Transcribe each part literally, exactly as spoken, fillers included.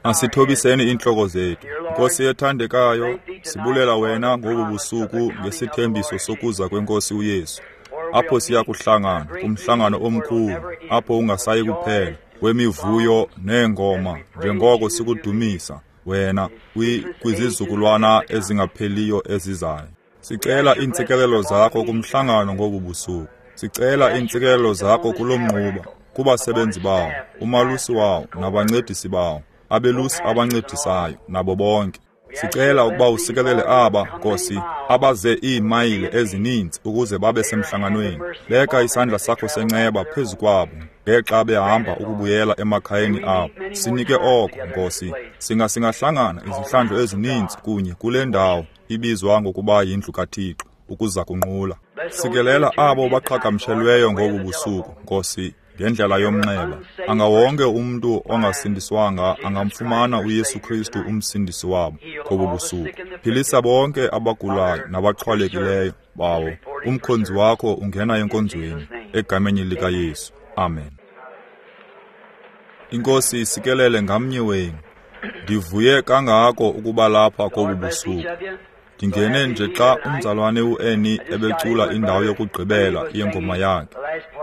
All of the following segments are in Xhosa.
Asithobiseni iintloko zethu. Nkosi ethandekayo, sibulela wena ngobu busuku ngesithembiso sokuza kweNkosi uYesu. Apho siya kuhlangana kumhlangano omkhulu, apho ungasayi kuphela, wemivuyo neengoma, njengoko sikudumisa wena kwizizukulwana ezingapheliyo ezizayo. Sicela iintsikelelo zakho kumhlangano ngobu busuku. Sicela iintsikelelo zakho kulo mnquba, kubasebenzi bawo, umalusi wawo nabancedisi bawo, abelusi abancedisayo nabo bonke. Sicela ukuba usikelele aba, Nkosi, abaze iimayile ezininzi ukuze babe semhlanganweni. Beka isandla sakho senceba phezu kwabo ngexa behamba ukubuyela emakhayeni abo. Sinike oko, Nkosi. Singa singahlangana izihlandlo ezininzi kunye kule ndawo ibizwa ngokuba yindlu kaThixo ukuza kunqula. Sikelela abo baqhagamshelweyo ngobu busuku, Nkosi, ngendlela yomnxeba. Anga wonke umntu ongasindiswanga angamfumana uYesu Kristu umsindisi wabo ngobu busuku. Philisa bonke abagulayo nabaxhwalekileyo bawo. Umkhonzi wakho ungena enkonzweni egameni likaYesu. Amen. Inkosi isikelele ngamnye wenu. Ndivuye kangako ukuba lapha kobu busuku. Ndingene nje xa umzalwane uErnie ebecula indawo yokugqibela yengoma yakhe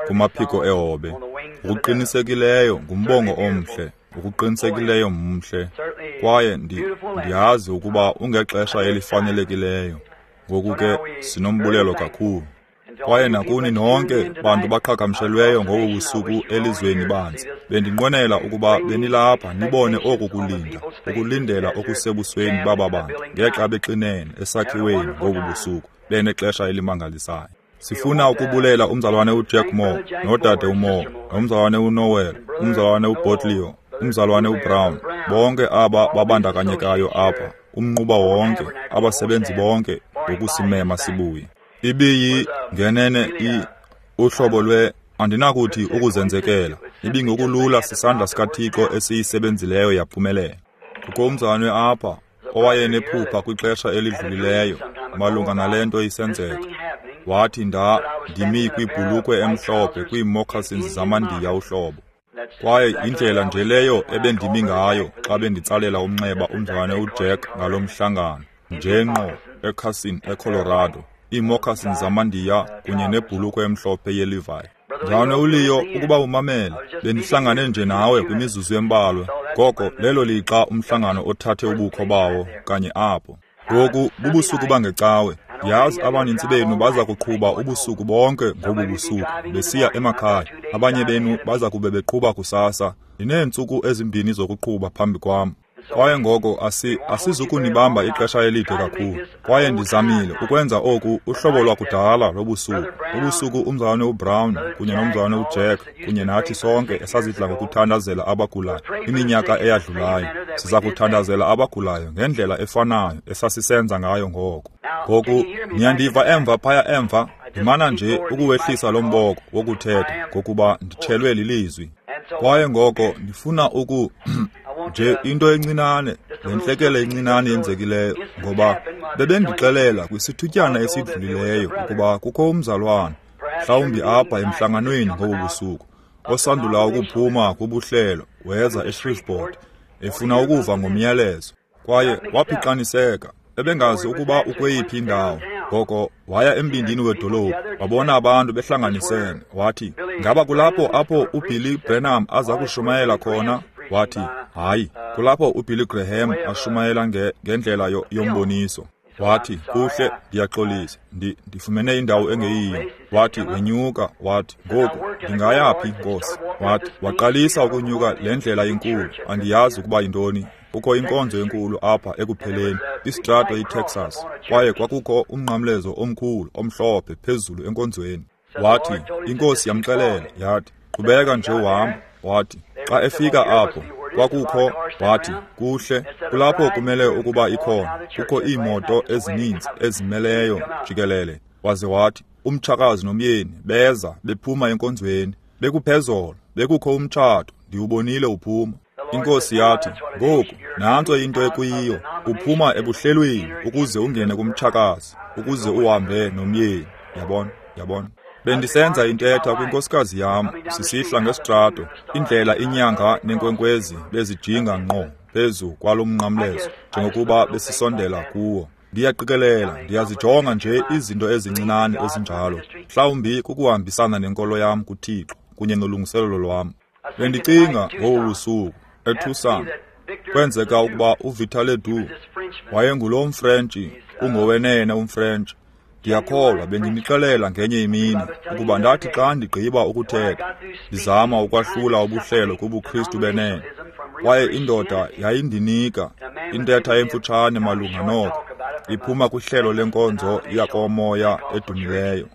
kumaphiko ehobe. Ngokuqinisekileyo ngumbongo omhle, ngokuqinisekileyo mhle. Kwaye ndiyazi ukuba ungexesha elifanelekileyo. Ngoku ke sinombulelo kakhulu. Kwaye nakuni nonke bantu baqhagamshelweyo ngobu busuku elizweni banzi, bendinqwenela ukuba benilapha nibone oku kulinda, ukulindela okusebusweni baba bantu ngexa bexinene esakhiweni ngobu busuku benexesha elimangalisayo. Sifuna ukubulela umzalwane uJack Moore nodade uMoore, nomzalwane uNoel, umzalwane uBotleo, umzalwane uBrown, bonke aba babandakanyekayo apha, umnquba wonke, abasebenzi bonke ngokusimema sibuye. Ibiyi ngenene i uhlobo lwe andinakuthi ukuzenzekela, ibingokulula sisandla sikaThixo esiyisebenzileyo yaphumelela. Kukho umzalwane apha owayenephupha kwixesha elidlulileyo malunga nale nto isenzeka. Wathi nda ndimi kwibhulukhwe emhlophe kwii-moccasins zamaNdiya uhlobo. Kwaye indlela nje leyo ebendimi ngayo xa benditsalela umnxeba umzalwane uJack ngalo mhlangano, nje ngqo eCarson eColorado, ii-moccasins zamaNdiya kunye nebhulukhwe emhlophe yeLevi. Mzalwane uLeo, ukuba umamele, bendihlangane nje nawe kwimizuzu embalwa. Ngoko lelo lixa umhlangano othathe ubukho bawo kanye apho. Ngoku bubusuku bangecawe. Ndiyazi abanintsi benu baza kuqhuba ubusuku bonke ngobu busuku besiya emakhaya. Abanye benu baza kube beqhuba kusasa. Ndineentsuku ezimbini zokuqhuba phambi kwam. Kwaye ngoko asi asizukunibamba ixesha elide kakhulu. Kwaye ndizamile ukwenza oku uhlobo lwakudala lobusuku. Ubusuku umzalwane uBrown kunye nomzalwane uJack kunye nathi sonke esazidla ngokuthandazela abagulayo iminyaka eyadlulayo. Siza kuthandazela abagulayo ngendlela efanayo esasisenza ngayo ngoko. Ngoku niyandiva emva phaya emva, ndimana nje ukuwehlisa lo mboko wokuthetha ngokuba nditshelwe lilizwi. Kwaye ngoko ndifuna uku nje into encinane, le ntlekele encinane yenzekileyo, ngoba bebendixelela kwisithutyana esidlulileyo ukuba kukho umzalwane, mhlawumbi apha emhlanganweni ngobu busuku, osandula ukuphuma kubuhlelo weza eShreveport efuna ukuva ngomyalezo. Kwaye waphixaniseka, ebengazi ukuba ukweyiphi indawo. Ngoko waya embindini wedolophu, wabona abantu behlanganisene. Wathi, ngaba kulapho apho uBilly Branham aza kushumayela khona? Wathi, hayi, kulapho uBilly Graham ashumayela ngendlela yomboniso. Wathi, kuhle, ndiyaxolisa, ndi ndifumene indawo engeyiyo. Wathi, wenyuka, wathi, ngoku ndingayaphi, Nkosi? Wathi, waqalisa ukunyuka le ndlela inkulu, andiyazi ukuba yintoni. Kukho inkonzo enkulu apha ekupheleni, istrato iTexas, kwaye kwakukho umnqamlezo omkhulu omhlophe phezulu enkonzweni. Wathi, iNkosi yamxelela, yathi, qhubeka nje uhamba. Wathi, xa efika apho, kwakukho, wathi, kuhle, kulapho kumele ukuba ikhona, kukho iimoto ezininzi ezimeleyo jikelele. Waze wathi, umtshakazi nomyeni beza bephuma enkonzweni, bekuphezolo, bekukho umtshato, ndiwubonile uphuma. Inkosi yathi, ngoku, nantso into ekuyiyo, uphuma ebuhlelweni ukuze ungene kumtshakazi, ukuze uhambe nomyeni. Yabona, yabona. Bendisenza intetha kwinkosikazi yam sisihla ngesitrato, indlela inyanga nenkwenkwezi bezijinga ngqo phezu kwalo mnqamlezo njengokuba besisondela kuwo. Ndiyaqikelela, ndiyazijonga nje izinto ezincinane ezinjalo, mhlawumbi kukuhambisana nenkolo yam kuThixo kunye nolungiselelo lwam. Bendicinga ngobu busuku eTucson, kwenzeka ukuba uVictor Ledoux wayengulo mFrentshi, ungowenene umFrentshi. Ndiyakholwa bendinixelela ngenye imini ukuba ndathi xa ndigqiba ukuthetha ndizama ukwahlula ubuhlelo kubuKristu benene, kwaye indoda yayindinika intetha emfutshane malunga noko iphuma kwihlelo lenkonzo yakomoya edumileyo.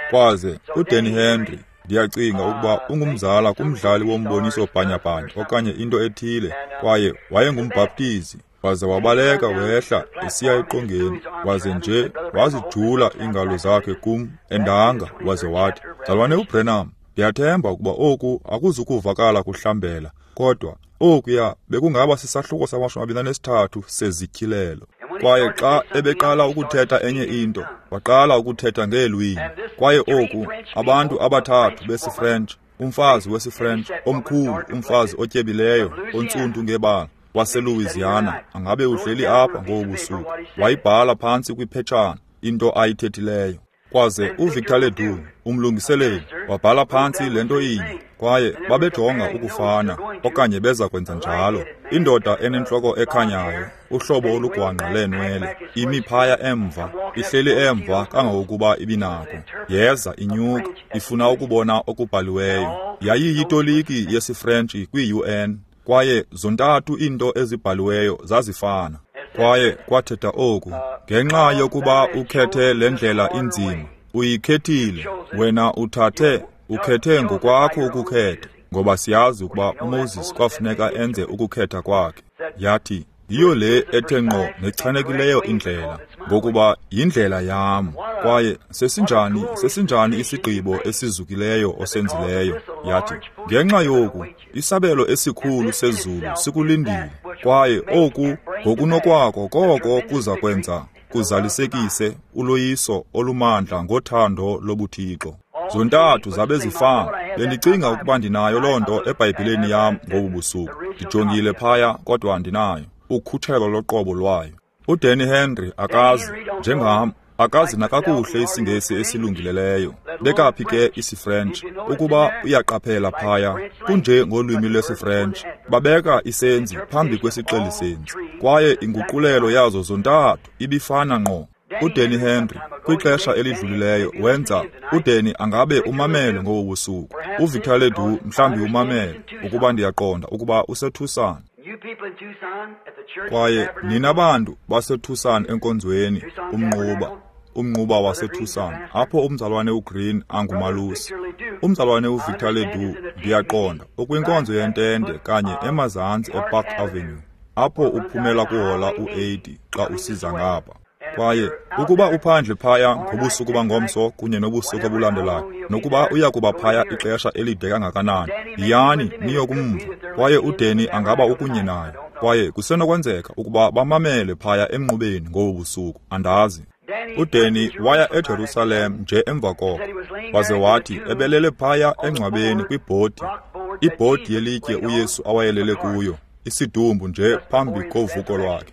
Kwaze uDanny Henry, ndiyacinga ukuba ungumzala kumdlali womboniso bhanyabhanya okanye into ethile, kwaye wayengumbhaptizi, waze wabaleka wehla esiya eqongeni, waze nje wazijula iingalo zakhe kum endanga, waze wathi, "Mzalwane uBranham, ndiyathemba ukuba oku akuzukuvakala kuhlambela, kodwa okuya bekungaba sisahluko samashumi amabini anesithathu sezityhilelo." Kwaye xa ebeqala ukuthetha enye into, waqala ukuthetha ngeelwimi. Kwaye oku, abantu abathathu besiFrench, umfazi wesiFrench omkhulu, umfazi otyebileyo, ontsundu ngebala, waseLouisiana, angabe uhleli apha ngobu busuku, wayibhala phantsi kwiphetshana into ayithethileyo. Kwaze uVictor Ledoux, umlungiseleli, wabhala phantsi le nto inye, kwaye babejonga ukufana okanye beza kwenza njalo. Indoda enentloko ekhanyayo, uhlobo olugwangqa leenwele, imi phaya emva, ihleli emva kangangokuba ibinako. Yeza inyuka, ifuna ukubona okubhaliweyo. Yayiyitoliki yesiFrentshi kwi-U N, kwaye zontathu iinto ezibhaliweyo zazifana. Kwaye kwathetha oku, ngenxa yokuba ukhethe le ndlela inzima, uyikhethile, wena uthathe, ukhethe ngokwakho ukukhetha, ngoba siyazi ukuba uMoses kwafuneka enze ukukhetha kwakhe. Yathi, yiyo le ethe ngqo nechanekileyo indlela, ngokuba yindlela yam. Kwaye sesinjani, sesinjani isigqibo esizukileyo osenzileyo? Yathi, ngenxa yoku, isabelo esikhulu sezulu sikulindile, kwaye oku ngokunokwako koko kuza kwenza kuzalisekise uloyiso olumandla ngothando lobuThixo. Zontathu zabe zifana. Bendicinga ukuba ndinayo loo nto eBhayibhileni yam ngobu busuku. Ndijongile phaya, kodwa andinayo ukhutshelo loqobo lwayo. UDanny Henry akazi, njengam, akazi nakakuhle isiNgesi esilungileleyo. Bekaphi ke isiFrench? Ukuba uyaqaphela phaya, kunje ngolwimi lwesiFrench, babeka isenzi phambi kwesixelisenzi, kwaye inguqulelo yazo zontathu ibifana ngqo. uDanny Henry kwixesha elidlulileyo wenza uDanny angabe umamele ngobu busuku. uVictor Ledoux mhlawumbi umamele, ukuba ndiyaqonda ukuba useTucson. Kwaye nina bantu baseTucson enkonzweni, umnquba, umnquba waseTucson, apho umzalwane uGreen angumalusi. Umzalwane uVictor Ledoux, ndiyaqonda, ukwinkonzo yentente kanye emazantsi ePark Avenue, apho uphumela kuhola u-eighty xa usiza ngapha. Kwaye ukuba uphandle phaya ngobusuku bangomso kunye nobusuku obulandelayo, nokuba uya kuba phaya ixesha elide kangakanani, yiyani niyokumva. Kwaye uDanny angaba ukunye naye, kwaye kusenokwenzeka ukuba bamamele phaya emnqubeni ngobu busuku, andazi. uDanny waya eJerusalem nje emva koko, waze wathi ebelele phaya engcwabeni kwibhodi, ibhodi yelitye uYesu awayelele kuyo, isidumbu nje phambi kovuko lwakhe.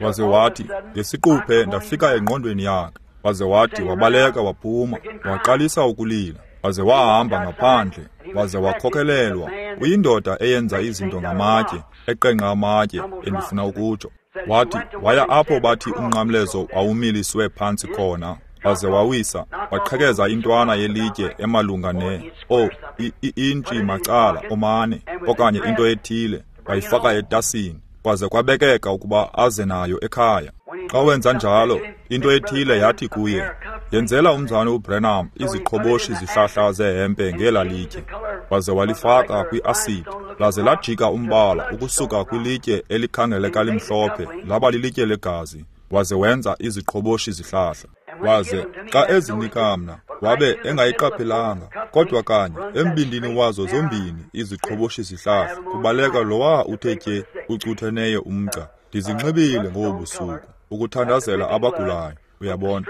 Waze wathi, ngesiquphe ndafika engqondweni yakhe. Waze wathi wabaleka waphuma, waqalisa ukulila, waze wahamba ngaphandle, waze wakhokelelwa. Uyindoda eyenza izinto ngamatye, eqengqa amatye, endifuna ukutsho. Wathi waya apho bathi umnqamlezo wawumiliswe phantsi khona, waze wawisa, waqhekeza intwana yelitye emalunga ne oh, i-intshi macala omane okanye into ethile, wayifaka etasini, kwaze kwabekeka ukuba aze nayo ekhaya. Xa wenza njalo, into ethile yathi kuye, yenzela umzalwane uBranham iziqhoboshi zihlahla zehempe ngela litye. Waze walifaka kwi-asidi, laze lajika umbala ukusuka kwilitye elikhangeleka limhlophe laba lilitye legazi, waze wenza iziqhoboshi zihlahla. Waze xa ezinika mna, wabe engayiqaphelanga, kodwa kanye embindini wazo zombini iziqhoboshi zihlahla kubaleka lowa uthe tye ucutheneyo umgca. Ndizinxibile ngobu busuku ukuthandazela abagulayo, uyabona.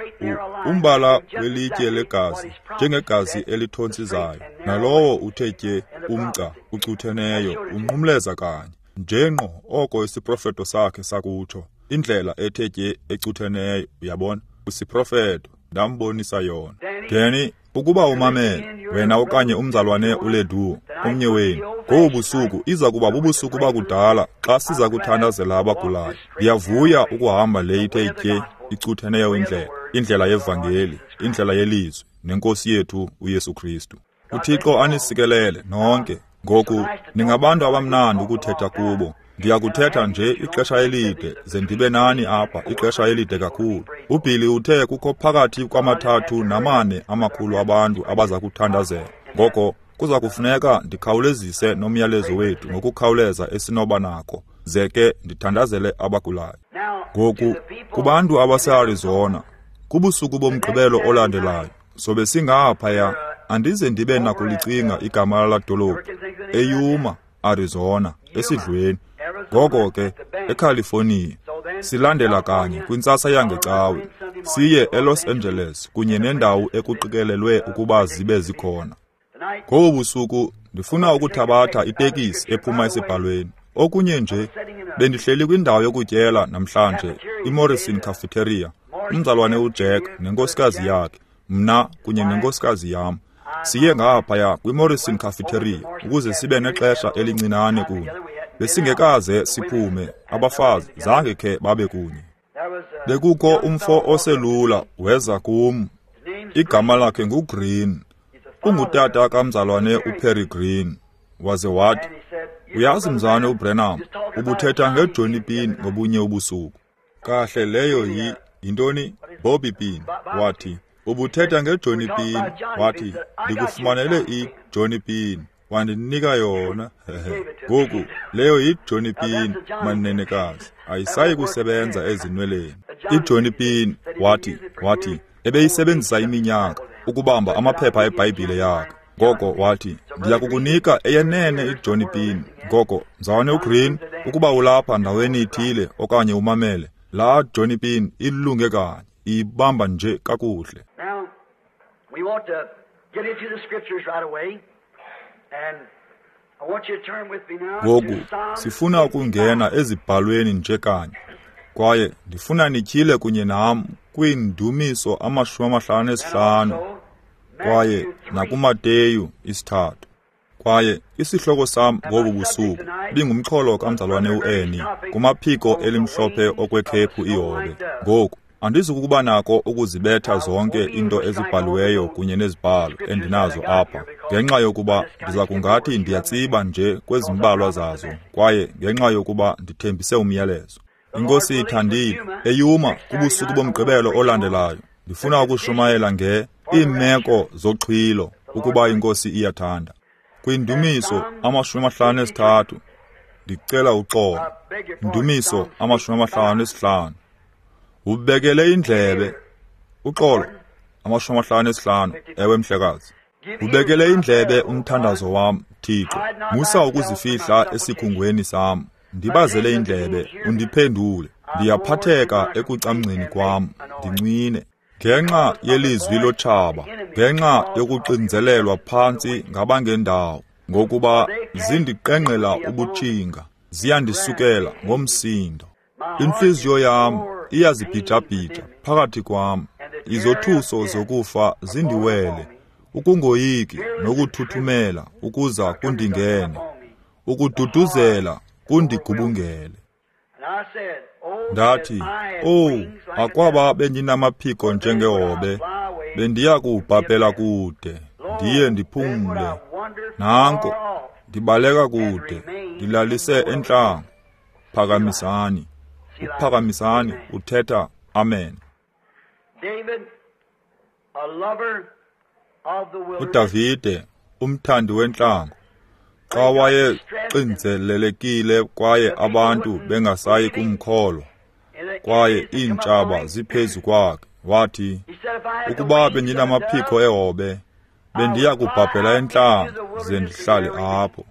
Umbala welitye legazi, njengegazi elithontsizayo, nalowo uthe tye umgca ucutheneyo unqumleza kanye njenqo oko isiprofeto sakhe sakutsho, indlela ethe tye ecutheneyo. Uyabona, isiprofeto ndambonisa yona. Danny, ukuba umamele wena okanye umzalwane uLedu omnye wenu, ngobu busuku iza kuba bubusuku bakudala xa siza kuthandazela abagulayo. Ndiyavuya ukuhamba le ithe tye icutheneyo indlela, indlela yevangeli, indlela yelizwi nenkosi yethu uYesu Kristu. UThixo anisikelele nonke. Ngoku ningabantu abamnandi ukuthetha kubo. Ndiyakuthetha nje ixesha elide ze ndibe nani apha ixesha elide kakhulu. UBilly uthe kukho phakathi kwamathathu namane amakhulu abantu abaza kuthandazela. Ngoko kuza kufuneka ndikhawulezise nomyalezo wethu ngokukhawuleza esinoba nako, ze ke ndithandazele abagulayo. Ngoku kubantu abaseArizona, kubusuku bomgqibelo olandelayo sobe singaphaya. Andize ndibe nakulicinga igama lala dolophu, eYuma, Arizona, esidlweni. Ngoko ke eCalifornia silandela kanye kwintsasa yangecawe siye eLos Angeles kunye nendawo ekuqikelelwe ukuba zibe zikhona. Ngobu busuku ndifuna ukuthabatha itekisi ephuma esibhalweni. Okunye nje, bendihleli kwindawo yokutyela namhlanje, iMorrison Cafeteria, umzalwane uJack nenkosikazi yakhe, mna kunye nenkosikazi yam. Siye ngaphaya kwiMorrison Cafeteria ukuze sibe nexesha elincinane kunye. Besingekaze siphume, abafazi zange khe babe kunye. Bekukho umfo oselula weza kum. Igama lakhe nguGreen. Ungutata kamzalwane uPerry Green. Waze wathi, uyazi mzalwane uBrenham, ubuthetha ngeJohnny Pin ngobunye ubusuku. Kahle leyo yi yintoni? Bobby Pin. Wathi, ubuthetha ngeJohnny Pin. Wathi, ndikufumanele iJohnny Pin. Wandinika yona. Ngoku leyo yiJohnny Pin, manenekazi, ayisayi kusebenza ezinweleni. iJohnny Pin, wathi, wathi ebeyisebenzisa iminyaka ukubamba amaphepha eBhayibhile yakhe. Ngoko wathi, ndiyakukunika eyenene iJohnny Pin. Ngoko mzalwane uGreen, ukuba ulapha ndaweni ithile okanye umamele, laa Johnny Pin ilunge kanye, ibamba nje kakuhle. Now, we want to get into the scriptures right away. And I want you to turn with me now Ngoku to Psalm sifuna ukungena ezibhalweni nje kanye, kwaye ndifuna nityhile kunye nam kwiindumiso amashumi amahlanu esihlanu kwaye nakuMateyu isithathu. Kwaye isihloko sam ngobu busuku bingumxholo kamzalwane uErnie kumaphiko elimhlophe okwekhephu ihobe. Ngoku andizukuba nako ukuzibetha zonke into ezibhaliweyo kunye nezibhalo endinazo apha, ngenxa yokuba ndiza kungathi ndiyatsiba nje kwezimbalwa zazo, kwaye ngenxa yokuba ndithembise umyalezo. Inkosi ithandile, eYuma kubusuku bomgqibelo olandelayo ndifuna ukushumayela nge iimeko zoxhwilo, ukuba inkosi iyathanda. Kwindumiso amashumi amahlanu esithathu, ndicela uxolo. Indumiso amashumi amahlanu esihlanu. Ubekele indlebe, uxolo, amashumi amahlanu esihlanu, ewe mhlekazi. Ubekele indlebe umthandazo wam, Thixo. Musa ukuzifihla esikhungweni sam. Ndibazele indlebe, undiphendule. Ndiyaphatheka ekucamngceni kwam, ndincwine. Ngenxa yelizwi lotshaba, ngenxa yokuxinzelelwa phantsi ngabangendawo, ngokuba zindiqengqela ubutshinga, ziyandisukela ngomsindo. Intliziyo yam iyazibhijabhija phakathi kwam, izothuso zokufa zindiwele, ukungoyiki nokuthuthumela ukuza kundingene, ukududuzela kundigubungele. Ndathi, owu, akwaba bendinamaphiko njengehobe, bendiya kuwubhabhela kude, ndiye ndiphumle. Nanko, ndibaleka kude, ndilalise entlango. Phakamisani, uphakamisani, uthetha amen. UDavide, umthandi wentlango, xa wayexinzelelekile kwaye abantu bengasayi kumkholwa, kwaye iintshaba ziphezu kwakhe, wathi, ukuba bendinamaphiko ehobe, bendiya kubhabhela entlango ze ndihlale apho.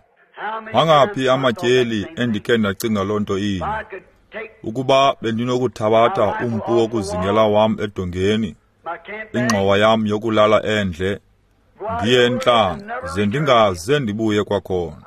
Mangaphi amatyeli endikhe ndacinga loo nto inye? Ukuba bendinokuthabatha umpu wokuzingela wam edongeni, ingxowa yam yokulala endle, ndiye entlango, ze ndingaze ndibuye kwakhona.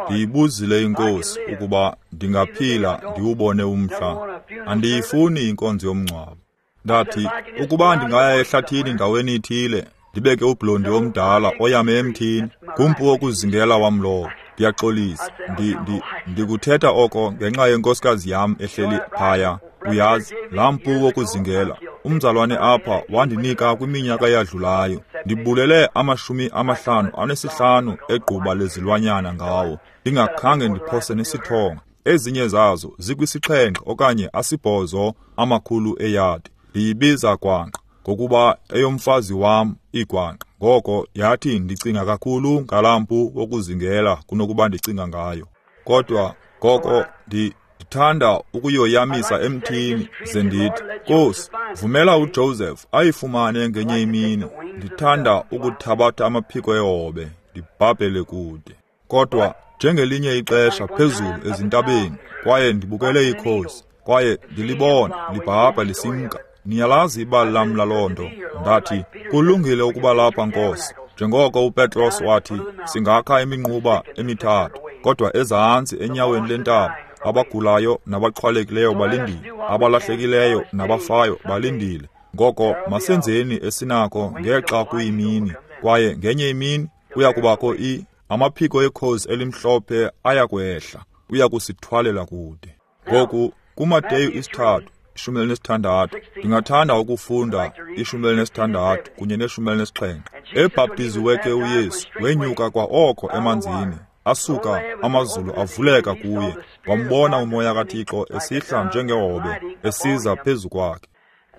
Ndiyibuzile iNkosi ukuba ndingaphila ndiwubone umhla. Andiyifuni inkonzo yomngcwabo. Ndathi, ukuba ndingaya ehlathini ndaweni ithile, ndibeke ublondi omdala oyame emthini, ngumpu wokuzingela wam lowo. Ndiyaxolisa, ndi, ndi, ndikuthetha oko ngenxa yenkosikazi yam ehleli phaya. Uyazi, laa mpu wokuzingela, umzalwane apha wandinika kwiminyaka eyadlulayo. Ndibulele amashumi amahlanu anesihlanu egquba lezilwanyana ngawo, ndingakhange ndiphose nesithonga. Ezinye zazo zikwisixhenxe okanye asibhozo amakhulu eyadi. Ndiyibiza gwanqa ngokuba eyomfazi wam igwanqa. Ngoko yathi ndicinga kakhulu ngalaa mpu wokuzingela kunokuba ndicinga ngayo. Kodwa ngoko ndi ndithanda ukuyoyamisa emthini, ze ndithi, Nkosi, vumela uJoseph ayifumane ngenye imini. Ndithanda ukuthabatha amaphiko ehobe, ndibhabhele kude. Kodwa njengelinye ixesha phezulu ezintabeni, kwaye ndibukele ikhosi, kwaye ndilibona libhabha lisimka. Niyalazi ibali lam laloo nto. Ndathi, kulungile ukuba lapha, Nkosi. Njengoko uPetros wathi, singakha iminquba emithathu, kodwa ezantsi enyaweni lentaba, abagulayo nabaxhwalekileyo balindile, abalahlekileyo nabafayo balindile. Ngoko masenzeni esinako ngexa kuyimini, kwaye ngenye imini kuya kubakho i amaphiko ekhozi elimhlophe ayakwehla, uya kusithwalela kude. Ngoku kuMateyu isithathu ishumi elinesithandathu, ndingathanda ukufunda ishumi elinesithandathu kunye neshumi elinesixhenxe. Ebhaptiziwe ke uYesu, wenyuka kwa oko emanzini, asuka amazulu avuleka kuye, wambona uMoya kaThixo esihla njengehobe esiza phezu kwakhe.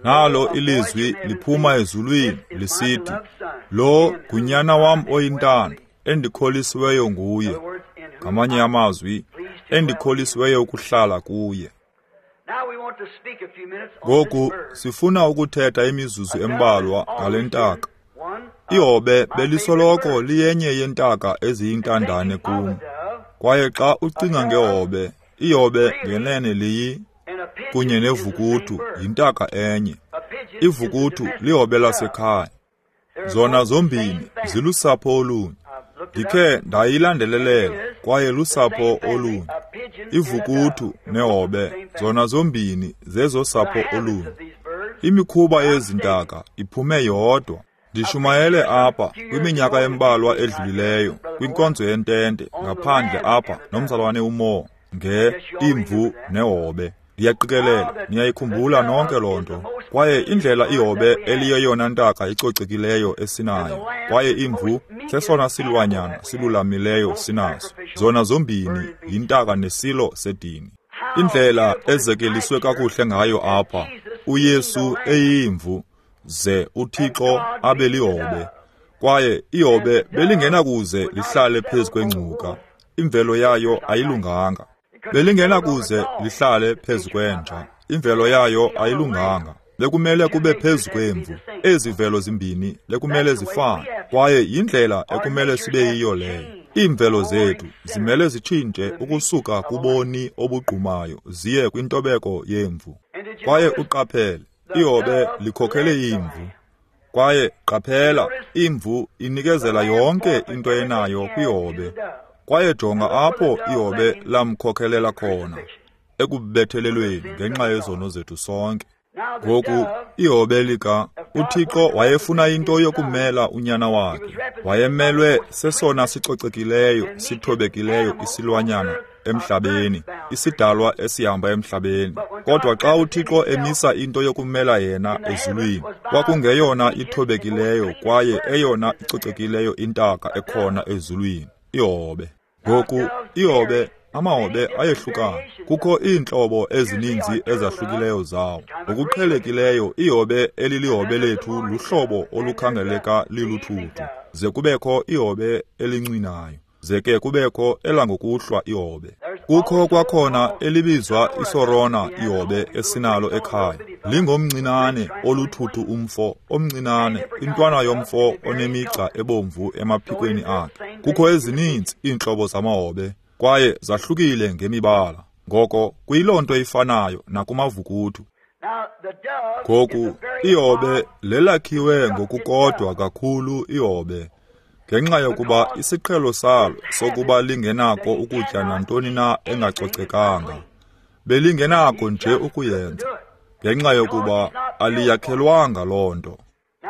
Nalo ilizwi liphuma ezulwini lisithi, lo ngunyana wam oyintando, endikholisiweyo nguye. Ngamanye amazwi, endikholisiweyo ukuhlala kuye. Ngoku sifuna ukuthetha imizuzu embalwa ngale ntaka. Ihobe belisoloko liyenye yentaka eziyintandane kum. Kwaye xa ucinga ngehobe, ihobe ngenene liyi kunye nevukuthu yintaka enye. Ivukuthu lihobe lasekhaya. Zona zombini zilusapho olunye. Ndikhe ndayilandelelela kwaye lusapho olunye. Ivukuthu nehobe zona zombini zezosapho olunye. Imikhuba yezintaka iphume yodwa. Ndishumayele apha kwiminyaka embalwa edlulileyo kwinkonzo yentente ngaphandle apha nomzalwane uMo nge imvu nehobe. Ndiyaqikelela niyayikhumbula nonke loo nto. Kwaye indlela ihobe eliyeyona ntaka icocekileyo esinayo, kwaye imvu sesona silwanyana silulamileyo sinaso. Zona zombini yintaka nesilo sedini. Indlela ezekeliswe kakuhle ngayo apha, uYesu eyimvu ze uThixo abe lihobe. Kwaye ihobe belingenakuze lihlale phezu kwengcuka, imvelo yayo ayilunganga. Belingenakuze lihlale phezu kwenja, imvelo yayo ayilunganga. Bekumele kube phezu kwemvu. Ezi mvelo zimbini bekumele zifane, kwaye yindlela ekumele sibe yiyo leyo. Iimvelo zethu zimele zitshintshe ukusuka kuboni obugqumayo ziye kwintobeko yemvu. Kwaye uqaphele, ihobe likhokhele imvu. Kwaye qaphela, imvu inikezela yonke into enayo kwihobe. Kwaye jonga apho ihobe lamkhokhelela khona, ekubethelelweni ngenxa yezono zethu sonke. Ngoku ihobe lika uThixo wayefuna into yokumela unyana wakhe. Wayemelwe sesona sicocekileyo, sithobekileyo isilwanyana emhlabeni, isidalwa esihamba emhlabeni. Kodwa xa uThixo emisa into yokumela yena ezulwini, kwakungeyona ithobekileyo kwaye eyona icocekileyo intaka ekhona ezulwini, ihobe. Ngoku ihobe, amahobe ayehlukana. Kukho iintlobo ezininzi ezahlukileyo zawo. Ngokuqhelekileyo ihobe elilihobe lethu luhlobo olukhangeleka liluthuthu, ze kubekho ihobe elincwinayo, ze ke kubekho elangokuhlwa ihobe. Kukho kwakhona elibizwa isorona ihobe esinalo ekhaya. Lingomncinane oluthuthu umfo, omncinane, intwana yomfo onemigca ebomvu emaphikweni akhe. Kukho ezininzi iintlobo zamahobe, kwaye zahlukile ngemibala. Ngoko kuyiloo nto ifanayo nakumavukuthu. Ngoku ihobe lelakhiwe ngokukodwa kakhulu ihobe, ngenxa yokuba isiqhelo salo sokuba lingenako ukutya nantoni na engacocekanga. Belingenako nje ukuyenza, ngenxa yokuba aliyakhelwanga loo nto.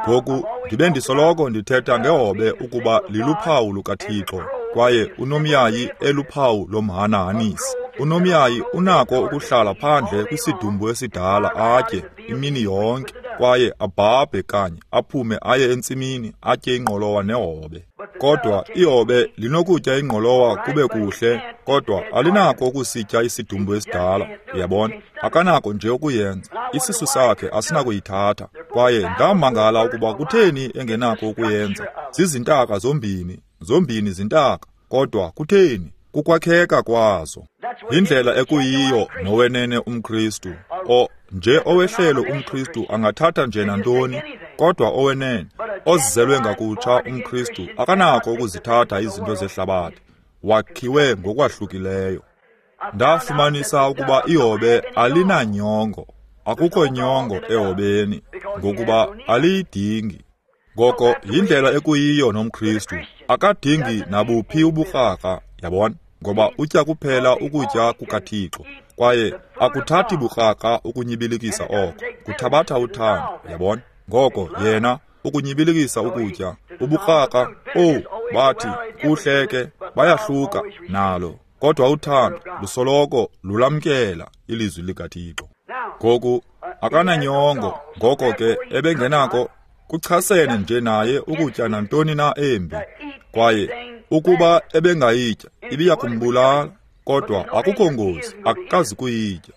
Ngoku ndibe ndisoloko ndithetha ngehobe ukuba liluphawu lukaThixo, kwaye unomyayi eluphawu lomhanahanisi. Unomyayi unako ukuhlala phandle kwisidumbu esidala atye imini yonke, kwaye abhabhe kanye aphume aye entsimini atye ingqolowa nehobe. Kodwa ihobe linokutya ingqolowa kube kuhle, kodwa alinako ukusitya isidumbu esidala. Uyabona, akanako nje ukuyenza. Isisu sakhe asinakuyithatha. Kwaye ndamangala ukuba kutheni engenako ukuyenza. Zizintaka zombini, zombini zintaka, kodwa kutheni? Kukwakheka kwazo. Yindlela ekuyiyo nowenene umKristu. O nje owehlelo umKristu angathatha nje nantoni, kodwa owenene ozizelwe ngakutsha umKristu akanako ukuzithatha izinto zehlabathi. Wakhiwe ngokwahlukileyo. Ndafumanisa ukuba ihobe alinanyongo. Akukho nyongo ehobeni, ngokuba aliyidingi. Ngoko yindlela ekuyiyo nomKristu. Akadingi nabuphi uburharha, yabona, ngoba utya kuphela ukutya kukaThixo. Kwaye akuthathi burharha ukunyibilikisa oko, kuthabatha uthando, yabona. Ngoko yena ukunyibilikisa ukutya, uburharha, owu, bathi kuhle ke, bayahluka nalo, kodwa uthando lusoloko lulamkela ilizwi likaThixo. Ngoku akananyongo, ngoko ke ebengenako kuchasene nje naye ukutya nantoni na embi. Kwaye ukuba ebengayitya ibiya kumbulala, kodwa akukho ngozi, akazi kuyitya,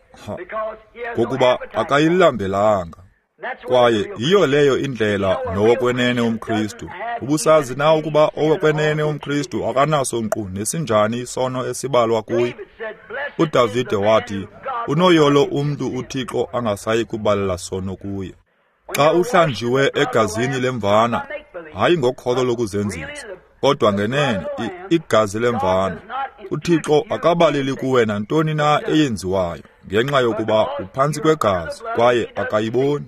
ngokuba akayilambelanga. Kwaye yiyo leyo indlela nowokwenene umKristu. Ubusazi na ukuba owokwenene umKristu akanaso nkqu nesinjani isono esibalwa kuye? UDavide wathi, unoyolo umntu uThixo angasayi kubalela sono kuye. Xa uhlanjiwe egazini lemvana, hayi ngokholo lokuzenzisa, kodwa ngenene igazi lemvana, uThixo akabaleli kuwe nantoni na eyenziwayo, ngenxa yokuba uphantsi kwegazi kwaye akayiboni.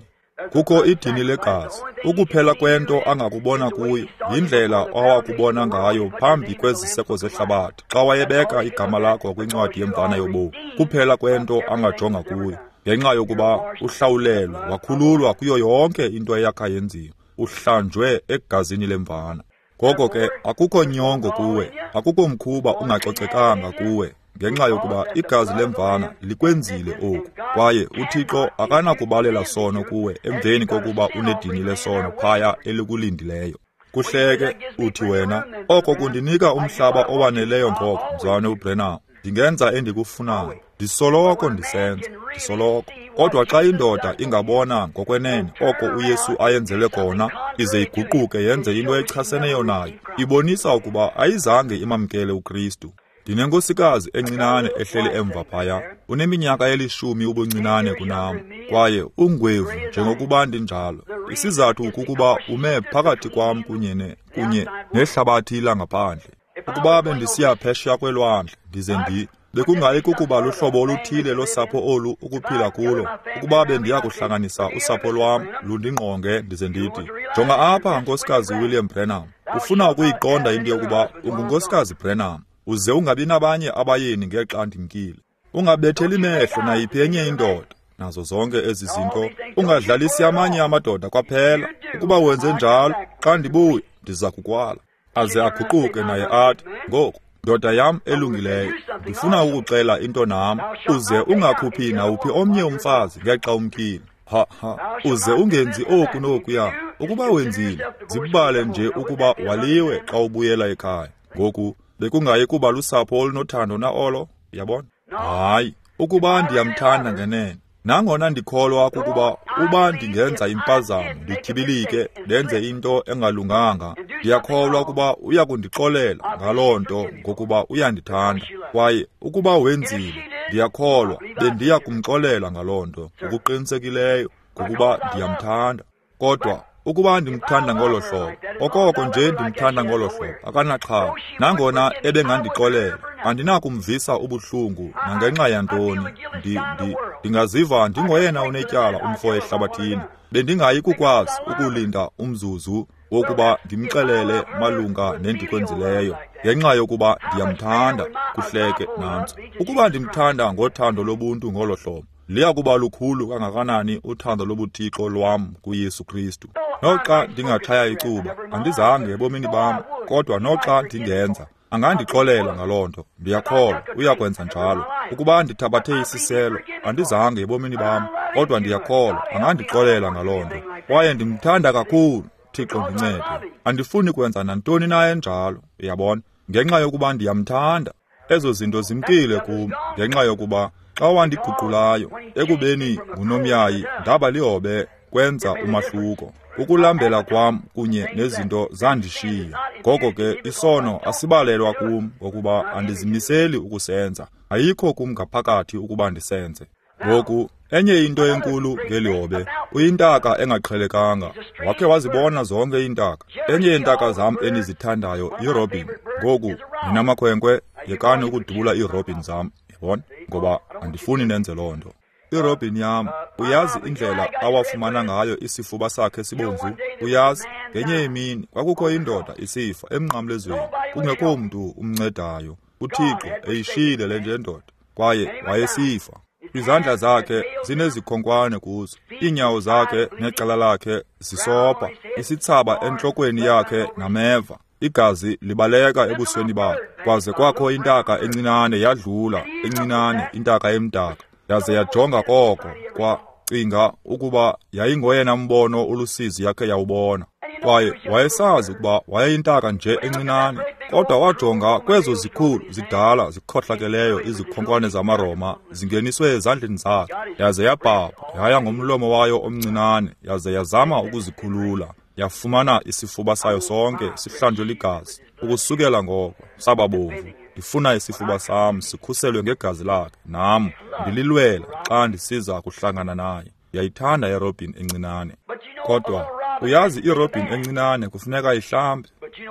Kukho idini legazi. Ukuphela kwento angakubona kuyo yindlela awakubona ngayo phambi kweziseko zehlabathi, xa wayebeka igama lakho kwincwadi yemvana yobomi. Kuphela kwento angajonga kuyo, ngenxa yokuba uhlawulelwe, wakhululwa kuyo yonke into eyakha yenziwa, uhlanjwe egazini lemvana. Ngoko ke akukho nyongo kuwe, akukho mkhuba ungacocekanga kuwe, ngenxa yokuba igazi lemvana likwenzile oku. Kwaye uThixo akanakubalela sono kuwe emveni kokuba unedini lesono phaya elikulindileyo. Kuhleke uthi wena, oko kundinika umhlaba owaneleyo ngoko, mzalwane uBrenham. Ndingenza endikufunayo, ndisoloko ndisenza, ndisoloko. Kodwa xa indoda ingabona ngokwenene oko uYesu ayenzele kona, ize iguquke yenze into echaseneyo nayo, ibonisa ukuba ayizange imamkele uKristu. Ndinenkosikazi encinane ehleli emva phaya, uneminyaka elishumi ubuncinane kunam, kwaye ungwevu njengokuba ndinjalo. Isizathu kukuba ume phakathi kwam kunye ne kunye nehlabathi langaphandle. Ukuba bendisiya phesheya kwelwandle, ndize ndi bekungayi kukuba luhlobo oluthile losapho olu ukuphila kulo. Ukuba bendiya kuhlanganisa usapho lwam lundingqonge, ndize ndithi, jonga apha, nkosikazi William Branham, ufuna ukuyiqonda into yokuba ungunkosikazi Branham, uze ungabi nabanye abayeni ngexa ndimkile. Ungabetheli mehlo nayiphi enye indoda, nazo zonke ezi zinto. Ungadlalisi amanye amadoda kwaphela. Ukuba wenze njalo, xa ndibuya ndiza kukwala. Aze aguquke naye athi, ngoku ndoda yam elungileyo, ndifuna ukuxela into nam, uze ungakhuphi nawuphi omnye umfazi ngexa umkile. Ha ha, uze ungenzi oku nokuya. Ukuba wenzile, zibale nje ukuba waliwe xa ubuyela ekhaya. Ngoku bekungayi kuba lusapho olunothando na olo, yabona? Hayi, ukuba ndiyamthanda ngenene, nangona ndikholwa kukuba uba ndingenza impazamo, ndityibilike, ndenze into engalunganga, ndiyakholwa ukuba uya kundixolela ngaloo nto ngokuba uyandithanda. Kwaye ukuba wenzile, ndiyakholwa bendiya kumxolela ngaloo nto ngokuqinisekileyo ngokuba ndiyamthanda. Kodwa ukuba ndimthanda ngolo hlobo, okoko nje ndimthanda ngolo hlobo, akanaxhala. Nangona ebengandixolela, andinakumvisa ubuhlungu nangenxa yantoni. Ndi, ndi, Ndingaziva ndingoyena unetyala umfo ehlabathini. Bendingayi kukwazi ukulinda umzuzu wokuba ndimxelele malunga nendikwenzileyo, ngenxa yokuba ndiyamthanda. Kuhleke nantso. Ukuba ndimthanda ngothando lobuntu ngolo hlobo, liya kuba lukhulu kangakanani uthando lobuthixo lwam kuYesu Kristu. Noxa ndingatshaya icuba, andizange ebomini bam, kodwa noxa ndingenza, angandixolela ngaloo nto. Ndiyakholwa uyakwenza njalo. Ukuba ndithabathe isiselo, andizange ebomini bam, kodwa ndiyakholwa angandixolela ngaloo nto. Kwaye ndimthanda kakhulu. Thixo ndincede. Andifuni kwenza nantoni na enjalo, uyabona, ngenxa yokuba ndiyamthanda. Ezo zinto zimkile kum, ngenxa yokuba xa wandiguqulayo ekubeni ngunomyayi ndaba lihobe, kwenza umahluko. Ukulambela kwam kunye nezinto zandishiya. Ngoko ke isono asibalelwa kum, ngokuba andizimiseli ukusenza. Ayikho kum ngaphakathi ukuba ndisenze. Ngoku enye into enkulu ngelihobe, uyintaka engaqhelekanga. Wakhe wazibona zonke iintaka. Enye yeentaka zam enizithandayo yirobin. Ngoku nina makhwenkwe, yekani ukudubula iirobin zam, yabona, ngoba andifuni nenze loo nto. Irobin yam, uyazi indlela awafumana ngayo isifuba sakhe sibomvu? Uyazi, ngenye imini kwakukho indoda isifa emnqamlezweni, kungekho mntu umncedayo. UThixo eyishiyile le nje ndoda, kwaye wayesifa. Izandla zakhe zinezikhonkwane kuzo, iinyawo zakhe necala lakhe zisopha, isithsaba entlokweni yakhe nameva, igazi libaleka ebusweni bakhe. Kwaze kwakho intaka encinane yadlula, encinane intaka emdaka, yaze yajonga koko, kwacinga ukuba yayingoyena mbono olusizi yakhe yawubona. Kwaye wayesazi ukuba wayeyintaka nje encinane, kodwa wajonga kwezo zikhulu zidala zikhohlakeleyo izikhonkwane zamaRoma zingeniswe ezandleni zakhe, yaze yabhabha yaya ngomlomo wayo omncinane, yaze yazama ukuzikhulula. Yafumana isifuba sayo sonke sihlanjwe ligazi. Ukusukela ngoko saba bomvu. Ndifuna isifuba sam sikhuselwe ngegazi lakhe, nam ndililwela xa ndisiza kuhlangana naye. Ndiyayithanda irobin encinane, kodwa uyazi irobin encinane kufuneka ihlambe.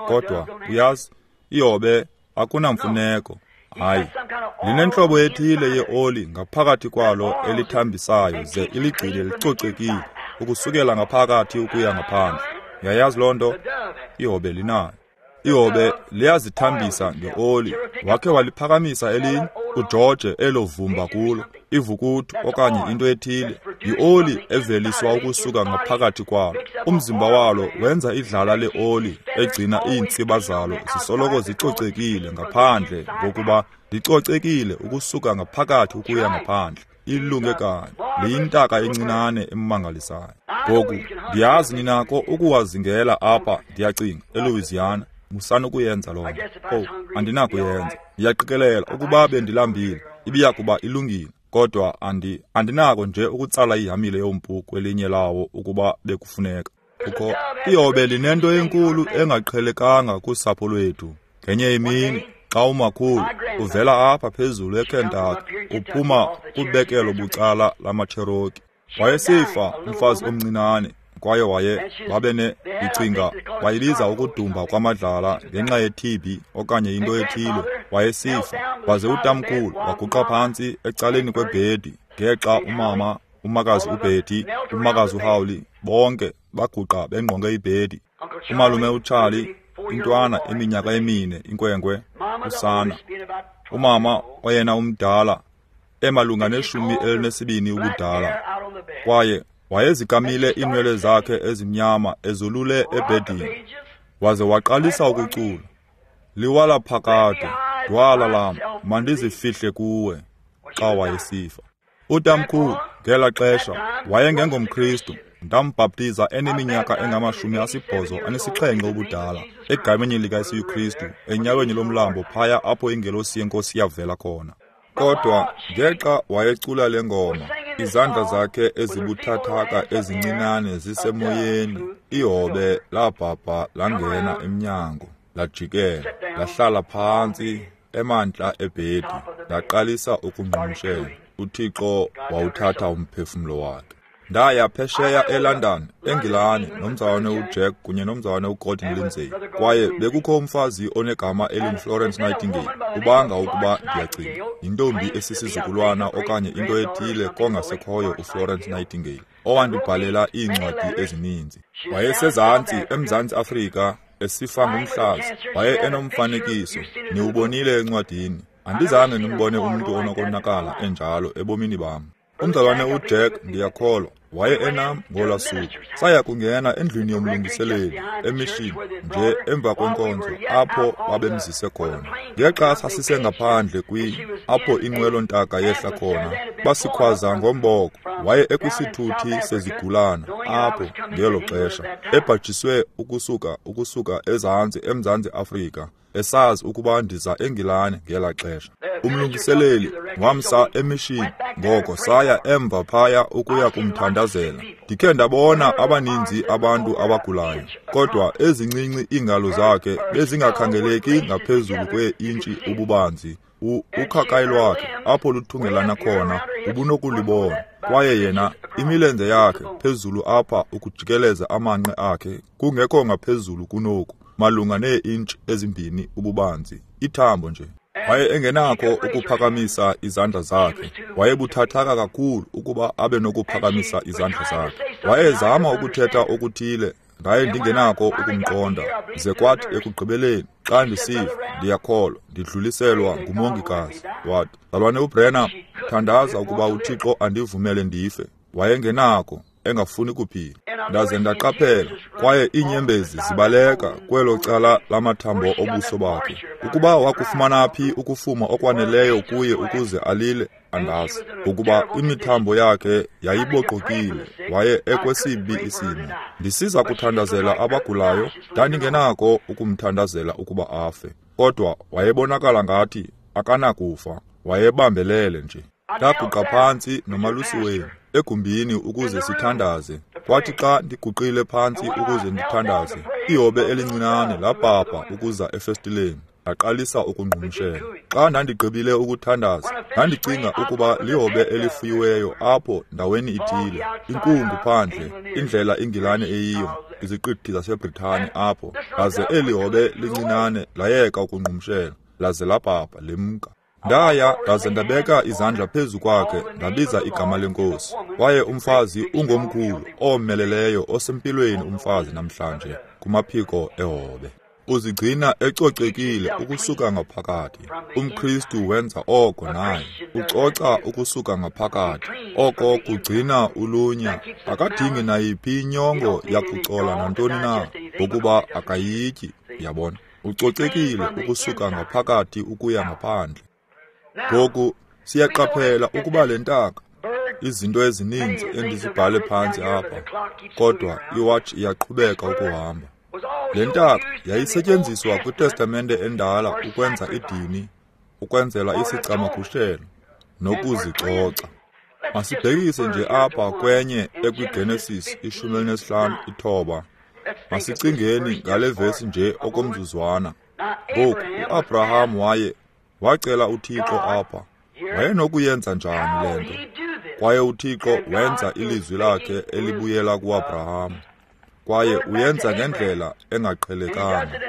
Kodwa uyazi ihobe akunamfuneko. Hayi, linentlobo ethile yeoli ngaphakathi kwalo elithambisayo ze iligcine licocekile ukusukela ngaphakathi ukuya ngaphandle. Uyayazi loo nto? Ihobe linayo. Ihobe liyazithambisa ngeoli. Wakhe waliphakamisa elinye uJorge elovumba kulo, ivukuthu okanye into ethile. Yioli eveliswa ukusuka ngaphakathi kwalo. Umzimba walo wenza idlala leoli egcina iintsiba zalo zisoloko zicocekile ngaphandle, ngokuba licocekile ukusuka ngaphakathi ukuya ngaphandle. Ilunge kanye, liyintaka encinane emangalisayo. Ngoku ndiyazi ninako ukuwazingela apha, ndiyacinga, eLouisiana. Musani ukuyenza loo nto. Oh, andinakuyenza. Ndiyaqikelela ukuba bendilambile ibiya kuba ilungile, kodwa andi andinako nje ukutsala ihamile yompu kwelinye lawo ukuba bekufuneka. Kukho ihobe linento enkulu engaqhelekanga kusapho lwethu. Ngenye imini xa umakhulu uvela apha phezulu eKentucky, uphuma kubekelo bucala lamaCherokee, wayesifa umfazi omncinane, kwaye waye babene icinga wayibiza ukudumba kwamadlala ngenxa ye-T B okanye into ethile. Wayesifa, waze utamkhulu waguqa phantsi ecaleni kwebhedi ngexa umama, umakazi uBetty, umakazi uHowley bonke baguqa bengqonge ibhedi. Umalume uCharlie, intwana eminyaka emine, inkwenkwe, usana. Umama oyena umdala, emalunga neshumi elinesibini ubudala, kwaye wayezikamile iinwele zakhe ezimnyama ezolule ebhedini, waze waqalisa ukucula, liwala phakade, dwala lam, mandizifihle kuwe, xa wayesifa. Utamkhulu ngela xesha wayengengomKristu. Ndambhaptiza eneminyaka engamashumi asibhozo anesixhenxe ubudala, egameni likaYesu Kristu, enyaweni lomlambo phaya apho ingelosi yenkosi yavela khona. Kodwa ngexa wayecula le ngoma, izandla zakhe ezibuthathaka ezincinane zisemoyeni, ihobe labhabha langena emnyango, lajikela, lahlala phantsi emantla ebhedi, laqalisa ukungqumshela. UThixo wawuthatha umphefumlo wakhe. Ndaya phesheya eLondon, eNgilani, nomzalwane uJack kunye nomzalwane uGordon Lindsay. Kwaye bekukho umfazi onegama elinguFlorence Nightingale, ubanga ukuba ndiyacinga yintombi esisizukulwana okanye into ethile kongasekhoyo uFlorence Nightingale, owandibhalela iincwadi ezininzi. Wayesezantsi eMzantsi Afrika esifa ngumhlaza. Waye enomfanekiso, niwubonile encwadini. Andizange ndimbone umntu onokonakala enjalo ebomini bam. Umzalwane uJack, ndiyakholwa, waye enam ngolaa suku. Saya kungena endlwini yomlungiseleli emishini nje emva kwenkonzo apho babemzise khona. Ngexa sasisengaphandle kwi apho inqwelo-ntaka yehla khona, basikhwaza ngomboko. Waye ekwisithuthi sezigulana apho ngelo xesha, ebhajiswe ukusuka ukusuka ezantsi eMzantsi Afrika, esazi ukuba ndiza eNgilane ngela xesha. Umlungiseleli wamsa emishini, ngoko saya emva phaya ukuya kumthandazela. Ndikhe ndabona abaninzi abantu abagulayo, kodwa ezincinci iingalo zakhe bezingakhangeleki ngaphezulu kwee-intshi ububanzi. Ukhakayi lwakhe apho luthungelana khona ubunokulibona, kwaye yena imilenze yakhe phezulu apha ukujikeleza amanqe akhe kungekho ngaphezulu kunoku, malunga nee-intshi ezimbini ububanzi, ithambo nje. Waye engenakho ukuphakamisa izandla zakhe. Wayebuthathaka kakhulu ukuba abe nokuphakamisa izandla zakhe. Wayezama ukuthetha okuthile, ndaye ndingenakho ukumqonda. Ze kwathi ekugqibeleni, xa ndisiva, ndiyakholwa, ndidluliselwa ngumongikazi. Wathi, "Mzalwane uBrenham, thandaza ukuba uThixo andivumele ndife." Wayengenakho, engafuni kuphila. Ndaze ndaqaphela, kwaye iinyembezi zibaleka kwelo cala lamathambo obuso bakhe. Ukuba wakufumana phi ukufuma okwaneleyo kuye ukuze alile, andazi. Ukuba imithambo yakhe yayiboqokile, waye ekwesibi isimo. Ndisiza kuthandazela abagulayo, ndandingenako ukumthandazela ukuba afe. Kodwa wayebonakala ngathi akanakufa, wayebambelele nje. Ndaguqa phantsi nomalusi wenu egumbini ukuze sithandaze. Kwathi xa ndiguqile phantsi ukuze ndithandaze, ihobe elincinane labhabha ukuza efestileni, laqalisa ukungqumshela. Xa ndandigqibile ukuthandaza, ndandicinga ukuba lihobe elifuyiweyo apho ndaweni ithile, inkungu phandle, indlela iNgilane eyiyo, iziqithi zaseBritani apho. Laze eli hobe lincinane layeka ukungqumshela, laze labhabha lemka. Ndaya ndaze ndabeka izandla phezu kwakhe, ndabiza igama lenkosi. Kwaye umfazi ungomkhulu, omeleleyo, osempilweni umfazi namhlanje, kumaphiko ehobe. Uzigcina ecocekile ukusuka ngaphakathi. UmKristu wenza oko naye. Ucoca ukusuka ngaphakathi. Oko kugcina ulunya. Akadingi nayiphi inyongo yakucola nantoni na, ngokuba akayityi, yabona. Ucocekile ukusuka ngaphakathi ukuya ngaphandle. Ngoku siyaqaphela ukuba le ntaka, izinto ezininzi endizibhale phantsi apha, kodwa iwatch iyaqhubeka ukuhamba. Le ntaka yayisetyenziswa kwiTestamente endala ukwenza idini, ukwenzela isicamagushelo nokuzicoca. Masibhekise nje apha kwenye ekwiGenesis ishumi elinesihlanu ithoba. Masicingeni ngale vesi nje okomzuzwana. Ngoku uAbraham waye wacela uThixo apha, wayenokuyenza njani le nto? Kwaye uThixo wenza ilizwi lakhe elibuyela kuAbraham, kwaye uyenza ngendlela engaqhelekanga.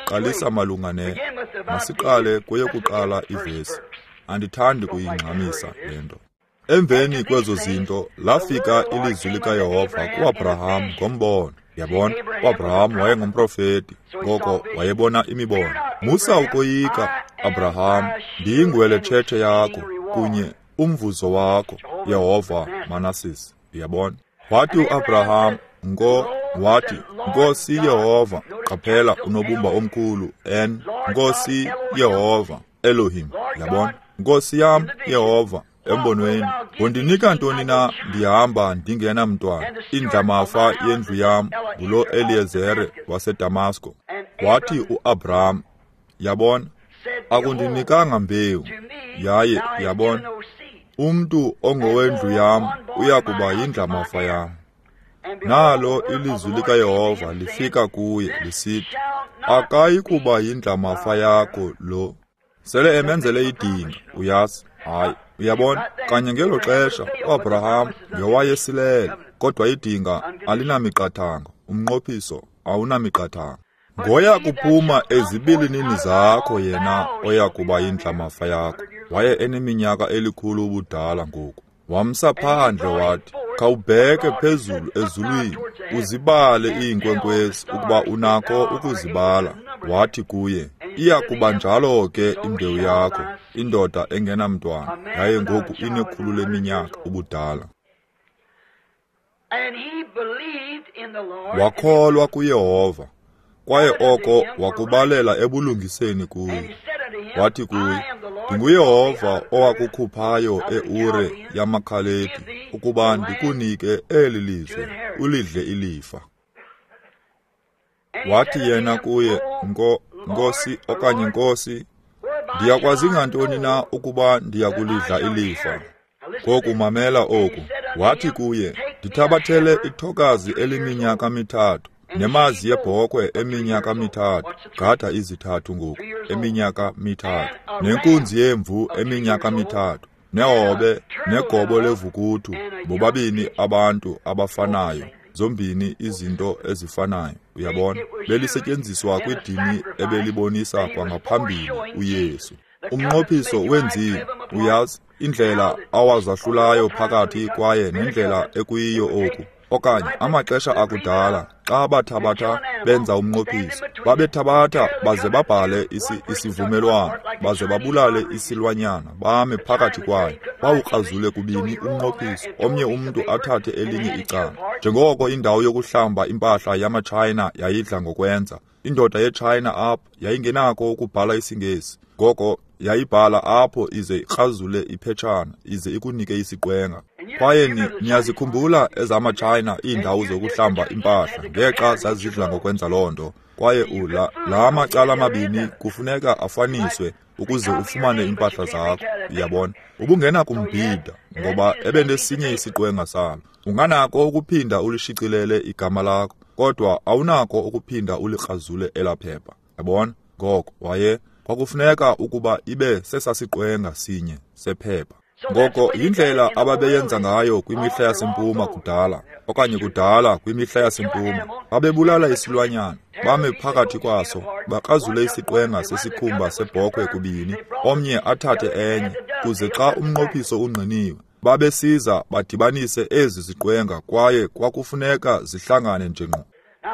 Qalisa malunga ne, masiqale kweyokuqala ivesi. Andithandi kuyingxamisa le nto. Emveni kwezo zinto lafika ilizwi likaYehova kuAbraham ngombono. Yabona, uAbraham wayengumprofeti, ngoko wayebona imibono. Musa ukoyika, Abraham, ndiyingwele tshetshe yakho kunye umvuzo wakho, Yehova Manasis. Yabona, wathi uAbraham, ngo wathi, Nkosi Yehova, qaphela unobumba omkhulu N, Nkosi Yehova Elohim. Yabona, Nkosi yam Yehova, embonweni, ngondinika ntoni na ndihamba ndingenamntwana? Indlamafa yendlu yam ngulo Eliyezere waseDamasko. Wathi uAbraham, yabona, akundinikanga mbewu, yaye yabona, umntu ongowendlu yam uya kuba yindlamafa yam. Nalo ilizwi likaYehova lifika kuye lisithi, akayi kuba yindlamafa yakho lo. Sele emenzele idinga, uyazi. Hayi, uyabona, kanye ngelo xesha uAbraham ngewayesilele. Kodwa idinga alinamiqathango, umnqophiso awunamiqathango. Ngoya kuphuma ezibilinini zakho yena oya kuba yindlamafa yakho. Waye eneminyaka elikhulu ubudala ngoku. Wamsa phandle wathi, khawubheke phezulu ezulwini, uzibale iinkwenkwezi ukuba unako ukuzibala. Wathi kuye, iya kuba njalo ke imbewu yakho, indoda engenamntwana, yaye ngoku inekhulu leminyaka ubudala. Wakholwa kuYehova, kwaye oko wakubalela ebulungiseni kuye. Wathi kuye, ndinguYehova owakukhuphayo eUre yamaKhaledi ukuba ndikunike eli lizwe, ulidle ilifa. Wathi yena kuye, Nko, Nkosi okanye Nkosi, ndiyakwazi ngantoni na ukuba ndiyakulidla ilifa? Ngoku mamela oku. Wathi kuye, ndithabathele ithokazi eliminyaka mithathu, nemazi yebhokhwe eminyaka mithathu, gada izithathu ngoku, eminyaka mithathu, nenkunzi yemvu eminyaka mithathu, nehobe negobo levukuthu, bobabini abantu abafanayo, zombini izinto ezifanayo. Uyabona, belisetyenziswa kwidini ebelibonisa kwangaphambili uYesu. Umnqophiso wenziwe, uyazi, indlela awazahlulayo phakathi kwaye nendlela ekuyiyo oku. Okanye amaxesha akudala xa bathabatha benza umnqophiso, babethabatha baze babhale isi, isivumelwano, baze babulale isilwanyana, bame phakathi kwayo, bawukrazule kubini umnqophiso, omnye umntu athathe elinye icala. Njengoko indawo yokuhlamba impahla yamaTshayina yayidla ngokwenza, indoda yeTshayina apho yayingenako ukubhala isiNgesi, ngoko yayibhala apho ize ikrazule iphetshana ize ikunike isiqwenga. Kwaye niyazikhumbula ezamaTshayina iindawo zokuhlamba impahla ngexa zazidla ngokwenza loo nto. Kwaye ula la macala amabini kufuneka afaniswe ukuze ufumane impahla zakho. Uyabona, ubungenakumbhida ngoba ebenesinye isiqwenga salo. Unganako ukuphinda ulishicilele igama lakho, kodwa awunako ukuphinda ulikrazule elaa phepha. Yabona, ngoko waye kwakufuneka ukuba ibe sesasiqwenga sinye sephepha. Ngoko yindlela ababeyenza ngayo kwimihla yasempuma kudala, okanye kudala kwimihla yasempuma. Babebulala isilwanyana, bame phakathi kwaso, bakrazule isiqwenga sesikhumba sebhokhwe kubini, omnye athathe enye, kuze xa umnqophiso ungqiniwe, babesiza badibanise ezi ziqwenga kwaye kwakufuneka zihlangane nje ngqo.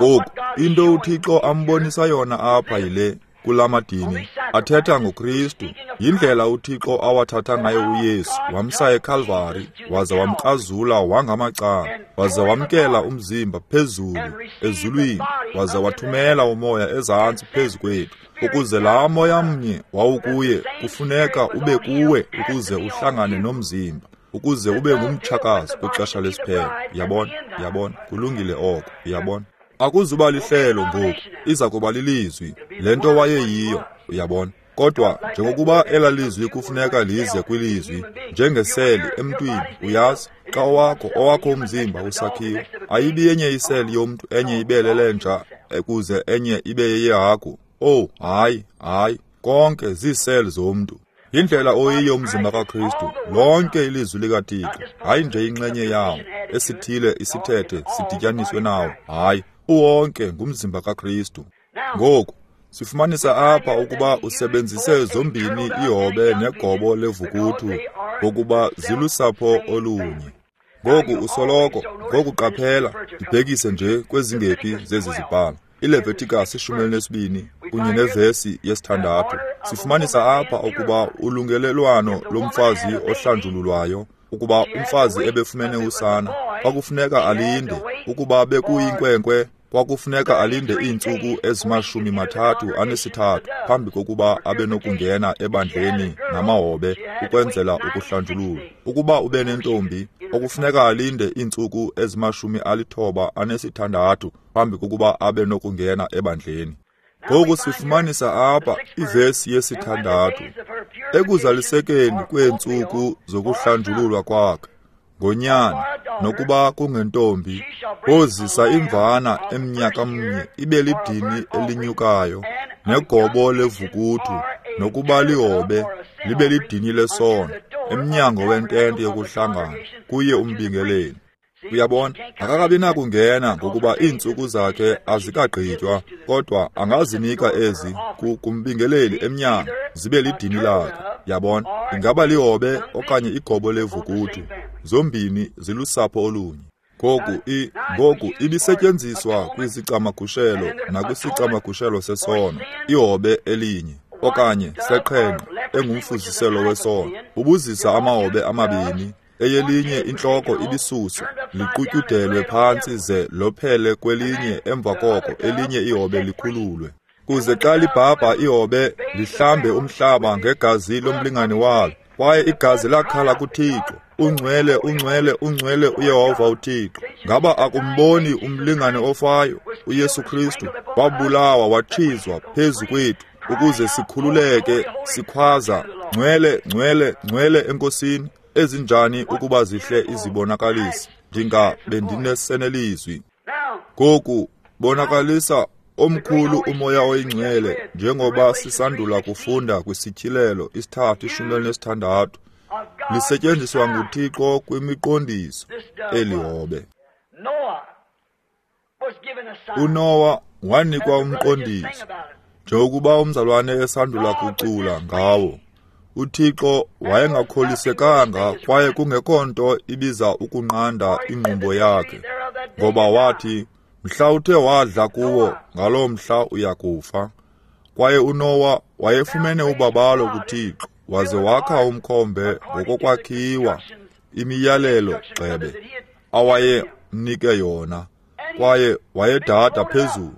Ngoku, into uThixo ambonisa yona apha yile, kulamadini athetha ngoKristu. Yindlela uThixo awathatha ngayo uYesu, wamsa eKalvari, waze wamkrazula wangamacala, waze wamkela umzimba phezulu ezulwini, waze wathumela umoya ezantsi phezu kwethu, ukuze laa moya mnye wawukuye kufuneka ube kuwe ukuze uhlangane nomzimba, ukuze ube ngumtshakazi kwixesha lesiphelo. Uyabona? Uyabona? Kulungile oko. Uyabona? Akuzuba lihlelo ngoku, iza kuba lilizwi, le nto wayeyiyo, uyabona. Kodwa njengokuba ela lizwi kufuneka lize kwilizwi, njengeseli emntwini, uyazi, xa owakho owakho umzimba usakhiwe, ayibi yenye iseli yomntu, enye ibe lelenja, ukuze enye ibe yeyehagu. Oh, hayi, hayi, konke ziiseli zomntu. Yindlela oyiyo umzimba kaKristu, lonke ilizwi likaThixo, hayi nje inxenye yawo, esithile isithethe sidityaniswe nawo, hayi, uwonke ngumzimba kaKristu. Ngoku sifumanisa apha ukuba usebenzise zombini ihobe negobo levukuthu ngokuba zilusapho olunye. Ngoku usoloko, ngoku qaphela, ndibhekise nje kwezingephi zezi zibhalo. ILeviticus ishumi elinesibini kunye nevesi yesithandathu. Sifumanisa apha ukuba ulungelelwano lomfazi ohlanjululwayo, ukuba umfazi ebefumene usana, kwakufuneka alinde, ukuba bekuyinkwenkwe, kwakufuneka alinde iintsuku ezimashumi mathathu anesithathu phambi kokuba abe nokungena ebandleni namahobe ukwenzela ukuhlanjululwa. Ukuba ube nentombi, okufuneka alinde iintsuku ezimashumi alithoba anesithandathu phambi kokuba abe nokungena ebandleni. Ngoku sifumanisa apha ivesi yesithandathu, ekuzalisekeni kweentsuku zokuhlanjululwa kwakhe ngonyana, nokuba kungentombi, wozisa imvana emnyaka mnye ibe lidini elinyukayo, negobo levukuthu, nokuba lihobe libe lidini lesono, emnyango wentente yokuhlangana, kuye umbingeleli. Uyabona, akakabi nakungena ngokuba iintsuku zakhe azikagqitywa, kodwa angazinika ezi kumbingeleli emnyango zibe lidini lakhe. Yabona, ingaba lihobe okanye igobo levukutu, zombini zilusapho olunye. Ngoku i ngoku ibisetyenziswa kwisicamagushelo nakwisicamagushelo sesono, ihobe elinye okanye seqhenqe engumfuziselo wesono. Ubuzisa amahobe amabini, eyelinye intloko ibisuswa, liqutyudelwe phantsi ze lophele kwelinye, emva koko elinye ihobe likhululwe. Kuze xa libhabha ihobe lihlambe umhlaba ngegazi lomlingane walo, kwaye igazi lakhala kuThixo, ungcwele, ungcwele, ungcwele uYehova uThixo. Ngaba akumboni umlingane ofayo, uYesu Kristu, wabulawa watshizwa phezu kwethu ukuze sikhululeke, sikhwaza ngcwele, ngcwele, ngcwele eNkosini. Ezinjani ukuba zihle izibonakalisi! Ndinga bendinesenelizwi. Ngoku bonakalisa omkhulu uMoya oyiNgcwele, njengoba sisandula kufunda kwisityhilelo isithathu ishumi elinesithandathu, lisetyenziswa nguThixo kwimiqondiso elihobe. uNowa wanikwa umqondiso, njengokuba umzalwane esandula kucula ngawo. UThixo wayengakholisekanga kwaye kungekho nto ibiza ukunqanda ingqumbo yakhe, ngoba wathi, mhla uthe wadla kuwo, ngaloo mhla uya kufa. Kwaye uNowa wayefumene ubabalo kuThixo, waze wakha umkhombe ngokokwakhiwa imiyalelo gxebe awayemnike yona, kwaye wayedada phezulu.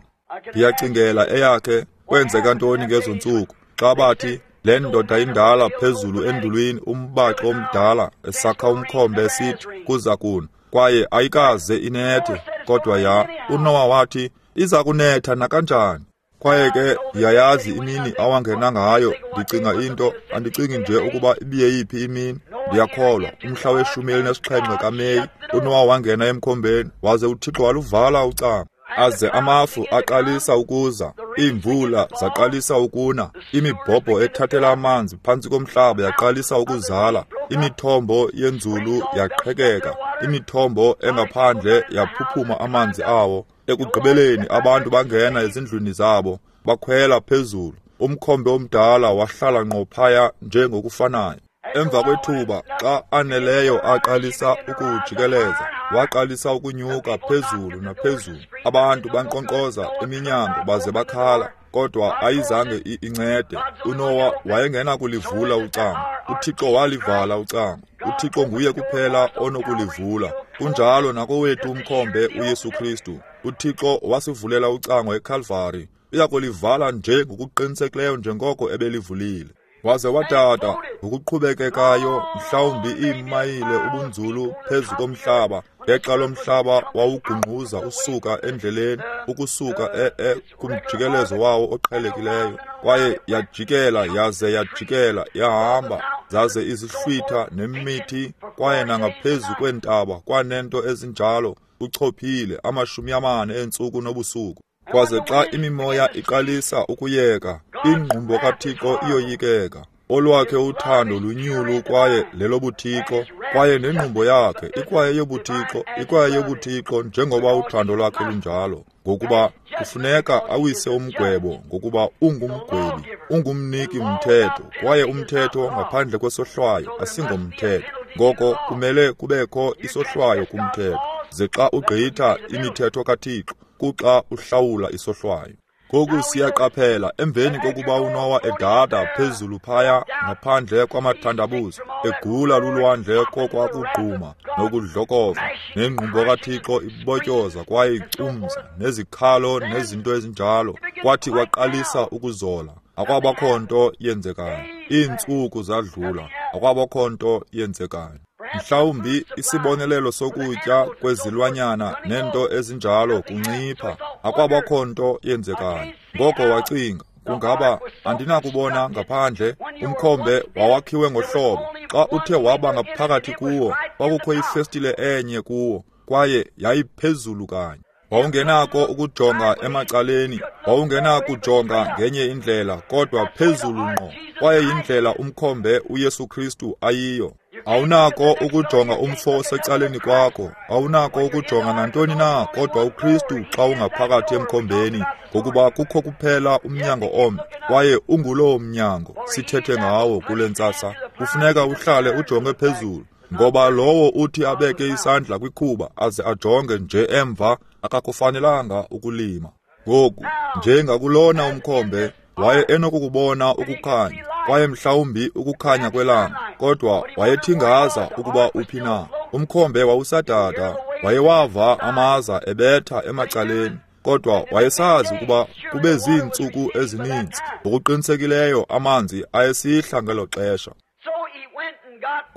Ndiyacingela eyakhe kwenzeka ntoni ngezo ntsuku xa bathi le ndoda indala phezulu endulwini, umbaxo omdala esakha umkhombe esithi kuza kuna, kwaye ayikaze inethe, kodwa ya uNowa wathi iza kunetha nakanjani. Kwaye ke ndiyayazi imini awangena ngayo. Ndicinga into, andicingi nje ukuba ibiyeyiphi imini. Ndiyakholwa umhla weshumi elinesixhenxe kaMeyi, uNowa wangena emkhombeni, waze uThixo waluvala ucango. Aze amafu aqalisa ukuza, iimvula zaqalisa ukuna, imibhobho ethathela amanzi phantsi komhlaba yaqalisa ukuzala, imithombo yenzulu yaqhekeka, imithombo engaphandle yaphuphuma amanzi awo. Ekugqibeleni abantu bangena ezindlwini zabo, bakhwela phezulu. Umkhombe omdala wahlala ngqo phaya njengokufanayo. Emva kwethuba, xa aneleyo aqalisa ukujikeleza, waqalisa ukunyuka phezulu naphezulu. Abantu bankqonkqoza eminyango baze bakhala, kodwa ayizange incede. uNowa wayengenakulivula ucango. uThixo walivala ucango. uThixo nguye kuphela onokulivula. Kunjalo nakowethu umkhombe uYesu Kristu. uThixo wasivulela ucango eKalvari. Uyakulivala nje ngokuqinisekileyo njengoko ebelivulile. Waze wadada ngokuqhubekekayo, mhlawumbi iimayile ubunzulu phezu komhlaba, ngexa lomhlaba wawugungquza usuka endleleni, ukusuka e-e kumjikelezo wawo oqhelekileyo. Kwaye yajikela yaze yajikela yahamba, zaze izihlwitha nemithi, kwaye nangaphezu kweentaba kwanento ezinjalo, uchophile amashumi amane eentsuku nobusuku. Kwaze xa imimoya iqalisa ukuyeka, ingqumbo kaThixo iyoyikeka. Olwakhe uthando lunyulu kwaye lelobuthixo, kwaye nengqumbo yakhe ikwaye yobuthixo, ikwaye yobuthixo njengoba uthando lwakhe lunjalo. Ngokuba kufuneka awise umgwebo, ngokuba ungumgwebi, ungumniki mthetho, kwaye umthetho ngaphandle kwesohlwayo asingomthetho. Ngoko kumele kubekho isohlwayo kumthetho. Ze xa ugqitha imithetho kaThixo, kuxa uhlawula isohlwayo. Ngoku siyaqaphela emveni kokuba uNowa edada phezulu phaya ngaphandle kwamathandabuzo, egula lulwandle kokwakugquma nokudlokova, nengqumbo kaThixo ibotyoza kwaye icumza, nezikhalo nezinto ezinjalo, kwathi kwaqalisa ukuzola, akwabakho nto yenzekayo. Iintsuku zadlula, akwabakho nto yenzekayo. Mhlawumbi isibonelelo sokutya kwezilwanyana nento ezinjalo kuncipha, akwabakho nto yenzekayo. Ngoko wacinga, kungaba andinakubona ngaphandle. Umkhombe wawakhiwe ngohlobo, xa uthe waba ngaphakathi kuwo, kwakukho ifestile enye kuwo, kwaye yayiphezulu kanye. Wawungenako ukujonga emacaleni, wawungenakujonga ngenye indlela kodwa phezulu ngqo. Kwaye yindlela umkhombe uYesu Kristu ayiyo. Awunako ukujonga umfo osecaleni kwakho, awunako ukujonga nantoni na kodwa uKristu xa ungaphakathi emkhombeni, ngokuba kukho kuphela umnyango omnye, kwaye ungulowo mnyango sithethe ngawo kule ntsasa. Kufuneka uhlale ujonge phezulu, ngoba lowo uthi abeke isandla kwikhuba aze ajonge nje emva akakufanelanga ukulima. Ngoku, njengakulona umkhombe, waye enokukubona ukukhanya, kwaye mhlawumbi ukukhanya kwelanga, kodwa wayethingaza ukuba uphi na. Umkhombe wawusadada, wayewava amaza ebetha emacaleni, kodwa wayesazi ukuba kube ziintsuku ezininzi. Ngokuqinisekileyo amanzi ayesihla ngelo xesha.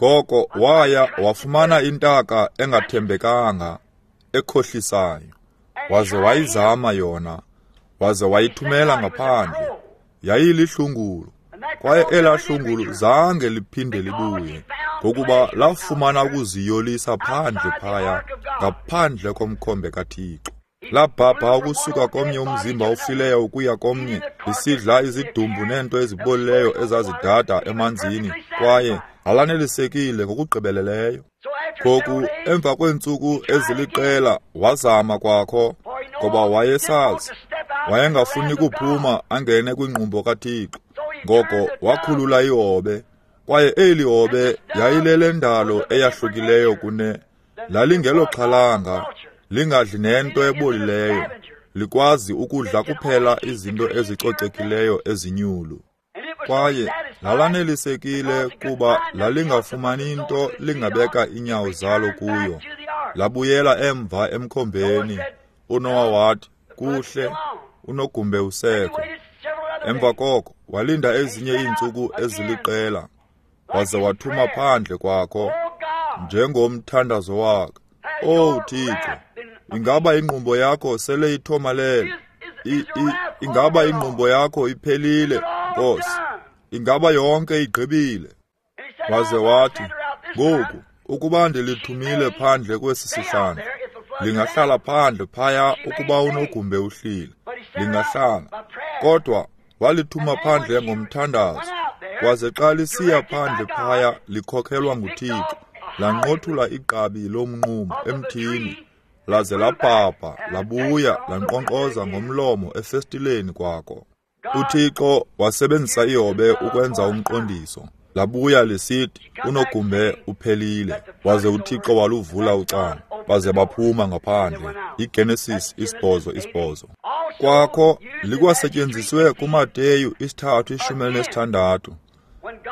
Ngoko waya wafumana intaka engathembekanga, ekhohlisayo, waze wayizama yona, waze wayithumela ngaphandle. Yayilihlungulu, kwaye elaa hlungulu zange liphinde libuye, ngokuba lafumana ukuziyolisa phandle phaya, ngaphandle komkhombe kaThixo. Labhabha ukusuka komnye umzimba ofileyo ukuya komnye, lisidla izidumbu neento ezibolileyo ezazidada emanzini, kwaye alanelisekile ngokugqibeleleyo. Ngoku, emva kweentsuku eziliqela wazama kwakho, ngoba wayesazi wayengafuni kuphuma angene kwingqumbo kaThixo. Ngoko wakhulula ihobe, kwaye eli hobe yayilelendalo eyahlukileyo kune lalingeloxhalanga, lingadli nento ebolileyo, likwazi ukudla kuphela izinto ezicocekileyo ezinyulu. Kwaye lalanelisekile kuba lalingafumani nto lingabeka inyawo zalo kuyo. Labuyela emva emkhombeni. UNowa wathi, kuhle, unogumbe usekho. Emva koko walinda ezinye iintsuku eziliqela, waze wathuma phandle kwakho njengomthandazo wakhe. Owu Thixo, ingaba ingqumbo yakho sele ithomalele? Ingaba ingqumbo yakho iphelile, Nkosi? Ingaba yonke igqibile? Waze wathi, ngoku ukuba ndilithumile phandle kwesi sihlandlo, lingahlala phandle phaya ukuba unogumbe uhlile, lingahlala. Kodwa walithuma phandle ngomthandazo, waze xa lisiya phandle phaya likhokhelwa nguThixo, lanqothula igqabi lomnqumo emthini, laze labhabha labuya lanqonqoza ngomlomo efestileni kwakho. UThixo wasebenzisa ihobe ukwenza umqondiso. Labuya lisithi unogumbe uphelile, waze uThixo waluvula ucango, baze baphuma ngaphandle. IGenesis isibhozo isibhozo. Kwakho likwasetyenziswe kuMateyu isithathu ishumi elinesithandathu.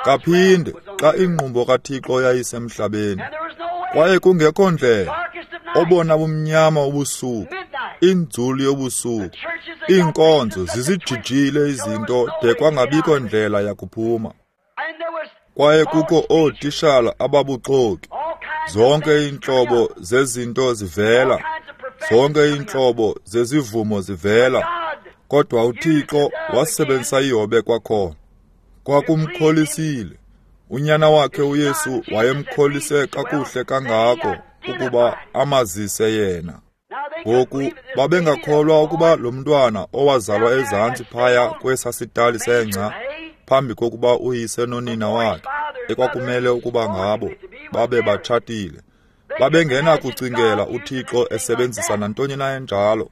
Kaphinde xa ingqumbo kaThixo yayisemhlabeni, kwaye kungekho ndlela, obona bumnyama ubusuku, inzulu yobusuku, iinkonzo zizijijile izinto de kwangabikho ndlela yakuphuma. Kwaye kukho ootishala ababuxoki, zonke iintlobo zezinto zivela, zonke iintlobo zezivumo zivela, kodwa uThixo wasebenzisa ihobe kwakhona. Kwakumkholisile. Unyana wakhe uYesu wayemkholise kakuhle kangako ukuba amazise yena. Ngoku babengakholwa ukuba lo mntwana owazalwa ezantsi phaya kwesasitali sengca phambi kokuba uyise nonina wakhe ekwakumele ukuba ngabo babe batshatile, babengenakucingela uThixo esebenzisa nantoni na enjalo.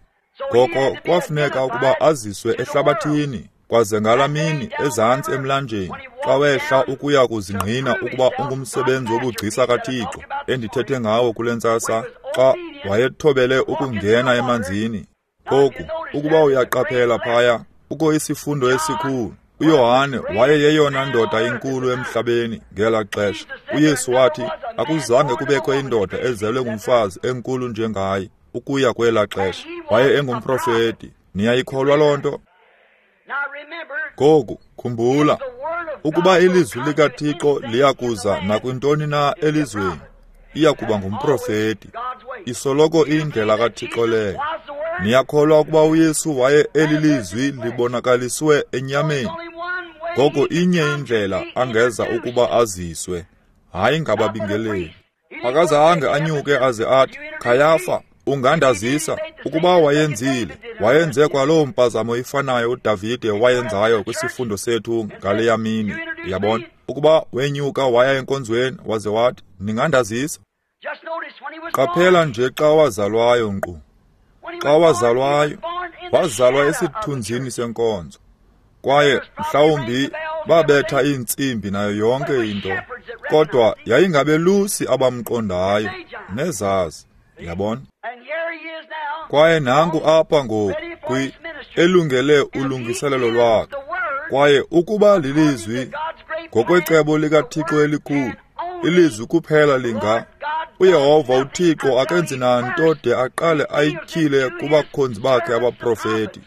Ngoko kwafuneka ukuba aziswe ehlabathini, kwaze ngalaa mini ezantsi emlanjeni xa wehla ukuya kuzingqina ukuba ungumsebenzi wobugcisa kaThixo endithethe ngawo kule ntsasa, xa wayethobele ukungena emanzini. Ngoku ukuba uyaqaphela phaya, kukho isifundo esikhulu. uYohane wayeyeyona ndoda inkulu emhlabeni ngelaa xesha. UYesu wathi akuzange kubekho indoda ezelwe ngumfazi enkulu njengaye ukuya kwelaa xesha. Waye engumprofeti. Niyayikholwa loo nto? Ngoku khumbula, ukuba ilizwi likaThixo liyakuza nakwintoni na elizweni, iyakuba ngumprofeti. Isoloko iyindlela kaThixo leyo. Niyakholwa ukuba uYesu waye elilizwi libonakaliswe enyameni? Ngoko inye indlela angeza ukuba aziswe, hayi ngababingeleli. Akazange anyuke aze athi, Khayafa, ungandazisa. Ukuba wayenzile, wayenze kwaloo mpazamo ifanayo uDavide wayenzayo kwisifundo sethu ngaleya mini. Uyabona? Ukuba wenyuka waya enkonzweni waze wathi, ningandazisa? Qaphela nje xa wazalwayo nkqu. Xa wazalwayo, wazalwa esithunzini senkonzo. Kwaye mhlawumbi babetha iintsimbi nayo yonke into, kodwa yayingabelusi abamqondayo nezazi, yabona. Kwaye nanku apha ngoku kwi elungele ulungiselelo lwakhe. Kwaye ukuba lilizwi ngokwecebo likaThixo elikhulu, ilizwi kuphela linga uYehova uThixo akenzi nanto de aqale ayityhile kubakhonzi bakhe abaprofeti.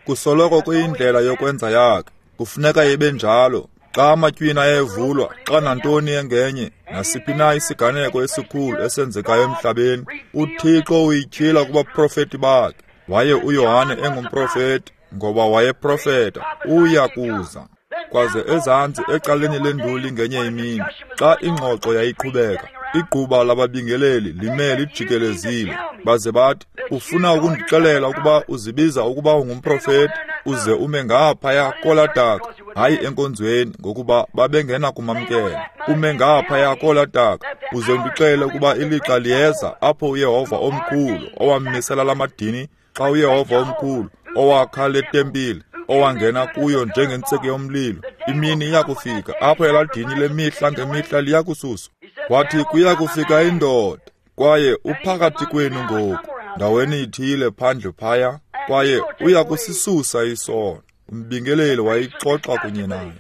Kusoloko kuyindlela yokwenza yakhe, kufuneka ibe njalo. Xa amatywina ayevulwa, xa nantoni engenye, nasiphi na isiganeko esikhulu esenzekayo emhlabeni, uThixo uyityhila kubaprofeti bakhe. Waye uYohane engumprofeti, ngoba wayeprofeta, uya kuza. Kwaze ezantsi ecaleni lenduli ngenye imini, xa ingxoxo yayiqhubeka, igquba lababingeleli lime lijikelezile, baze bathi, ufuna ukundixelela ukuba uzibiza ukuba ungumprofeti, uze ume ngaphaya kolaa daka? Hayi enkonzweni, ngokuba babengena kumamkela. Ume ngaphaya kolaa daka, uze undixelele ukuba ilixa liyeza apho uYehova omkhulu owammisela lamadini, xa uYehova omkhulu owakha le tempile, owangena kuyo njengentsiki yomlilo, imini iyakufika apho elaa dini lemihla ngemihla liyakususwa. Wathi kuya kufika indoda, kwaye uphakathi kwenu ngoku, ndaweni ithile phandle phaya, kwaye uya kusisusa isono. Umbingeleli wayixoxa kunye naye.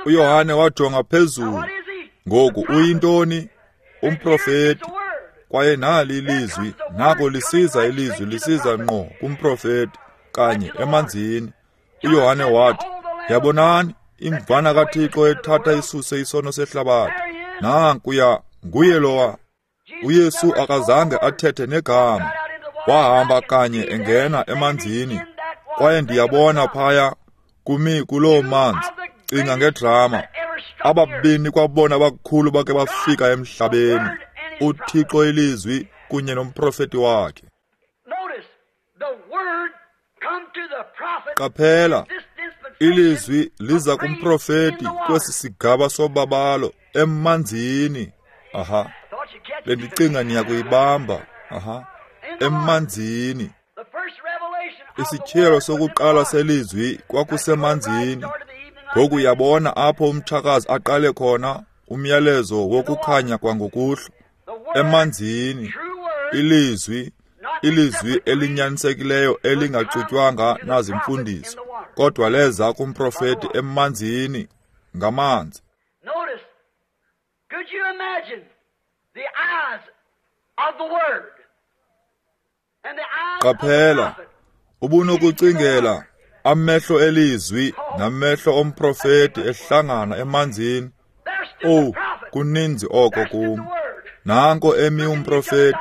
uYohane wajonga phezulu. Ngoku uyintoni? Umprofeti. Kwaye nali ilizwi, nako lisiza ilizwi, lisiza ngqo kumprofeti, kanye emanzini. uYohane wathi, yabonani, imvana kaThixo ethatha isuse isono sehlabathi. Nankuya, nguye lowa. uYesu akazange athethe negama. Wahamba kanye engena emanzini. Kwaye ndiyabona phaya kumi kuloo manzi. Cinga ngedrama. Ababini kwabona abakhulu bake bafika emhlabeni, uThixo ilizwi kunye nomprofeti wakhe. Qaphela, ilizwi liza kumprofeti kwesi sigaba sobabalo emanzini. Aha, bendicinga niyakuyibamba. Aha, emanzini. Isityhilelo sokuqala selizwi kwakusemanzini. Ngoku uyabona apho umtshakazi aqale khona umyalezo wokukhanya kwangokuhlwa, emanzini. Ilizwi, ilizwi elinyanisekileyo elingaxutywanga nazimfundiso, kodwa leza kumprofeti emanzini, ngamanzi. Notice, could you imagine the eyes of the Word and the eyes Qaphela, ubunokucingela amehlo elizwi namehlo omprofeti ehlangana emanzini. Oh, kuninzi oko kum. Nanko emi umprofeti,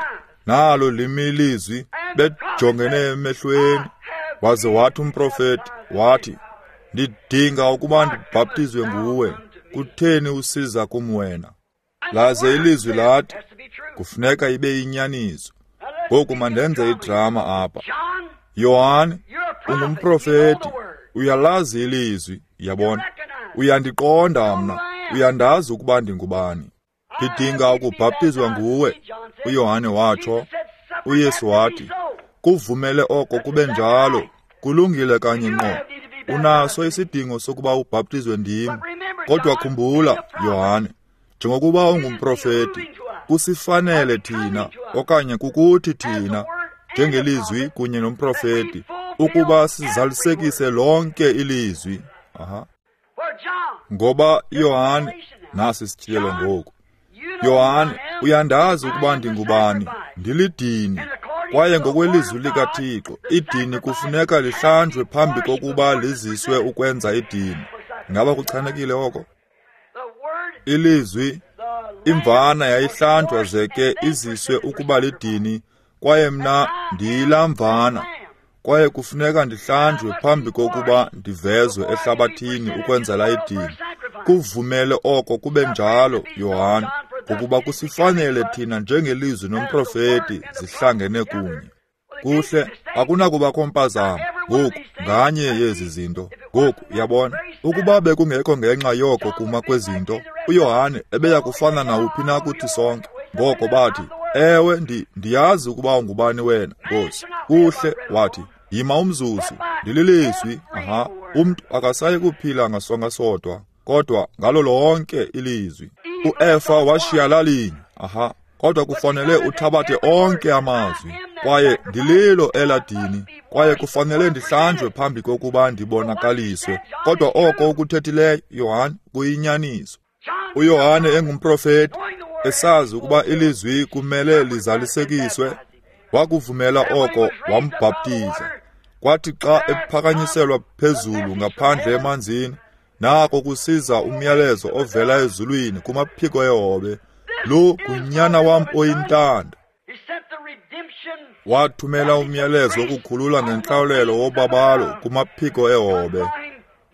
nalo limi ilizwi, bejongene emehlweni. Waze wathi umprofeti, wathi, ndidinga ukuba ndibhaptizwe nguwe, kutheni usiza kum wena? Laze ilizwi lathi, kufuneka ibe inyaniso. Ngoku mandenze idrama apha. Yohane, ungumprofeti, uyalazi ilizwi, yabona. Uyandiqonda mna, uyandazi ukuba ndingubani. Ndidinga ukubhaptizwa nguwe, uYohane watsho. uYesu wathi, kuvumele oko kube njalo, kulungile kanye ngqo. Unaso isidingo sokuba ubhaptizwe ndim. Kodwa khumbula, Yohane, njengokuba ungumprofeti, kusifanele thina, okanye kukuthi thina, njengelizwi kunye nomprofeti, ukuba sizalisekise lonke ilizwi. Aha. Ngoba Yohane, nasi isitshilo ngoku. Yohane, uyandazi ukuba ndingubani, ndilidini. Kwaye ngokwelizwi likaThixo, idini kufuneka lihlanjwe phambi kokuba liziswe ukwenza idini. Ngaba kuchanekile oko? Ilizwi, imvana yayihlanjwa ze ke iziswe ukuba lidini, kwaye mna ndiyilaa mvana. Kwaye kufuneka ndihlanjwe phambi kokuba ndivezwe ehlabathini ukwenzela idini. Kuvumele oko kube njalo, Yohane, ngokuba kusifanele thina njengelizwi nomprofeti zihlangene kunye. Kuhle, akunakubakho mpazamo ngoku nganye yezi zinto. Ngoku uyabona, Ukuba bekungekho ngenxa yoko kuma kwezinto, uYohane ebeya kufana nawuphi na kuthi sonke. Ngoko bathi, ewe, ndi, ndiyazi ukuba ungubani wena, Nkosi. Kuhle, wathi, yima umzuzu, ndililizwi. Aha, umntu akasayi kuphila ngasonka sodwa, kodwa ngalo lonke ilizwi. UEfa washiya lalinye. Aha, kodwa kufanele uthabathe onke amazwi. Kwaye ndililo eladini, kwaye kufanele ndihlanjwe phambi kokuba ndibonakaliswe. Kodwa oko ukuthethileyo, Yohane, kuyinyaniso. UYohane engumprofeti, esazi ukuba ilizwi kumele lizalisekiswe, wakuvumela oko, wambhaptiza. Kwathi xa ephakanyiselwa phezulu ngaphandle emanzini, nako kusiza umyalezo ovela ezulwini kumaphiko ehobe, lo ngunyana wam oyintanda. Wathumela umyalezo wokukhulula ngentlawulelo wobabalo kumaphiko ehobe.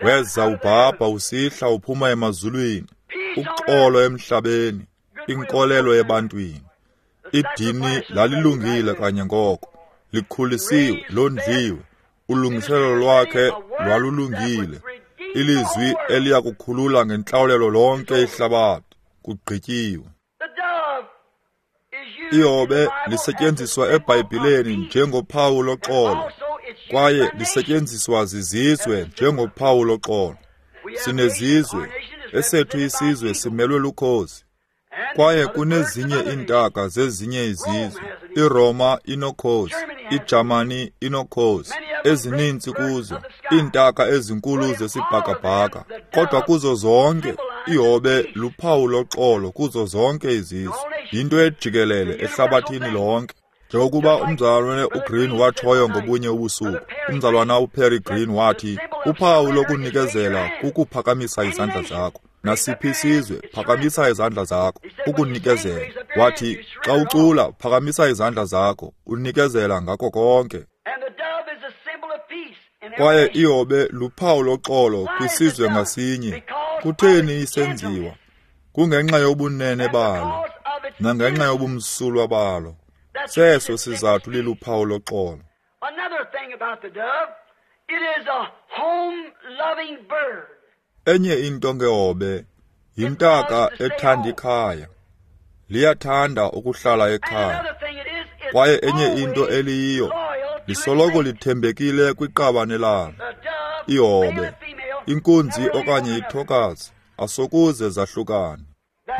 Weza ubhabha usihla uphuma emazulwini, uxolo emhlabeni, inkolelo ebantwini. Idini lalilungile kanye ngoko, likhulisiwe, londliwe. Ulungiselelo lwakhe lwalulungile, ilizwi eliya kukhulula ngentlawulelo lonke ihlabathi. Kugqityiwe. Ihobe lisetyenziswa eBhayibhileni njengophawu loxolo, kwaye lisetyenziswa zizizwe njengophawu loxolo. Sinezizwe, esethu isizwe simelwe lukhozi. Kwaye kunezinye iintaka zezinye izizwe. IRoma inokhozi, iJamani inokhozi, ezininzi kuzo, iintaka ezinkulu zesibhakabhaka. Kodwa kuzo zonke, ihobe luphawu loxolo kuzo zonke izizwe. Yinto ejikelele ehlabathini lonke. Njengokuba umzalwane uGreen watshoyo ngobunye ubusuku, umzalwana uPerry Green wathi, uphawu lokunikezela kukuphakamisa izandla zakho. Nasiphi isizwe, phakamisa izandla zakho, ukunikezela. Wathi, xa ucula, phakamisa izandla zakho, unikezela ngako konke. Kwaye ihobe luphawu loxolo kwisizwe ngasinye. Kutheni isenziwa? Kungenxa yobunene balo, nangenxa yobumsulwa balo. Seso sizathu liluphawu loxolo. Enye into ngehobe, yintaka ethanda ikhaya. Liyathanda ukuhlala ekhaya. Kwaye enye into eliyiyo, lisoloko lithembekile kwiqabane lalo. Ihobe, inkunzi okanye ithokazi, asokuze zahlukane.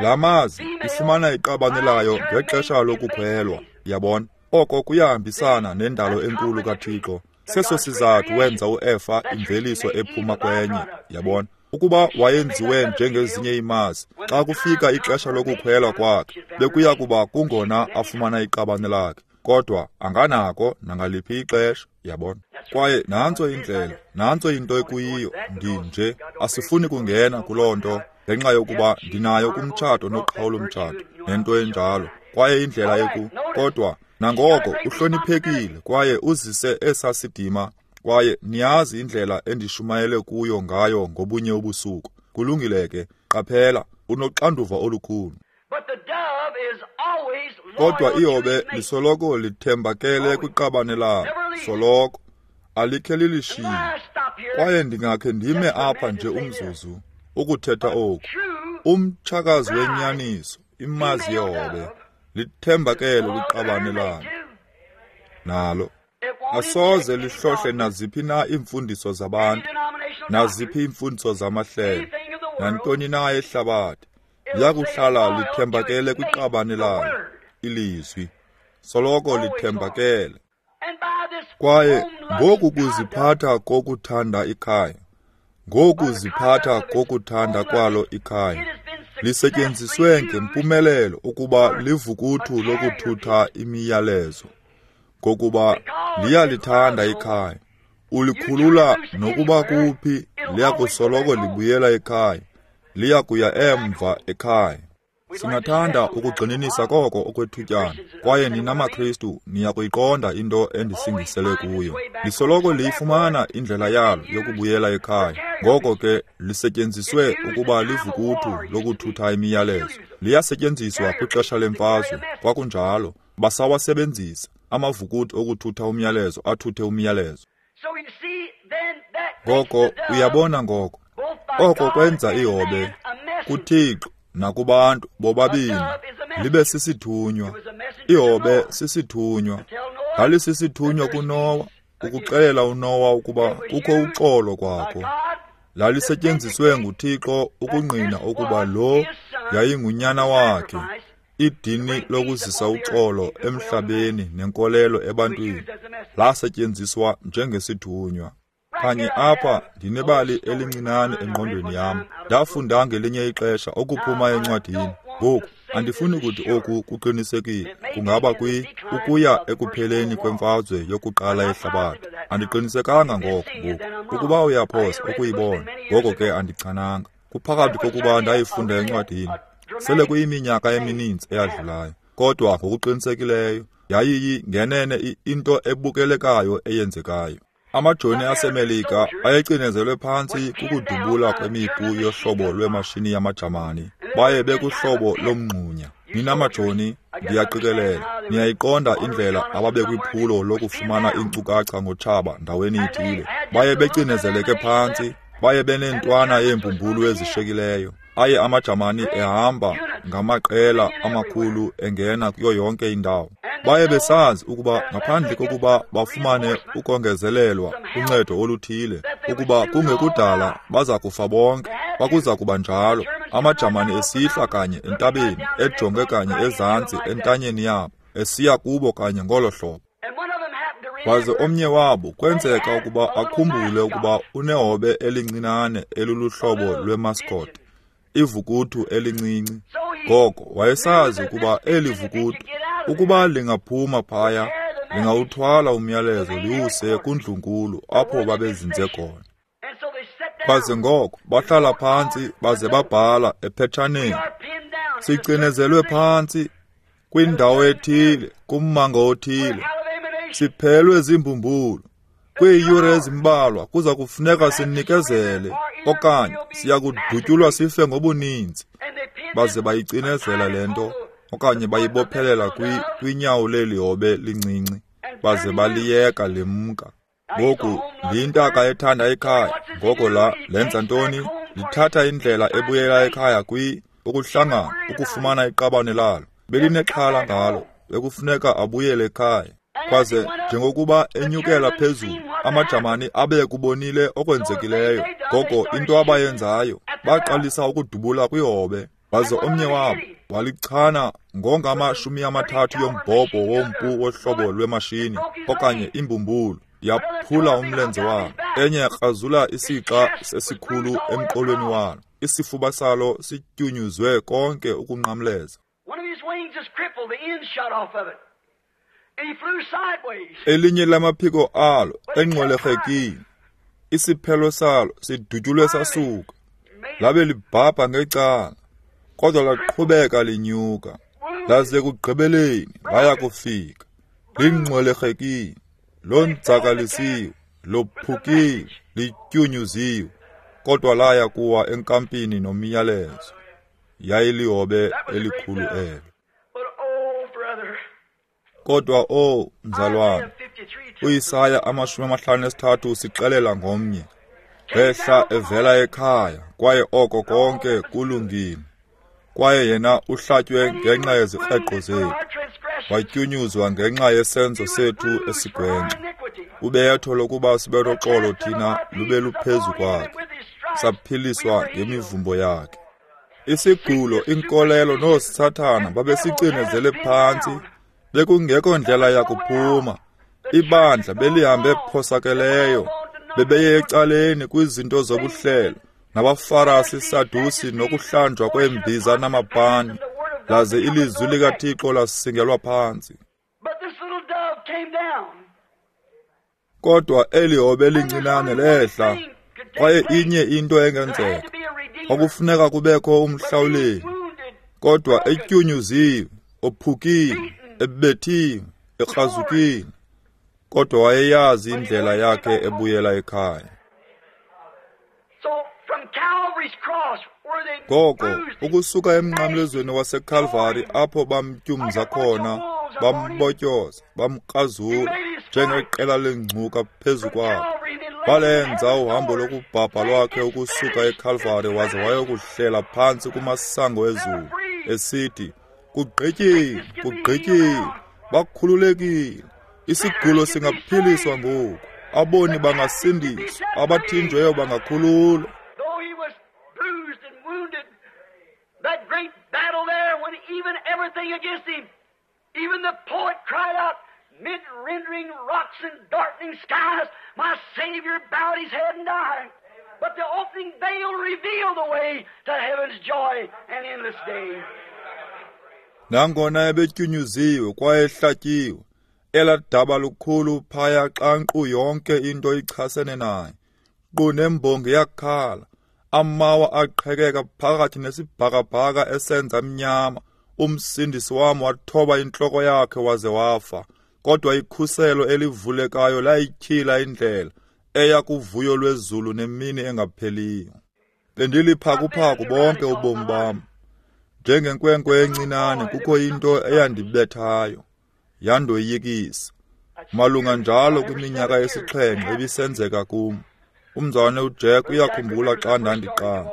La mazi ifumana iqabane layo ngexesha lokukhwelwa, yabona. Oko kuyahambisana nendalo enkulu kaThixo. Seso sizathu wenza uEfa imveliso ephuma kwenye, yabona. Ukuba wayenziwe njengezinye imazi, xa kufika ixesha lokukhwelwa kwakhe, bekuya kuba kungona afumana iqabane lakhe. Kodwa anganako nangaliphi ixesha, yabona. Kwaye nantso indlela, nantso into ekuyiyo, ndinje, asifuni kungena kuloo nto, ngenxa yokuba ndinayo kumtshato noqhawulo mtshato, nento enjalo. Kwaye indlela eku, kodwa nangoko uhloniphekile kwaye uzise esasidima, kwaye niyazi indlela endishumayele kuyo ngayo ngobunye ubusuku. Kulungile ke, qaphela, unoxanduva olukhulu. Kodwa ihobe lisoloko lithembakele kwiqabane lalo, soloko, alikhe lilishiye. Kwaye ndingakhe ndime apha nje umzuzu ukuthetha oku. Umtshakazi wenyaniso, imazi yehobe, lithembakele kwiqabane lalo. Nalo asoze lihlohle naziphi na iimfundiso zabantu, naziphi iimfundiso zamahlelo, nantoni na ehlabathi. Liyakuhlala lithembakele kwiqabane lalo, ilizwi. Soloko lithembakele. Kwaye ngoku kuziphatha kokuthanda ikhaya, ngoku ziphatha kokuthanda kwalo ikhaya, lisetyenziswe ngempumelelo ukuba livukuthu lokuthutha imiyalezo. Ngokuba liyalithanda ikhaya, ulikhulula nokuba kuphi, liyakusoloko libuyela ekhaya, liyakuya emva ekhaya. Singathanda ukugxininisa koko okwethutyana, kwaye nina maKristu niyakuyiqonda into endisingisele kuyo. Lisoloko liyifumana indlela yalo yokubuyela ekhaya. Ngoko ke lisetyenziswe ukuba livukuthu lokuthutha imiyalezo. Liyasetyenziswa kwixesha lemfazwe, kwakunjalo, basawasebenzisa amavukuthu okuthutha umyalezo athuthe umyalezo. Ngoko uyabona ngoko, Oko kwenza ihobe kuThixo nakubantu bobabini libe sisithunywa. Ihobe sisithunywa. Lalisisithunywa kuNowa ukuxelela uNowa ukuba kukho uxolo kwakho. Lalisetyenziswe nguThixo ukungqina ukuba lo yayingunyana wakhe, idini lokuzisa uxolo emhlabeni nenkolelo ebantwini. Lasetyenziswa njengesithunywa. Kanye apha ndinebali elincinane engqondweni yam. Ndafunda ngelinye ixesha okuphuma encwadini. Ngoku andifuni kuthi oku kuqinisekile, kungaba kwi ukuya ekupheleni kwemfazwe yokuqala yehlabathi. Andiqinisekanga ngoko ngoku. Ukuba uyaphosa ukuyibona, ngoko ke andichananga. Kuphakathi kokuba ndayifunda encwadini. Sele kuyiminyaka emininzi eyadlulayo, kodwa ngokuqinisekileyo yayiyi ngenene into ebukelekayo eyenzekayo. Amajoni aseMelika ayecinezelwe phantsi kukudubula kwemipu yohlobo lwemashini yamaJamani. Baye bekuhlobo lomngxunya. Nina majoni, ndiyaqikelela, niyayiqonda indlela ababekwiphulo lokufumana iinkcukacha ngotshaba ndaweni ithile. Baye becinezeleke phantsi, baye beneentwana yeembumbulu ezishekileyo. Aye amaJamani ehamba ngamaqela amakhulu engena kuyo yonke indawo. Baye besazi ukuba ngaphandle kokuba bafumane ukongezelelwa uncedo oluthile, ukuba kungekudala baza kufa bonke. Kwakuza kuba njalo. AmaJamani esihla kanye entabeni, ejonge kanye ezantsi entanyeni yabo, esiya kubo kanye ngolo hlobo. Waze omnye wabo kwenzeka ukuba akhumbule ukuba unehobe elincinane eluluhlobo lwemascot, ivukuthu elincinci. Ngoko wayesazi ukuba eli vukuthu, ukuba lingaphuma phaya, lingawuthwala umyalezo liwuse kundlunkulu apho babezinze khona. Baze ngoko bahlala phantsi baze babhala ephetshaneni, sicinezelwe phantsi kwindawo ethile, kummango othile, siphelwe ziimbumbulu. Kwiiyure ezimbalwa kuza kufuneka sinikezele okanye siya kudutyulwa sife ngobuninzi. Baze bayicinezela le nto okanye bayibophelela kwinyawo leli hobe lincinci, baze baliyeka limka. Ngoku liyintaka ethanda ekhaya. Ngoko la lenza ntoni? Lithatha indlela ebuyela ekhaya kwi ukuhlangana ukufumana iqabane lalo. Belinexhala ngalo, bekufuneka abuyele ekhaya. Kwaze njengokuba enyukela phezulu, amaJamani abe kubonile okwenzekileyo. Ngoko into abayenzayo, baqalisa ukudubula kwihobe. Waze omnye wabo walichana ngongamashumi amathathu yombhobho wompu wohlobo lwemashini okanye imbumbulu, yaphula umlenze walo. Enye yakrazula isixa sesikhulu emqolweni walo. Isifuba salo sityunyuzwe konke ukunqamleza. Elinye lamaphiko alo engxwelerhekile, isiphelo salo sidutyulwe sasuka, labe libhabha ngecala, kodwa laqhubeka linyuka, laze ekugqibeleni laya kufika. Lingxwelerhekile, lonzakalisiwe, lophukile, lityunyuziwe, kodwa laya kuwa enkampini nomyalezo. Yayilihobe elikhulu elo. Kodwa o mzalwane, uIsaya amashumi amahlanu nesithathu usixelela ngomnye. Wehla evela ekhaya, kwaye oko konke kulungile. Kwaye yena uhlatywe ngenxa yezikreqo zethu, watyunyuzwa ngenxa yesenzo sethu esigwenxa. Ubetho lokuba sibe noxolo thina lube luphezu kwakhe, saphiliswa ngemivumbo yakhe. Isigulo, inkolelo noosathana babesicinezele phantsi, bekungekho ndlela yakuphuma. Ibandla belihambe phosakeleyo, bebeye ecaleni kwizinto zobuhlelo, nabaFarasi, Sadusi nokuhlanjwa kweembiza namapani, laze ilizwi likaThixo lasingelwa phantsi. Kodwa eli hobe lincinane lehla, kwaye inye into engenzeka, kwakufuneka kubekho umhlawuleli. Kodwa etyunyuziwe, ophukile, ebethiwe, ekrazukile, kodwa wayeyazi indlela yakhe ebuyela ekhaya. Ngoko ukusuka emnqamlezweni waseKalvari apho bamtyumza khona, bambotyoza, bamkrazula njengeqela lengcuka phezu kwakhe. Walenza uhambo lokubhabha lwakhe ukusuka eKalvari waze wayokuhlela phantsi kumasango ezulu, esithi, kugqityiwe, kugqityiwe, bakhululekile. Isigulo singaphiliswa ngoku, aboni bangasindiswa, abathinjweyo bangakhululwa. That great battle there, when even everything against him, even the poet cried out, mid rendering rocks and darkening skies, my Savior bowed his head and died. But the opening veil revealed the way to heaven's joy and endless day. Nangona ebetyunyuziwe kwaye ehlatyiwe, elaa daba lukhulu phaya xa nkqu yonke into ichasene naye, nkqu nembongi yakhala, amawa aqhekeka phakathi nesibhakabhaka esenza mnyama. Umsindisi wam wathoba intloko yakhe waze wafa, kodwa ikhuselo elivulekayo layityhila indlela eya kuvuyo lwezulu nemini engapheliyo. Bendiliphakuphaku bonke ubomi bam. Njengenkwenkwe encinane kukho into eyandibethayo, yandoyikisa. Malunga njalo kwiminyaka yesixhenxe ebisenzeka kum. Umzalwane uJack uyakhumbula xa ndandiqala.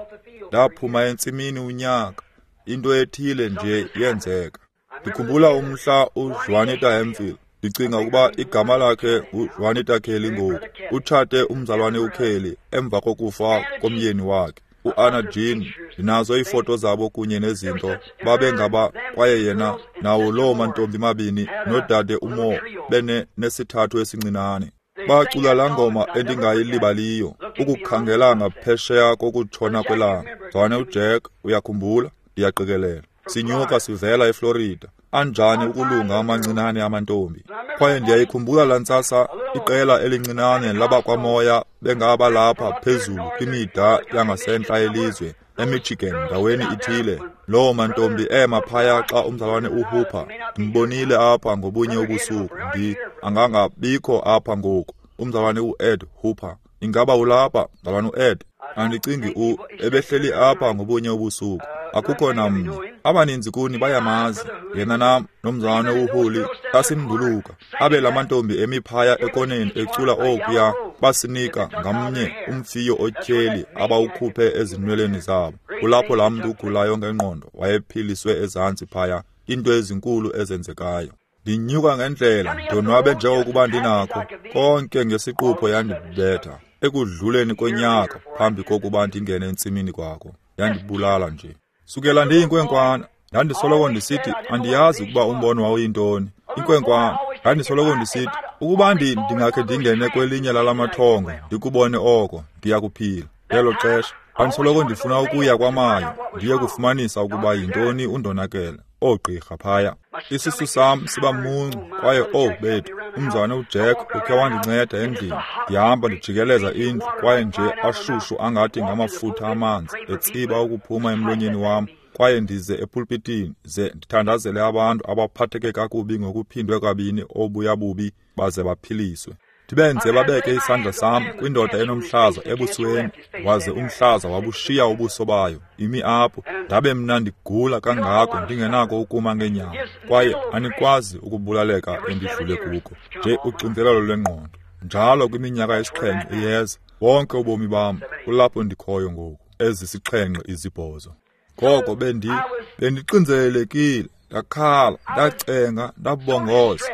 Ndaphuma entsimini unyaka, into ethile nje yenzeka. Ndikhumbula umhla uJuanita Hemphill. Ndicinga ukuba igama lakhe uJuanita Kelly ngoku. Utshate umzalwane uKelly emva kokufa komyeni wakhe, uAnna Jean. Ndinazo iifoto zabo kunye nezinto. Babengaba kwaye yena nawo loo mantombi mabini nodade uMo bene nesithathu esincinane. Bacula laa ngoma endingayilibaliyo, ukukhangela ngaphesheya kokutshona kwelanga. Mzalwane uJack uyakhumbula, ndiyaqikelela. Sinyuka sivela eFlorida. Anjani ukulunga amancinane amantombi. Kwaye ndiyayikhumbula laa ntsasa iqela elincinane labakwamoya bengaba lapha phezulu kwimida yangasentla yelizwe, eMichigan ndaweni ithile. Loo mantombi ema phaya xa umzalwane uHooper ndimbonile apha ngobunye ubusuku. Ndi angangabikho apha ngoku. Umzalwane uEd Hooper. Ingaba ulapha, mzalwane uEd? Andicingi u ebehleli apha ngobunye ubusuku. Akukho namnye. Abaninzi kuni bayamazi. Yena nam nomzalwane uHuli sasimnduluka. Abe la mantombi emi phaya ekoneni ecula okuya, basinika ngamnye umfiyo otyheli abawukhuphe ezinweleni zabo. Kulapho laa mntu ugulayo ngengqondo wayephiliswe ezantsi phaya, into ezinkulu ezenzekayo. Ndinyuka ngendlela, ndonwabe njengokuba ndinakho, konke ngesiqupho yandibetha. Ekudluleni konyaka phambi kokuba ndingene entsimini kwakho, yandibulala nje. Sukela ndiyinkwenkwana, ndandisoloko ndisithi andiyazi ukuba umbono wawuyintoni. Inkwenkwana, ndandisoloko ndisithi ukuba ndingakhe ndingene kwelinye lalamathongo ndikubone oko, ndiyakuphila. Ngelo xesha ndandisoloko ndifuna ukuya kwaMayo ndiye kufumanisa ukuba yintoni undonakele, oogqirha phaya. Isisu sam siba muncu kwaye oh bethu, umzalwane uJack ukhe wandinceda endlini. Ndihamba ndijikeleza indlu kwaye nje ashushu angathi ngamafutha amanzi etsiba ukuphuma emlonyeni wam, kwaye ndize epulpitini ze ndithandazele abantu abaphatheke kakubi ngokuphindwe kabini obuya bubi baze baphiliswe. Ndibenze babeke isandla sam kwindoda enomhlaza ebusweni, waze umhlaza wabushiya ubuso bayo, imi apho. Ndabe mna ndigula kangako ndingenako ukuma ngeenyawo, kwaye anikwazi ukubulaleka endidlule kuko, nje uxinzelelo lwengqondo. Njalo kwiminyaka yesixhenxe iyeza, bonke ubomi bam kulapho ndikhoyo ngoku, ezisixhenxe izibhozo. Ngoko bendi bendixinzelelekile, ndakhala, ndacenga, ndabongoza.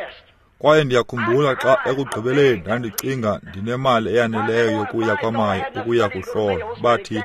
Kwaye ndiyakhumbula xa ekugqibeleni ndandicinga ndinemali eyaneleyo yokuya kwaMayo ukuya kuhlola. Bathi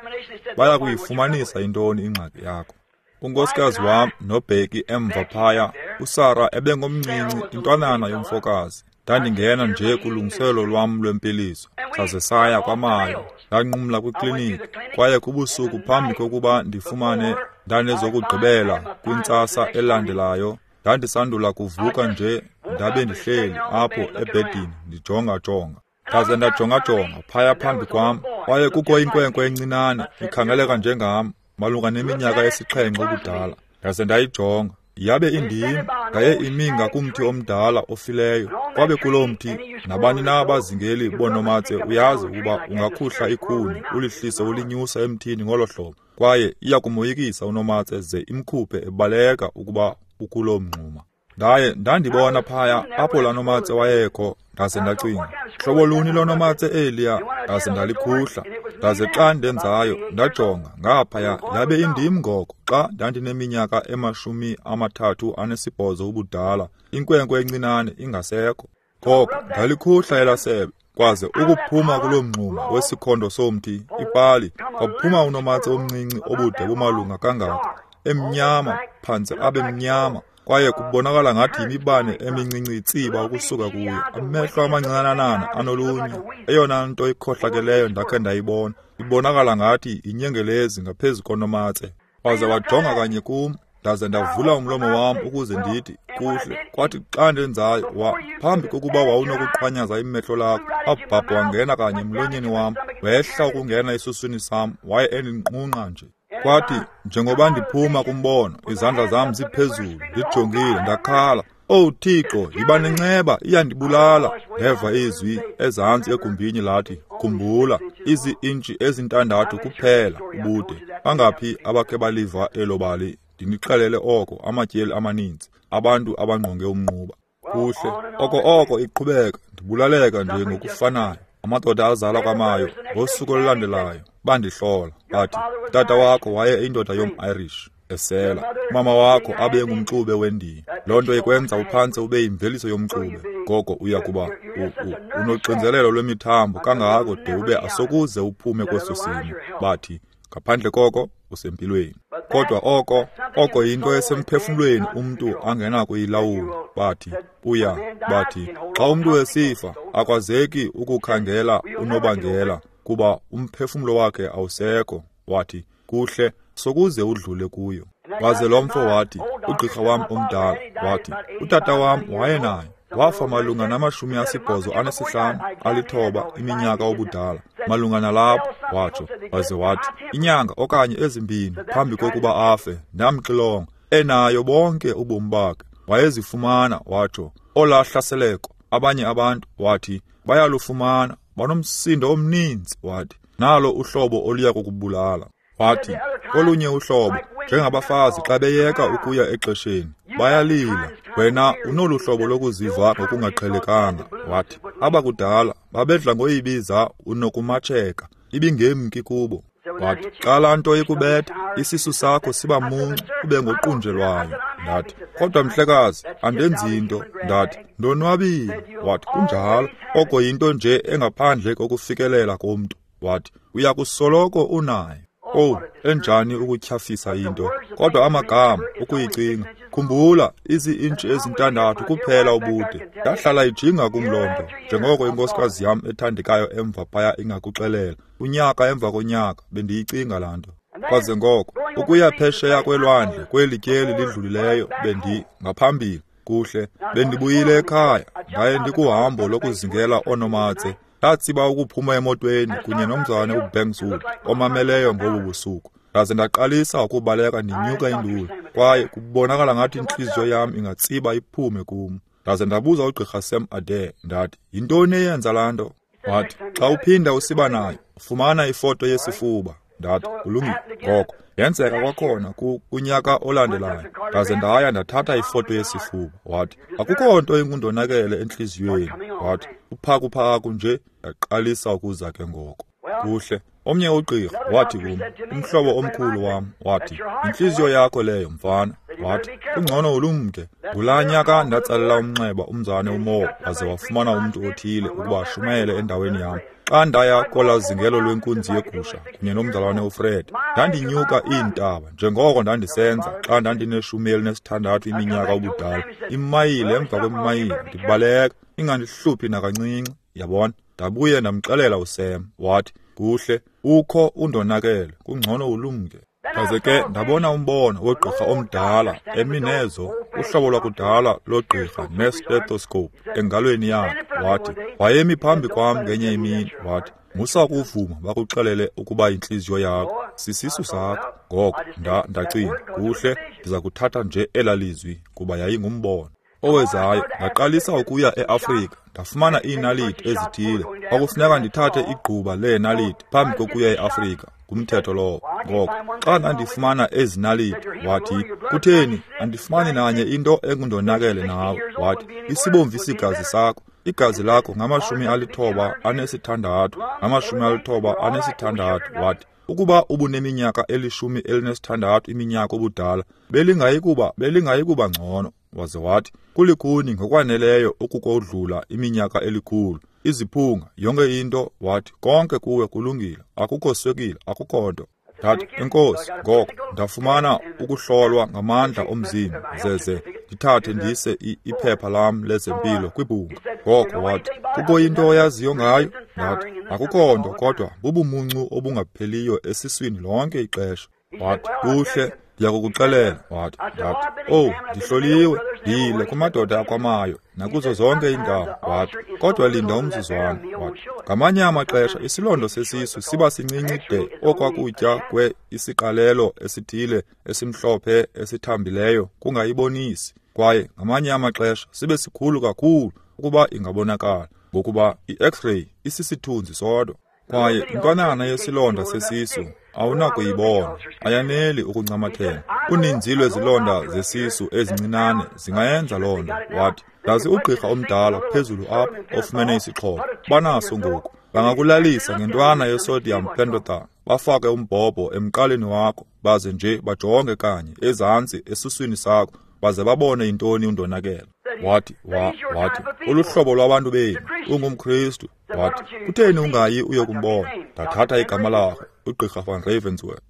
baya kuyifumanisa intoni ingxaki yakho. Unkosikazi wam noBheki emva phaya, uSara ebengomncinci, intwanana yomfokazi. Ndandingena nje kulungiselelo lwam lwempiliso. Saze saya kwaMayo, ndanqumla kwikliniki. Kwaye kubusuku phambi kokuba ndifumane ndanezokugqibela kwintsasa elandelayo, ndandisandula kuvuka nje, ndabe ndihleli apho ebhedini ndijonga-jonga. Ndaze ndajonga-jonga phaya phambi kwam, kwaye kukho inkwenkwe encinane ikhangeleka njengam, malunga neminyaka esixhenxe ubudala. Ndaze ndayijonga, yabe indim, ndaye imi ngakumthi omdala ofileyo. Kwabe kuloo mthi, nabani na abazingeli boonomatse uyazi ukuba ungakhuhla ikhuni ulihlise ulinyusa emthini ngolo hlobo, kwaye iya kumoyikisa unomatse ze imkhuphe ebaleka ukuba ukuloo mngxuma. Ndaye ndandibona phaya apho laa nomatse wayekho, ndaze ndacinga, Hlobo luni lonomatse eliya? Ndaze ndalikhuhla. Ndaze xa ndenzayo, ndajonga ngaphaya, yabe indim ngoko xa ndandineminyaka emashumi amathathu anesibhozo ubudala, inkwenkwe encinane ingasekho. Ngoko ndalikhuhla elasebe, kwaze ukuphuma kuloo mngxuma wesikhondo somthi, ipali, kwaphuma unomatse omncinci obude bumalunga kangako, emnyama, phantse abe mnyama, kwaye kubonakala ngathi yimibane emincinci itsiba ukusuka kuyo, amehlo amancinanana anolunya, eyona nto ikhohlakeleyo ndakhe ndayibona, ibonakala ngathi inyengelezi ngaphezu konomatse. Waze wajonga kanye kum, ndaze ndavula umlomo wam ukuze ndithi kuhle. Kwathi xa ndenzayo, wa phambi kokuba wawunokuqhwanyaza imehlo lakho, abhabha wangena kanye emlonyeni wam, wehla ukungena esuswini sam, waye endinqunqa nje. Kwathi njengoba ndiphuma kumbono, izandla zam ziphezulu, ndijongile, ndakhala, "Owu Thixo, yiba nenceba, iyandibulala." Ndeva izwi ezantsi egumbini lathi, "Khumbula, izi-intshi ezintandathu kuphela ubude." Bangaphi abakhe baliva elo bali? Ndinixelele oko amatyeli amaninzi, abantu abangqonge umnquba. Kuhle, oko oko iqhubeka, ndibulaleka nje ngokufanayo. Amadoda azalwa kwamayo ngosuku olulandelayo bandihlola, bathi, "Tata wakho waye indoda yom-Irish esela, mama wakho abe ngumxube wendiya. Loo nto ikwenza uphantse ube yimveliso yomxube. Ngoko uya kuba unoxinzelelo lwemithambo kangako de ube asokuze uphume kweso simo." Bathi, ngaphandle koko usempilweni. Kodwa oko oko yinto esemphefumlweni umntu angenakuyilawula. Bathi uya bathi xa umntu esifa akwazeki ukukhangela unobangela kuba umphefumlo wakhe awusekho. Wathi, kuhle, sokuze udlule kuyo. Waze lo mfo wathi, ugqirha wam omdala wathi, utata wam wayenayo, wafa malunga namashumi asibhozo anesihlanu alithoba iminyaka obudala, malunga nalapho, watsho. Waze wathi, inyanga okanye ezimbini phambi kokuba afe, ndamxilonga, enayo bonke ubomi bakhe, wayezifumana, watsho, olaa hlaseleko. Abanye abantu, wathi, bayalufumana, banomsindo omninzi, wathi, nalo uhlobo oluya kukubulala. Wathi, kolunye uhlobo, njengabafazi xa beyeka ukuya exesheni, bayalila, wena unolu hlobo lokuziva ngokungaqhelekanga. Wathi, abakudala babedla ngoyibiza unokumatsheka, ibingemki kubo. Wathi, xa laa nto ikubetha, isisu sakho siba muncu, ube ngoqunjelwayo. Ndathi, kodwa mhlekazi, andenzi nto. Ndathi, ndonwabile. Wathi, kunjalo, oko yinto nje engaphandle kokufikelela komntu. Wathi, uya kusoloko unayo. Oh, enjani ukutyhafisa into. Kodwa amagama ukuyicinga. Khumbula, izi-intshi ezintandathu kuphela ubude. Ndahlala ijinga kum loo nto, njengoko inkosikazi yam ethandekayo emva phaya ingakuxelela. Unyaka emva konyaka bendiyicinga laa nto. Kwaze ngoko, ukuya phesheya kwelwandle kweli tyeli lidlulileyo bendi ngaphambili. Kuhle, bendibuyile ekhaya, ndaye ndikuhambo lokuzingela oonomatse. Ndatsiba ukuphuma emotweni kunye nomzalwane uBankswood omameleyo ngobu busuku. Ndaze ndaqalisa ukubaleka ndinyuka induli, kwaye kubonakala ngathi intliziyo yam ingatsiba iphume kum. Ndaze ndabuza ugqirha Sam Adair, ndathi, yintoni eyenza laa nto? Wathi, xa uphinda usiba nayo, fumana ifoto yesifuba. Ndathi, kulungile. Ngoko yenzeka kwakhona kunyaka olandelayo. Ndaze ndaya ndathatha ifoto yesifuba. Wathi, akukho nto ingundonakele entliziyweni. Wathi, uphakuphaku nje. Ndaqalisa ukuza ke ngoko. Kuhle, omnye ugqirha wathi kum, umhlobo omkhulu wam, wathi, intliziyo yakho leyo, mfana. Wathi, kungcono ulumke. Ngulaa nyaka ndatsalela umnxeba umzane uMo, waze wafumana umntu othile ukuba ashumayele endaweni yam. Xa ndaya kolaa zingelo lwenkunzi yegusha kunye nomzalwane uFred, ndandinyuka iintaba njengoko ndandisenza xa ndandineshumi elinesithandathu iminyaka ubudala, imayile emva kwemayile, ndibaleka, ingandihluphi nakancinci, yabona. Ndabuye ndamxelela uSam, wathi, kuhle, ukho undonakele, kungcono ulumke. Ndaze ke ndabona umbono wogqirha omdala emi nezo, uhlobo lwakudala logqirha ne-stethoscope engalweni yakhe. Wathi, wayemi phambi kwam ngenye imini, wathi, musa ukuvuma bakuxelele ukuba intliziyo yakho sisisu sakho. Ngoko nda ndacinga, kuhle, ndiza kuthatha nje elaa lizwi kuba yayingumbono. Owezayo ndaqalisa ukuya eAfrika, ndafumana iinaliti ezithile. Kwakufuneka ndithathe igquba leenaliti phambi kokuya eAfrika, ngumthetho lowo. Ngoko xa ndandifumana ezi naliti, wathi, kutheni andifumani nanye into engundonakele nawe? Wathi, isibomvu isigazi sakho Igazi lakho ngamashumi alithoba anesithandathu, ngamashumi alithoba anesithandathu. Wathi, ukuba ubuneminyaka elishumi elinesithandathu iminyaka obudala, belingayikuba belingayikuba ngcono. Waze wathi, kulikhuni ngokwaneleyo ukukodlula iminyaka elikhulu, iziphunga, yonke into. Wathi, konke kuwe kulungile, akukho swekile, akukho nto. Ndathi, enkosi. Ngoko ndafumana ukuhlolwa ngamandla omzimba, zeze ndithathe ndise iphepha lam lezempilo kwibhunga. Ngoko wathi, kukho into oyaziyo ngayo? Ndathi, akukho nto, kodwa bubumuncu obungapheliyo esiswini lonke ixesha. Wathi, kuhle, ndiyakukuxelela. Wathi, ndathi, owu, ndihloliwe, ndiyile kumadoda akwamayo nakuzo zonke iindawo. Wathi, kodwa linda umzuzwana. Wathi, ngamanye amaxesha isilondo sesisu siba sincinci de okwakutya kwe isiqalelo esithile esimhlophe esithambileyo kungayibonisi, kwaye ngamanye amaxesha sibe sikhulu kakhulu ukuba ingabonakala, ngokuba i-X-ray isisithunzi sodwa. Kwaye intwanana yesilonda sesisu awunakuyibona, ayaneli ukuncamathela. Uninzi lwezilonda zesisu ezincinane zingayenza loo nto. Wathi, ndazi ugqirha omdala phezulu apho ofumene isixhobo, banaso ngoku. Bangakulalisa ngentwana yesodium pentothal, bafake umbhobho emqaleni wakho, baze nje bajonge kanye ezantsi esuswini sakho, baze babone intoni undonakele. Wathi, wa, wathi, uluhlobo lwabantu benu, ungumKristu. Wathi, kutheni ungayi uyokumbona? Ndathatha igama lakhe, ugqirha van Ravensworth.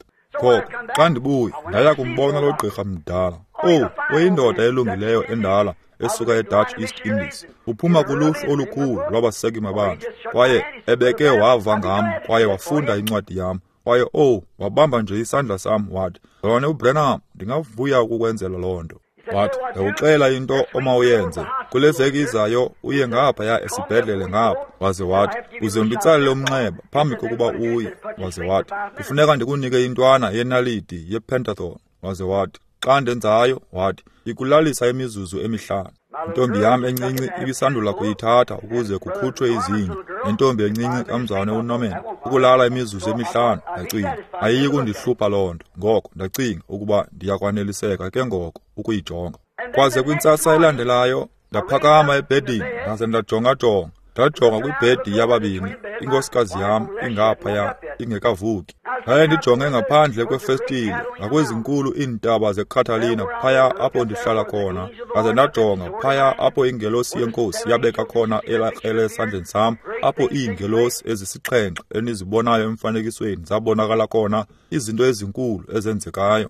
Ngoko xa ndibuya, ndaya kumbona lo gqirha mdala. Owu, uyindoda elungileyo endala esuka eDutch East Indies. Uphuma kuluhlu olukhulu lwabaseki mabandla, kwaye ebeke wava ngam kwaye wafunda incwadi yam. Kwaye owu, wabamba nje isandla sam wathi, Mzalwane uBranham, ndingavuya ukukwenzela loo nto. Wathi, ndakuxela into omawuyenze. Kule veki izayo uye ngaphaya esibhedlele ngapha. Waze wathi, uze unditsalele umnxeba phambi kokuba uye. Waze wathi, kufuneka ndikunike intwana yenaliti yepentathon. Waze wathi, xa ndenzayo, wathi, ikulalisa imizuzu emihlanu. Intombi yam encinci ibisandula kuyithatha ukuze kukhutshwe izinyo, nentombi encinci kamzalwane uNorman, ukulala imizuzu emihlanu. Ndacinga, ayiyi kundihlupha loo nto. Ngoko ndacinga ukuba ndiyakwaneliseka ke ngoko ukuyijonga. Kwaze kwintsasa elandelayo ndaphakama ebhedini ndaze ndajongajonga. Ndajonga kwibhedi yababini, inkosikazi yam ingaphaya ingekavuki. Ndaye ndijonge ngaphandle kwefestile ngakwezinkulu iintaba zeCatalina phaya apho ndihlala khona. Ndaze ndajonga phaya apho ingelosi yenkosi yabeka khona elaa krele esandleni sam, apho iingelosi ezisixhenxe enizibonayo emfanekisweni zabonakala khona, izinto ezinkulu ezenzekayo.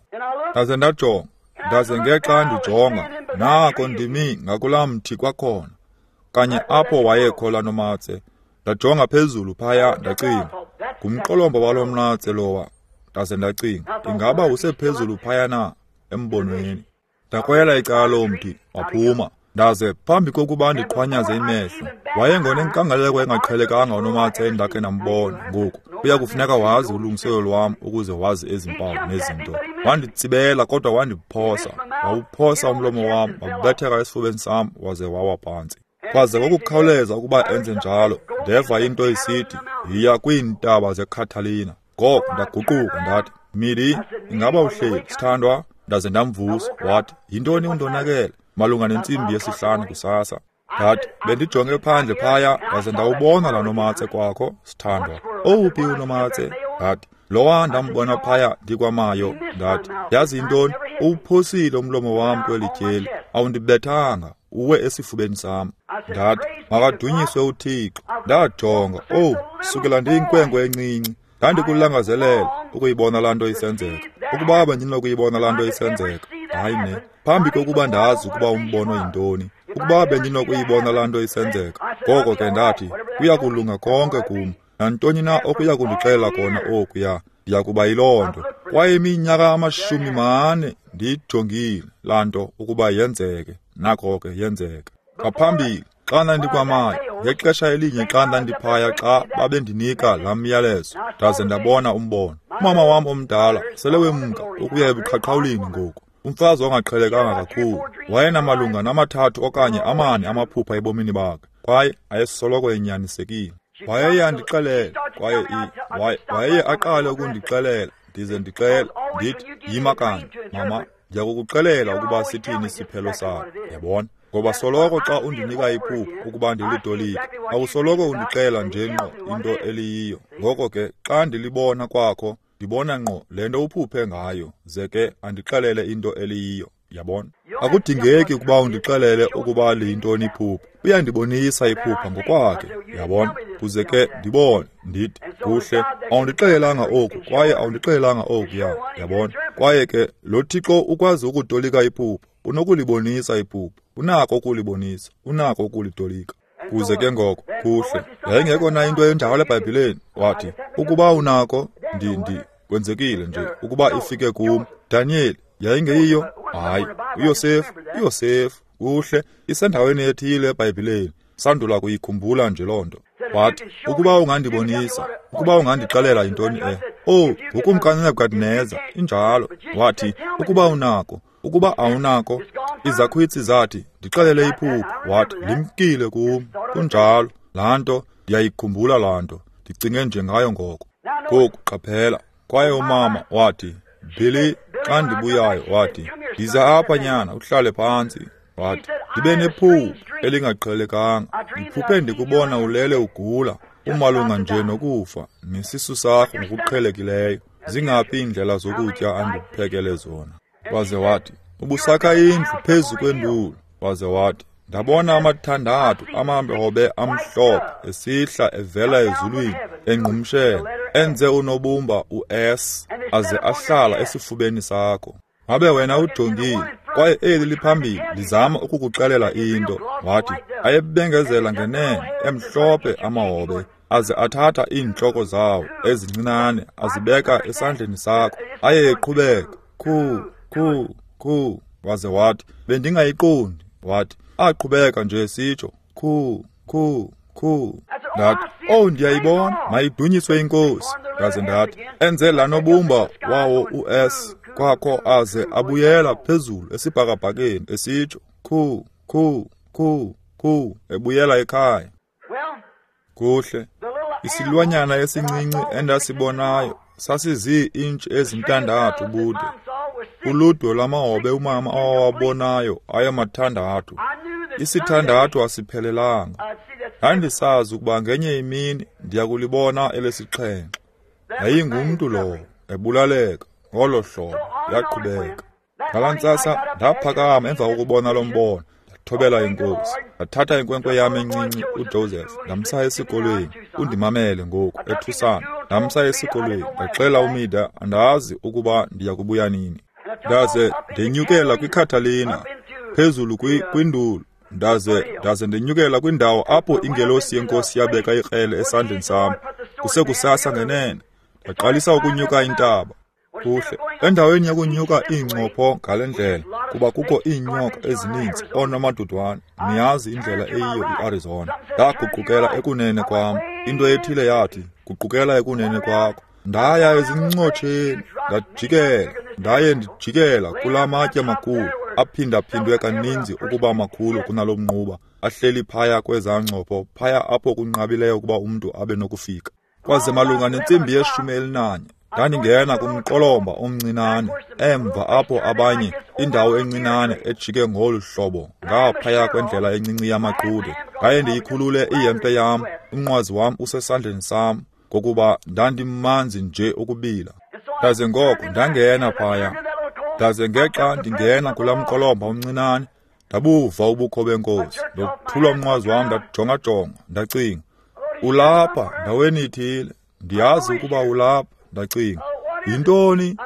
Ndaze ndajonga, ndaze ngexa ndijonga, nako ndimi ngakulaa mthi kwakhona, kanye apho wayekho laa nomatse. Ndajonga phezulu phaya, ndacinga, ngumqolomba walo mnatse lowa. Ndaze ndacinga, ingaba usephezulu phaya na embonweni? Ndakrwela icala lomthi, waphuma. Ndaze phambi kokuba ndiqhwanyaze imehlo, wayengonenkangeleko engaqhelekanga unomatse endakhe ndambona. Ngoku kuya kufuneka wazi ulungiselelo lwam ukuze wazi ezi mpawu nezinto. Wanditsibela kodwa wandiphosa, wawuphosa umlomo wam, wabetheka esifubeni sam, waze wawa phantsi. Kwaze ngokukhawuleza ukuba enze njalo, ndeva into isithi, yiya kwiintaba zeCatalina. Ngoko ndaguquka ndathi, Midi, ingaba uhleli, sithandwa? Ndaze ndamvusa. Wathi, yintoni undonakele? Malunga nentsimbi yesihlanu kusasa. Ndathi, bendijonge phandle phaya, ndaze ndawubona laa nomatse kwakho, sithandwa. Owuphi unomatse? Ndathi, lowa ndambona phaya ndikwamayo. Ndathi, yazi yintoni? Uwuphosile umlomo wam kweli tyeli, awundibethanga, uwe esifubeni sam. Ndathi, makadunyiswe uThixo. Ndajonga, owu, sukela ndiyinkwenkwe encinci, ndandikulangazelela ukuyibona laa nto isenzeka. Ukuba bendinokuyibona laa nto isenzeka, hayi ne, phambi kokuba ndazi ukuba umbono yintoni, ukuba bendinokuyibona laa nto isenzeka. Ngoko ke ndathi, kuya kulunga konke kum. Nantoni na okuya kundixelela kona okuya, ndiya kuba yiloo nto. Kwaye iminyaka amashumi mane ndiyijongile laa nto ukuba yenzeke. Nako ke yenzeka. Ngaphambili, xa ndandikwamayo, ngexesha elinye xa ndandiphaya, xa babendinika laa myalezo, ndaze ndabona umbono. Umama wam omdala sele wemka ukuya ebuqhaqhawulini ngoku, umfazi ongaqhelekanga kakhulu. Wayenamalunga namathathu okanye amane amaphupha ebomini bakhe, kwaye ayesoloko enyanisekile. Wayeye andixelela, kwaye wayeye aqale ukundixelela, ndize ndixele, ndithi, yima kanye, mama, ndiyakukuxelela ukuba sithini isiphelo sakho. Yabona? Ngoba soloko xa undinika iphupha ukuba ndilitolike, awusoloko undixela nje ngqo into eliyiyo. Ngoko ke xa ndilibona kwakho, ndibona ngqo le nto uphuphe ngayo, ze ke andixelele into eliyiyo. Yabona? Akudingeki ukuba undixelele ukuba liyintoni iphupha. Uyandibonisa iphupha ngokwakhe, yabona? Kuze ke ndibone, ndithi, kuhle, awundixelelanga oku, kwaye awundixelelanga okuya, yabona? Kwaye ke lo Thixo ukwazi ukutolika iphupha, unokulibonisa iphupha, unako ukulibonisa, unako ukulitolika. Kuze ke ngoko, kuhle, yayingekho na into enjalo eBhayibhileni? Wathi, ukuba unako, ndi ndi kwenzekile nje ukuba ifike kum. Daniel, yayingeyiyo? Hayi, uYosefu, uYosefu, kuhle, isendaweni ethile eBhayibhileni. Sandula kuyikhumbula nje loo nto. Wathi, ukuba ungandibonisa, ukuba ungandixelela yintoni e. Oh, ngukumkani Nebukadneza, injalo. Wathi, ukuba unako, ukuba awunako, izakhwitsi zathi, ndixelele iphupha. Wathi, limkile kum. Kunjalo, laa nto, ndiyayikhumbula laa nto. Ndicinge nje ngayo ngoko. Ngoku qaphela. Kwaye umama wathi, Billy, xa ndibuyayo, wathi, ndiza apha nyana, uhlale phantsi. Wathi, ndibe nephupha elingaqhelekanga. Ndiphuphe ndikubona ulele ugula, umalunga nje nokufa, nesisu sakho ngokuqhelekileyo. Zingaphi iindlela zokutya andikuphekele zona? Waze wathi, ubusakha indlu phezu kwenduli. Waze wathi, ndabona amathandathu amahobe amhlophe esihla evela ezulwini engqumshela, enze unobumba u-S, aze ahlala esifubeni sakho. Ngabe wena ujongile, kwaye eli liphambili lizama ukukuxelela into. Wathi, ayebengezela ngenene, emhlophe amahobe, aze athatha iintloko zawo ezincinane azibeka esandleni sakho, aye eqhubeka, khu, khu, khu. Waze wathi, bendingayiqondi. Wathi, aqhubeka nje sitsho, khu, khu, khu. Ndathi, oh, ndiyayibona, mayidunyiswe iNkosi. Ndaze ndathi, enze laa nobumba wawo u-S kwakho, aze abuyela phezulu esibhakabhakeni esitsho, khu, khu, khu, khu, ebuyela ekhaya. Kuhle, isilwanyana esincinci endasibonayo sasizii-intshi ezintandathu bude. Uludwe lwamahobe umama awawabonayo ayemathandathu. Isithandathu asiphelelanga. Ndandisazi ukuba ngenye imini ndiyakulibona elesixhenxe. Yayingumntu lowo, ebulaleka ngolo hlobo, yaqhubeka. Ngalaa ntsasa ndaphakama emva kokubona lo mbono, ndathobela iNkosi. Ndathatha inkwenkwe yam encinci uJoseph, ndamsa esikolweni. Undimamele ngoku, ethusana. Ndamsa esikolweni, ndaxela uMida, andazi ukuba ndiya kubuya nini. Ndaze ndenyukela kwiCatalina, phezulu kwindulu. Ndaze ndaze ndenyukela kwindawo apho ingelosi yeNkosi yabeka ikrele esandleni sam. Kusekusasa ngenene, ndaqalisa ukunyuka intaba. Kuhle, endaweni yokunyuka iincopho ngale ndlela, kuba kukho iinyoka ezininzi oonomadudwane, niyazi indlela eyiyo iArizona. Ndaguqukela ekunene kwam. Into ethile yathi, guqukela ekunene kwakho. Ndaya ezincotsheni, ndajikela, ndaye ndijikela kulaa matye makhulu, aphindaphindwe kaninzi ukuba makhulu kunalo mnquba, ahleli phaya kwezaa ncopho, phaya apho kunqabileyo ukuba umntu abe nokufika. Kwaze malunga nentsimbi yeshumi elinanye, ndandingena kumqolomba omncinane, emva apho abanye, indawo encinane ejike ngolu hlobo, ngaphaya kwendlela encinci yamaqude. Ndaye ndiyikhulule ihempe yam, umnqwazi wam usesandleni sam, ngokuba ndandimanzi nje ukubila. Ndaze ngoko ndangena phaya. Ndaze ngexa ndingena kulaa mqolomba omncinane, ndabuva ubukho beNkosi. Ndothula umnqwazi wam, ndajongajonga, ndacinga, ulapha ndaweni ithile, ndiyazi ukuba ulapha. Ndacinga, yintoni?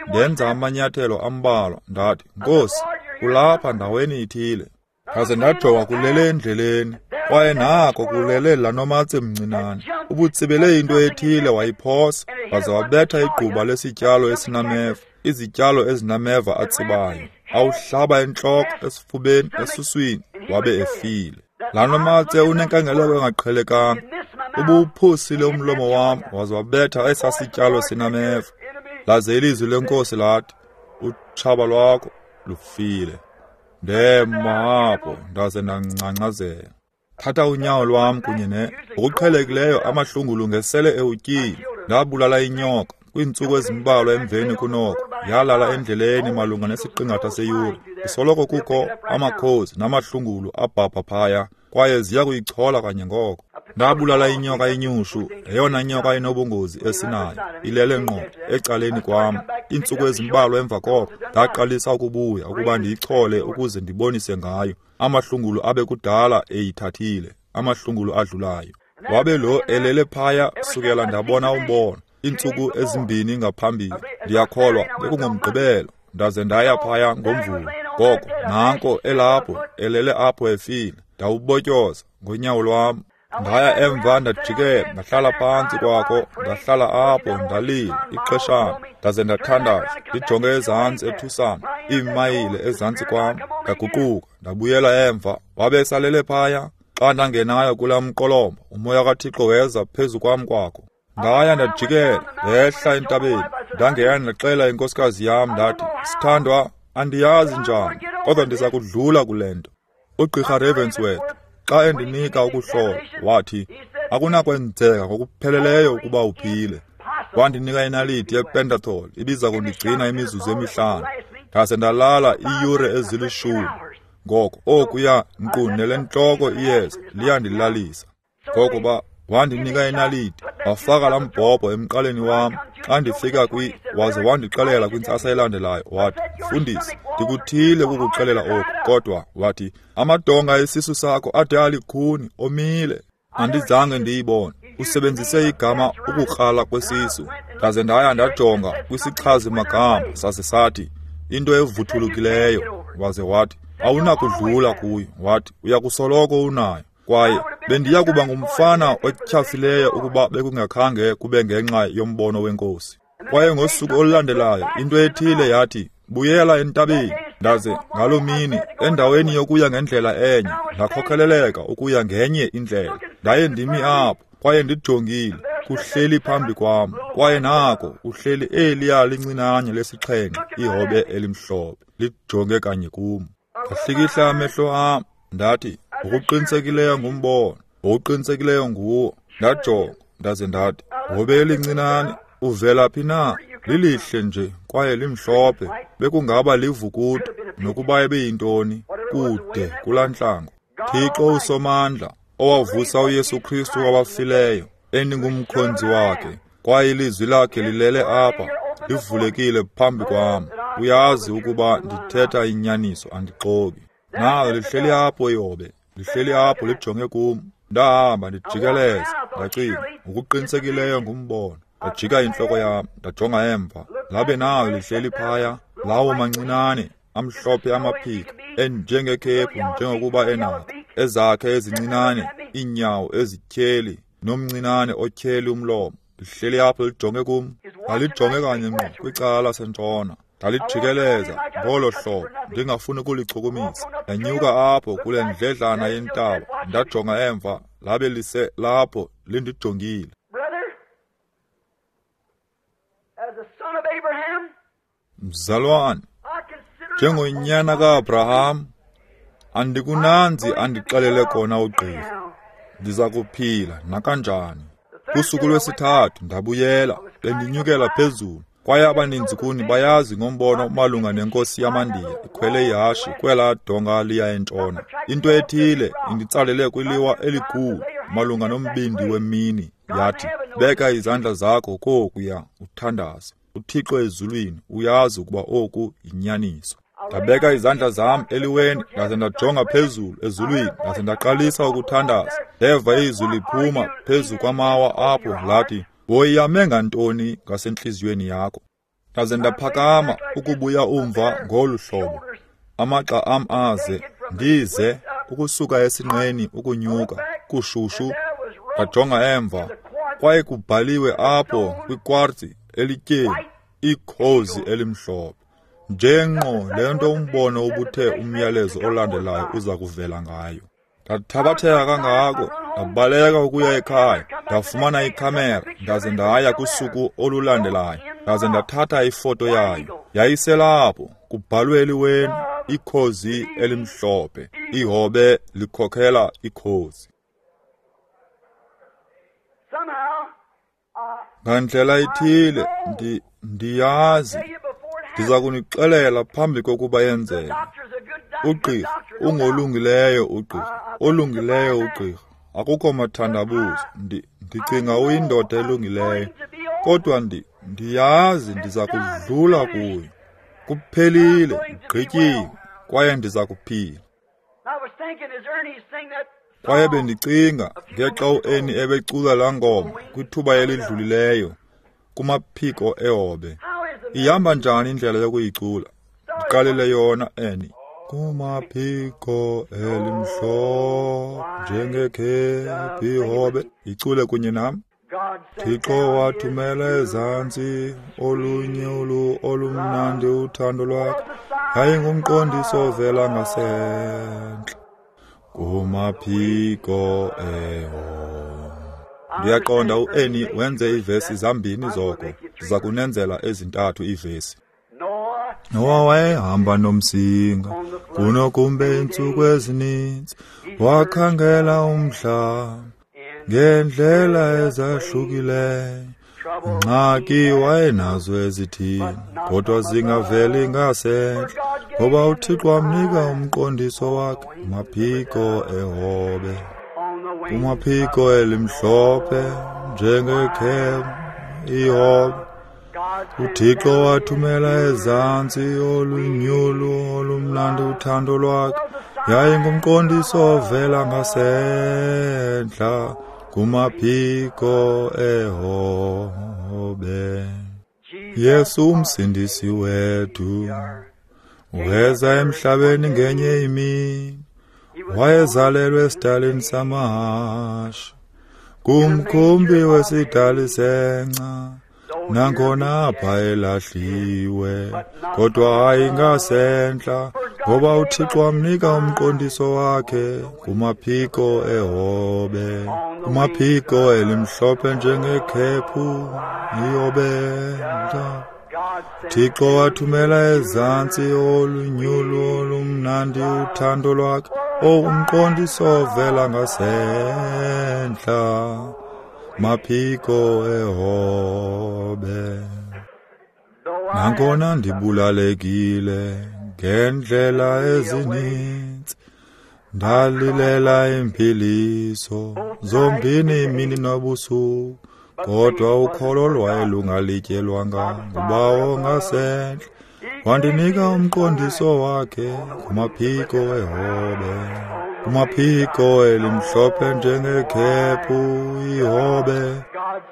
Ndenza amanyathelo ambalwa, ndathi, Nkosi, ulapha ndaweni ithile. Ndaze ndajonga kulele endleleni, kwaye nako kulele laa nomatse mncinane. Ubutsibele into ethile wayiphosa, waze wabetha igquba lesityalo esinameva, izityalo ezinameva atsibayo. Awuhlaba entloko, esifubeni, esuswini, wabe efile. Laa nomatse unenkangeleko engaqhelekanga. Ubuwuphosile umlomo wam, waze wabetha esaa sityalo sinameva. Laze ilizwi leNkosi lathi, utshaba lwakho lufile. Ndema apho, ndaze ndangcangcazela. Thatha unyawo lwam kunye ne ngokuqhelekileyo amahlungulu ngesele ewutyile. Ndabulala inyoka kwiintsuku ezimbalwa emveni kunoko. Yalala endleleni malunga nesiqingatha seyure. Isoloko kukho amakhozi namahlungulu abhabha phaya, kwaye ziya kuyichola kanye ngoko. Ndabulala inyoka inyushu, yeyona nyoka inobungozi esinayo, ilele ngqo ecaleni kwam. Iintsuku ezimbalwa emva koko ndaqalisa ukubuya ukuba ndiyichole ukuze ndibonise ngayo. Amahlungulu abe kudala eyithathile, amahlungulu adlulayo. Wabe lo elele phaya sukela ndabona umbono iintsuku ezimbini ngaphambili. Ndiyakholwa bekungomgqibelo, ndaze ndaya phaya ngoMvulo. Ngoko nanko elapho elele apho efile. Ndawubotyoza ngonyawo lwam. Ndaya emva ndajikela, ndahlala phantsi kwakho, ndahlala apho ndalila ixeshana, ndaze ndathandaza ndijonge ezantsi eTucson, iimayile ezantsi kwam. Ndaguquka ndabuyela emva, wabe esalele phaya. Xa ndangenayo kulaa mqolomba, umoya kaThixo weza phezu kwam kwakho. Ndaya ndajikela ndehla entabeni, ndangena ndaxela inkosikazi yam ndathi, sithandwa, andiyazi njani, kodwa ndiza kudlula kule nto. Ugqirha Ravensworth xa endinika ukuhlola wathi, akunakwenzeka ngokupheleleyo ukuba uphile. Wandinika inaliti yePentathol ibiza kundigcina imizuzu emihlanu, ndaze ndalala iiyure ezilishumi. Ngoko okuya nkqu nelentloko iyeza liyandilalisa. Ngoko ba wandinika inaliti, wafaka laa mbhobho emqaleni wam. Xa ndifika kwi, waze wandixelela kwintsasa elandelayo, wathi, mfundisi, ndikuthile ukukuxelela oku, kodwa wathi, amadonga esisu sakho ade alikhuni, omile. Andizange ndiyibone. Usebenzise igama ukukrala kwesisu. Ndaze ndaya ndajonga kwisichazi-magama, saze sathi, into evuthulukileyo. Waze wathi, awunakudlula kuyo. Wathi, uyakusoloko unayo. Kwaye bendiya kuba ngumfana otyhafileyo ukuba bekungakhange kube ngenxa yombono wenkosi. Kwaye ngosuku olulandelayo into ethile yathi, buyela entabeni. Ndaze ngaloo mini, endaweni yokuya ngendlela enye, ndakhokeleleka ukuya ngenye indlela. Ndaye ndimi apho, kwaye ndijongile, kuhleli phambi kwam. Kwaye nako uhleli eliya lincinane lesixhenxe, ihobe elimhlophe, lijonge kanye kum. Ndahlikihla amehlo am, ndathi, ngokuqinisekileyo ngumbono, ngokuqinisekileyo nguwo. Ndajonga, ndaze ndathi, hobe elincinane, uvela phi na? Lilihle nje kwaye limhlophe, bekungaba livukuto nokuba ebeyintoni, kude kulaa ntlango. Thixo uSomandla, owavusa uYesu Kristu kwabafileyo, endingumkhonzi wakhe, kwaye ilizwi lakhe lilele apha, livulekile phambi kwam. Uyazi ukuba ndithetha inyaniso, andixoki. Nalo lihleli apho ihobe, lihleli apho lijonge kum. Ndahamba ndijikeleza, ndacinga, ngokuqinisekileyo ngumbono. Ndajika intloko yam, ndajonga emva, labe nayo lihleli phaya, lawo mancinane amhlophe amaphiko, enjengekhephu njengokuba enako, ezakhe ezincinane iinyawo ezityheli, nomncinane otyheli umlomo. Lihleli apho lijonge kum, ndalijonge kanye ngqo kwicala lasentshona. Ndalijikeleza ngolo hlobo, ndingafuni ukulichukumisa. Ndanyuka apho kule ndledlana yentaba, ndajonga emva, labe lise lapho lindijongile. Mzalwane, njengonyana ka-Abraham, andikunanzi andixelele kona ugqirha. Ndiza kuphila nakanjani. Kusuku lwesithathu ndabuyela, bendinyukela phezulu. Kwaye abaninzi kuni bayazi ngombono malunga nenkosi yamaNdiya ikhwele ihashe kwelaa donga liya entshona. Into ethile inditsalele kwiliwa elikhulu malunga nombindi wemini, yathi, beka izandla zakho kokuya uthandaze. uThixo ezulwini uyazi ukuba oku yinyaniso. Ndabeka izandla zam eliweni, ndaze ndajonga phezulu ezulwini, ndaze ndaqalisa ukuthandaza. Ndeva izwi liphuma phezu kwamawa apho lathi, woyame ngantoni ngasentliziyweni yakho? Ndaze ndaphakama ukubuya umva ngolu hlobo, amagxa am aze ndize ukusuka esinqeni ukunyuka kushushu. Ndajonga emva, kwaye kubhaliwe apho kwikwartsi elityeni ikhozi elimhlophe, njenqo le nto umbono ubuthe umyalezo olandelayo uza kuvela ngayo. Ndathabatheka kangako, ndabaleka ukuya ekhaya, ndafumana ikhamera, ndaze ndaya kusuku olulandelayo, ndaze ndathatha ifoto yayo. Yayiselapho kubhalwe eliweni ikhozi elimhlophe, ihobe likhokhela ikhozi. Ngandlela ithile ndi ndiyazi Ndiza kunixelela phambi kokuba yenzeke. Ugqirha ungolungileyo ugqirha, olungileyo ugqirha. Akukho mathandabuzo. Ndi, ndicinga uyindoda elungileyo. Kodwa ndi, ndiyazi ndiza kudlula kuyo. Kuphelile, gqityiwe, kwaye ndiza kuphila. Kwaye bendicinga ngexa uErnie ebecula laa ngoma kwithuba elidlulileyo kumaphiko ehobe. Ihamba njani indlela yokuyicula? Ndiqalele yona, Ernie. Kumaphiko elimhlophe njengekhephu ihobe. Icule kunye nam. Thixo wathumela ezantsi olunye olu olumnandi uthando lwakhe, yayingumqondiso ovela ngasentla kumaphiko ehobe. Ndiyaqonda uErnie wenze iivesi zambini zoko. Ndiza kunenzela ezintathu iivesi. Noah wayehamba nomsinga kunokumbe iintsuku ezininzi, wakhangela umhlaba ngeendlela ezahlukileyo. Ingxaki wayenazo ezithile, kodwa zingaveli ngasentla, ngoba uThixo wamnika umqondiso wakhe kumaphiko ehobe, kumaphiko elimhlophe njengekhephu ihobe. uThixo wathumela ezantsi olunyulu olumnandi uthando lwakhe, yayingumqondiso ovela ngasentla kumaphiko ehobe. Yesu umsindisi wethu weza emhlabeni ngenye imini, wayezalelwe esidalini samahashe, kumkhumbi wesidali senca. Nangona apha elahliwe, kodwa hayi ngasentla, ngoba uThixo wamnika umqondiso wakhe kumaphiko ehobe, kumaphiko elimhlophe njengekhephu ihobe. Thixo wathumela ezantsi olunyulu olumnandi uthando lwakhe, o umqondiso ovela ngasentla maphiko ehobe. Nangona ndibulalekile ngendlela ezininzi, ndalilela impiliso zombini imini nobusuku, kodwa ukholo lwaye lungalityelwanga ngubawo ngasentla, wandinika umqondiso wakhe kumaphiko ehobe, kumaphiko elimhlophe njengekhephu ihobe.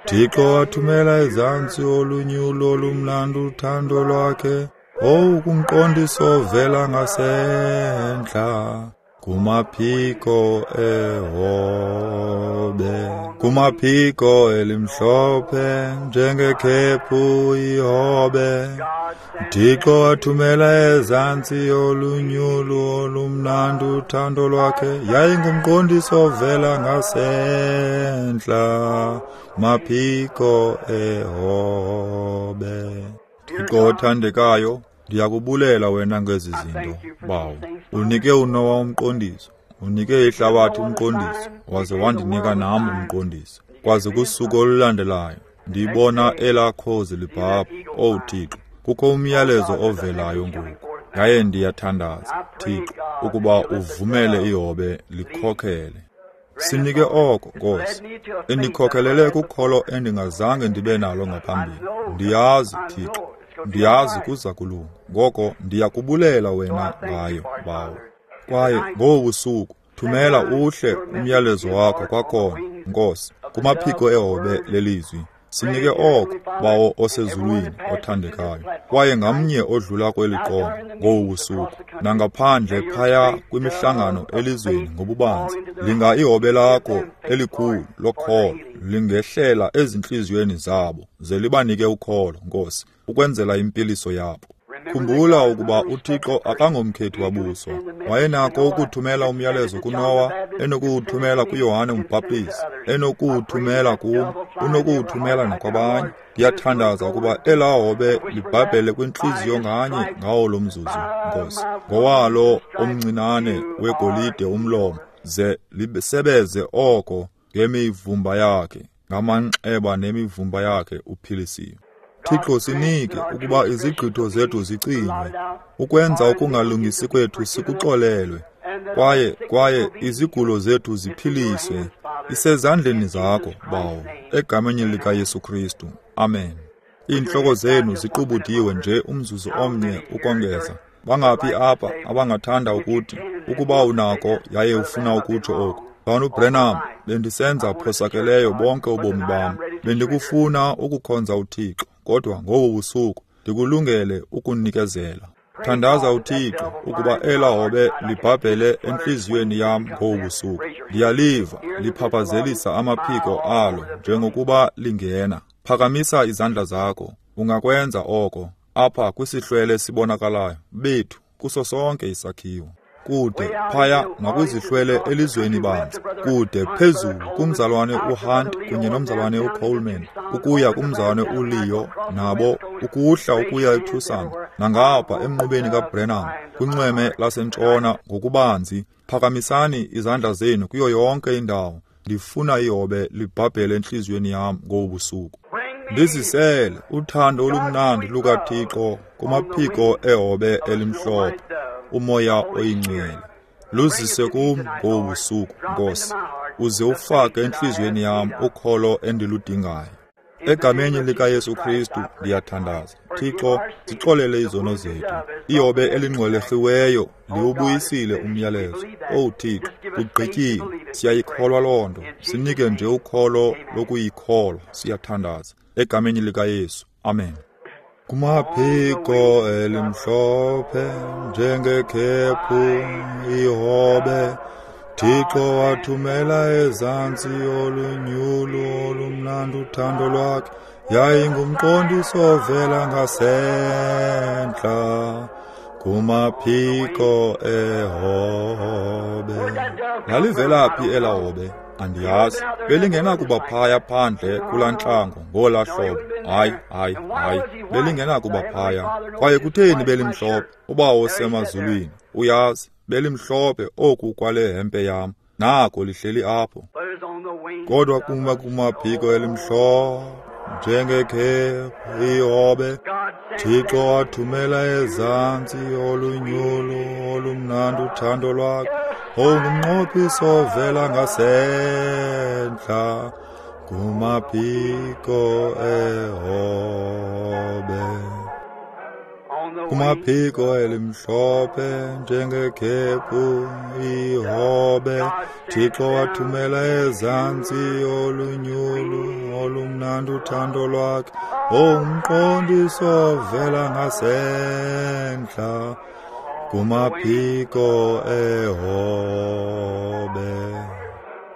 Thixo wathumela ezantsi olunyulo olumnandi uthando lwakhe, owu kumqondiso ovela ngasentla kumaphiko ehobe, kumaphiko elimhlophe njengekhephu ihobe. Thixo wathumela ezantsi olunyulu olumnandi uthando lwakhe, yayingumqondiso ovela ngasentla maphiko ehobe. Thixo othandekayo, ndiyakubulela wena ngezi zinto, Bawo. Unike uNowa umqondiso, unike ihlabathi umqondiso, waze wandinika nam umqondiso. Kwaze kusuku olulandelayo ndibona elaa khozi libhabha. Owu Thixo, kukho umyalezo ovelayo ngoku, yaye ndiyathandaza, Thixo, ukuba uvumele ihobe likhokhele. Sinike oko, Nkosi, indikhokelele kukholo endingazange ndibe nalo ngaphambili. Ndiyazi, Thixo, ndiyazi kuza kulunga. Ngoko ndiyakubulela wena ngayo, Bawo. Kwaye ngobu busuku thumela uhle umyalezo wakho kwakhona, Nkosi, kumaphiko ehobe lelizwi. Sinike oko, Bawo osezulwini othandekayo. Kwaye ngamnye odlula kweli qonga ngobu busuku, nangaphandle phaya kwimihlangano elizweni ngobubanzi, linga ihobe lakho elikhulu lokholo lingehlela ezintliziyweni zabo, ze libanike ukholo, Nkosi, ukwenzela impiliso yabo. Khumbula ukuba uThixo akangomkhethi wabuso. Wayenako ukuthumela umyalezo kuNowa, enokuwuthumela kuYohane uMbhaptizi, enokuwuthumela kum, unokuwuthumela nakwabanye. Ndiyathandaza ukuba elaa hobe libhabhele kwintliziyo nganye ngawo lo mzuzu, Nkosi, ngowalo omncinane wegolide umlomo, ze lisebeze oko ngemivumba yakhe, ngamanxeba nemivumba yakhe uphilisiwe. Thixo, sinike ukuba izigqitho zethu zicinywe, ukwenza ukungalungisi kwethu sikuxolelwe, kwaye kwaye izigulo zethu ziphiliswe. Isezandleni zakho, Bawo, egameni likaYesu Kristu. Amen. Iintloko zenu ziqubudiwe nje umzuzu omnye ukongeza. Bangaphi apha abangathanda ukuthi, ukuba unako yaye ufuna ukutsho oku: Mzalwana uBranham, bendisenza phosakeleyo bonke ubomi bam. Bendikufuna ukukhonza uThixo, kodwa ngobu busuku ndikulungele ukunikezela. Thandaza uThixo ukuba ela hobe libhabhele entliziyweni yam ngobu busuku. Ndiyaliva liphaphazelisa amaphiko alo njengokuba lingena. Phakamisa izandla zakho. Ungakwenza oko apha kwisihlwele esibonakalayo bethu kuso sonke isakhiwo. Kude phaya nakwizihlwele elizweni banzi, kude phezulu kumzalwane uHunt kunye nomzalwane uColeman, ukuya kumzalwane uLeo nabo, ukuhla ukuya eTucson, nangapha emnqubeni kaBranham kwinxweme lasentshona ngokubanzi. Phakamisani izandla zenu kuyo yonke indawo. Ndifuna ihobe libhabhele entliziyweni yam ngobu busuku. Ndizisele uthando olumnandi lukaThixo kumaphiko ehobe elimhlophe, uMoya oyiNgcwele. Luzise kum ngobu busuku, Nkosi, uze ufake entliziyweni yam ukholo endiludingayo. Egameni likaYesu Kristu ndiyathandaza. Thixo, sixolele izono zethu. Ihobe elingxwelerhiweyo liwubuyisile umyalezo. Owu Thixo, kugqityiwe. Siyayikholwa loo nto. Sinike nje ukholo lokuyikholwa. Siyathandaza. Egameni likaYesu. Amen. Kumaphiko elimhlophe njengekhephu ihobe, Thixo wathumela ezantsi olunyulu olumnandi uthando lwakhe. Yayingumqondiso ovela ngasentla kumaphiko ehobe. Lalivela phi ela hobe? Andiyazi. Belingenakuba phaya phandle kulaa ntlango ngolaa hlobo. Hayi, hayi, hayi, belingenakuba phaya. Kwaye kutheni belimhlophe? UBawo osemazulwini uyazi, belimhlophe oku kwale hempe yam. Nako lihleli apho. Kodwa kuma kumaphiko elimhlophe njengekhephu ihobe, Thixo wathumela ezantsi olunyulu olumnandi uthando lwakhe. Ongumnqophiso ovela ngasentla kumaphiko ehobe. Kumaphiko elimhlophe njengekhephu ihobe, Thixo wathumela ezantsi olunyulu olumnandi uthando lwakhe. Ongumqondiso ovela ngasentla kumaphiko ehobe.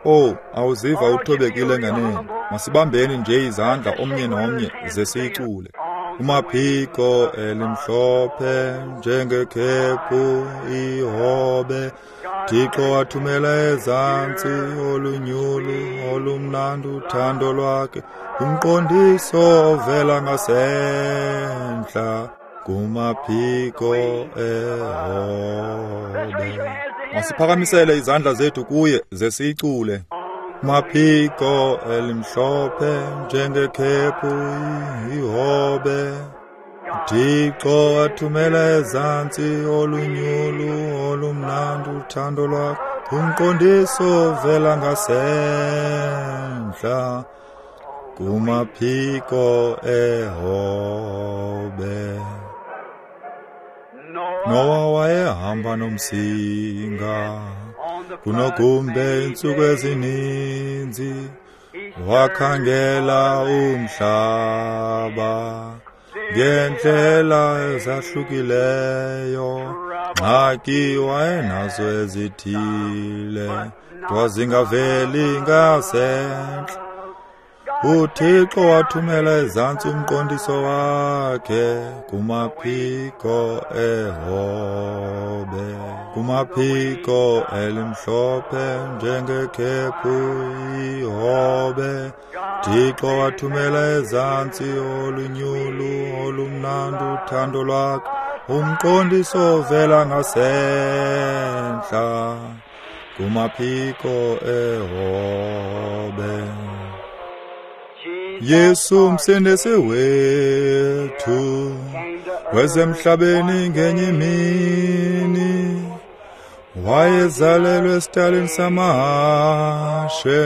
Oh, awuziva uthobekile nganene. Masibambeni nje izandla omnye nomnye ze siyicule. Kumaphiko elimhlophe njengekhephu ihobe, Thixo wathumela ezantsi olunyulu olumnandi uthando lwakhe. Umqondiso ovela ngasentla kumaphiko ehobe. Masiphakamisele izandla zethu kuye ze siyicule. Maphiko elimhlophe njengekhephu ihobe, Thixo wathumela ezantsi olunyulu olumnandi uthando lwakhe. Umqondiso ovela ngasentla kumaphiko ehobe. Nowa wayehamba nomsinga kunogumbe iintsuku ezininzi, wakhangela umhlaba ngeendlela ezahlukileyo. Ngxaki wayenazo ezithile, zingaveli ngasentla. UThixo wathumela ezantsi umqondiso wakhe kumaphiko ehobe, kumaphiko elimhlophe njengekhephu ihobe. Thixo wathumela ezantsi olunyulu olumnandi uthando lwakhe. Umqondiso ovela ngasentla kumaphiko ehobe. Yesu msindisi wethu wezemhlabeni ngenye imini, wayezalelwe esitalini samahashe,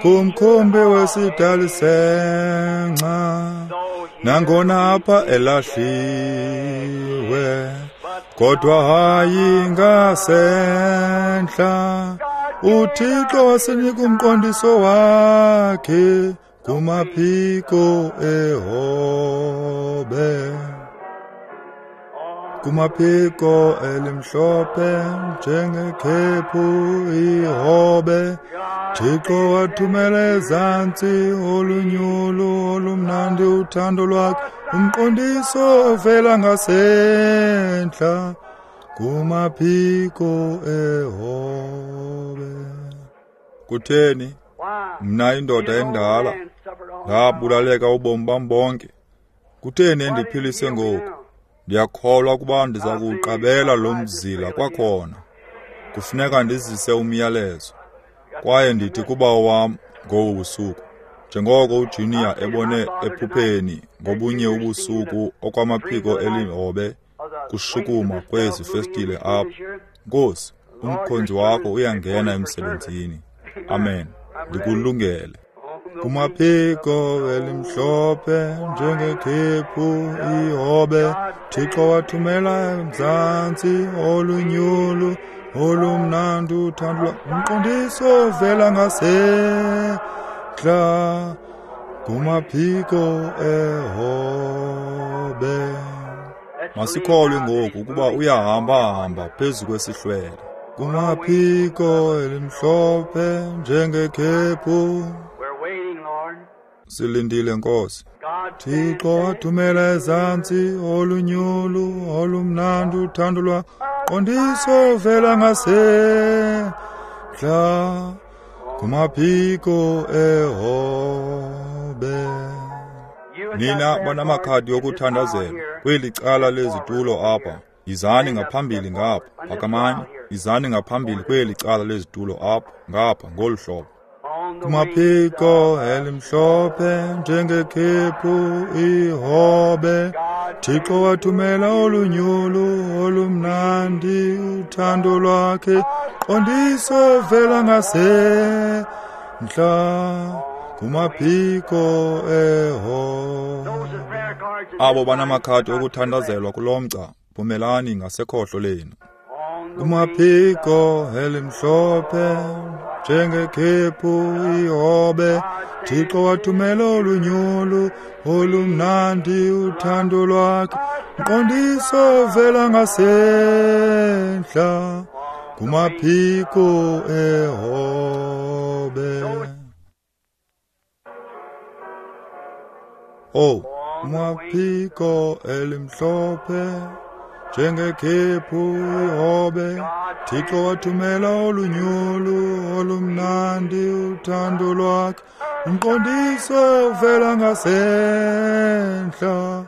kumkhumbi wesidali senca. Nangona apha elahliwe, kodwa hayi ngasentla. UThixo wasinika umqondiso wakhe kumaphiko ehobe, kumaphiko elimhlophe njengekhephu ihobe. Thixo wathumela ezantsi olunyulu olumnandi uthando lwakhe, umqondiso ovela ngasentla kumaphiko ehobe. Kutheni mna indoda endala ndabulaleka ubomi bam bonke? Kutheni endiphilise ngoku? Ndiyakholwa ukuba ndiza kuwuqabela lo mzila kwakhona. Kufuneka ndizise umyalezo. Kwaye ndithi kubawo wam ngobu busuku, njengoko uJunior ebone ephupheni ngobunye ubusuku okwamaphiko elihobe kushukuma kwezi festile apha, Nkosi, umkhonzi wakho uyangena emsebenzini. Amen. Ndikulungele. Kumaphiko elimhlophe njengekhephu ihobe, Thixo wathumela emzantsi olunyulu olumnandi uthando, umqondiso ovela ngasentla kumaphiko ehobe. Masikholwe ngoku ukuba uyahamba-hamba phezu kwesihlwele. Kumaphiko elimhlophe njengekhephu. Silindile Nkosi. Thixo wathumela ezantsi olunyulu olumnandi uthando lwakhe, qondiso ovela ngasentla kumaphiko ehobe. Nina banamakhadi okuthandazela kweli cala lezitulo apha, yizani ngaphambili ngapha. Phakamani, yizani ngaphambili kweli cala lezitulo apha ngapha ngolu hlobo. Kumaphiko elimhlophe njengekhephu ihobe, Thixo wathumela olunyulu olumnandi uthando lwakhe, qondiso ovela ngasentla kumaphiko ehobe. Abo banamakhadi okuthandazelwa kulo mgca, phumelani ngasekhohlo lenu. Kumaphiko elimhlophe njengekhephu ihobe, Thixo wathumela olunyulu olumnandi uthando lwakhe, mqondiso ovela ngasentla kumaphiko ehobe. Oh, kumaphiko elimhlophe njengekhephu ihobe, Thixo wathumela olunyulu olumnandi uthando lwakhe, umqondiso ovela ngasentla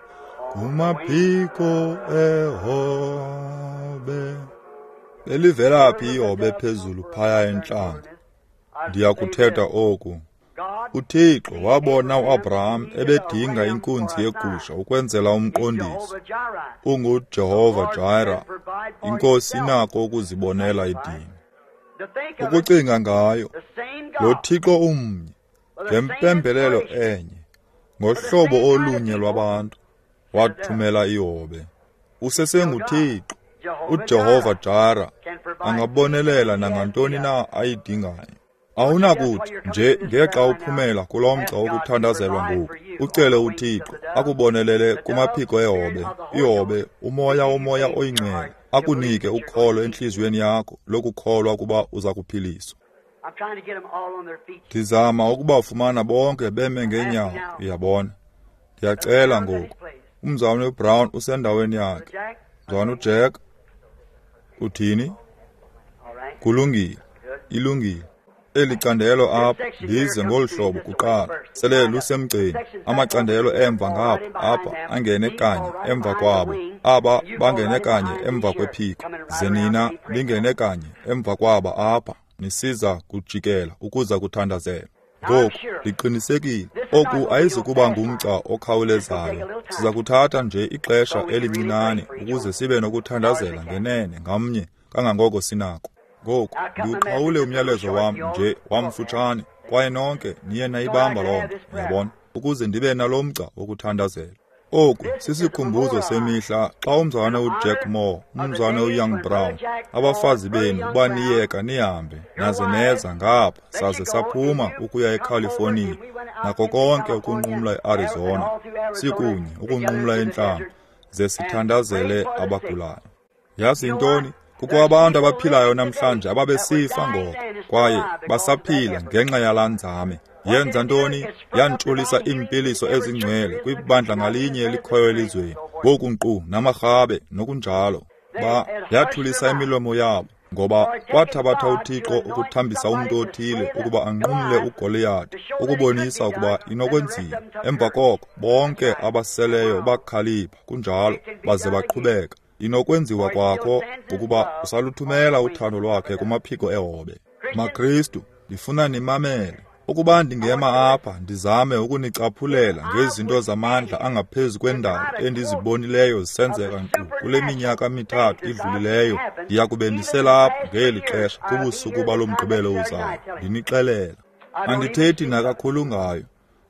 kumaphiko ehobe. Belivela phi ihobe phezulu phaya entlango? Ndiyakuthetha oku. UThixo wabona uAbraham ebedinga inkunzi yegusha ukwenzela umqondiso. UnguJehova Jireh, iNkosi inako ukuzibonela idini. Ukucinga ngayo, lo Thixo umnye, ngempembelelo enye, ngohlobo olunye lwabantu, wathumela ihobe. UsesenguThixo, uJehova Jireh, angabonelela nangantoni na ayidingayo. Awunakuthi nje ngexa uphumela kulo mgca wokuthandazelwa ngoku, ucele uThixo akubonelele kumaphiko ehobe, ihobe, umoya womoya oyingcwele, akunike ukholo entliziyweni yakho lokukholwa ukuba uza kuphiliswa. Ndizama ukubafumana bonke beme ngeenyawo, uyabona. Ndiyacela ngoku. Umzalwane uBrown usendaweni yakhe. Mzalwane uJack, uthini? Kulungile, ilungile. Eli candelo apha ndize ngolu hlobo kuqala, sele lusemgceni. Amacandelo emva ngapha apha angene kanye emva kwabo, aba bangene kanye emva kwephiko, ze nina ningene kanye emva kwaba apha, nisiza kujikela ukuza kuthandazela. Ngoku ndiqinisekile oku ayizukuba ngumgca okhawulezayo. Siza kuthatha nje ixesha elincinane ukuze sibe nokuthandazela ngenene ngamnye kangangoko sinako. Ngoku ndiwuqhawule umyalezo wam nje wamfutshane, kwaye nonke niye nayibamba loo nto, uyabona, ukuze ndibe nalo mgca wokuthandazela. Oku sisikhumbuzo semihla xa umzalwane uJack Moore, umzalwane uYoung Brown, abafazi benu baniyeka nihambe naze neza ngapha saze saphuma ukuya eCalifornia nako konke ukunqumla eArizona, sikunye ukunqumla entlango, ze sithandazele abagulayo. Yazi yintoni? Kukho abantu abaphilayo namhlanje ababesifa ngoko, kwaye basaphila ngenxa yalaa nzame. Yenza ntoni? Yantshulisa iimpiliso ezingcwele kwibandla ngalinye elikhoyo elizweni, ngoku nkqu namarhabe nokunjalo. Ba yathulisa imilomo yabo, ngoba kwathabatha uThixo ukuthambisa umntu othile ukuba anqumle uGoliyati, ukubonisa ukuba inokwenziwa. Emva koko bonke abaseleyo bakhalipha, kunjalo, baze baqhubeka. Inokwenziwa kwakho ukuba usaluthumela uthando lwakhe kumaphiko ehobe. MaKristu, ndifuna nimamele. Ukuba ndingema apha ndizame ukunicaphulela ngezinto zamandla angaphezu kwendalo endizibonileyo zisenzeka nkqu kule minyaka mithathu idlulileyo, ndiya kube ndiselapha ngeli xesha kubusuku balo Mgqibelo uzayo, ndinixelela. Andithethi nakakhulu ngayo,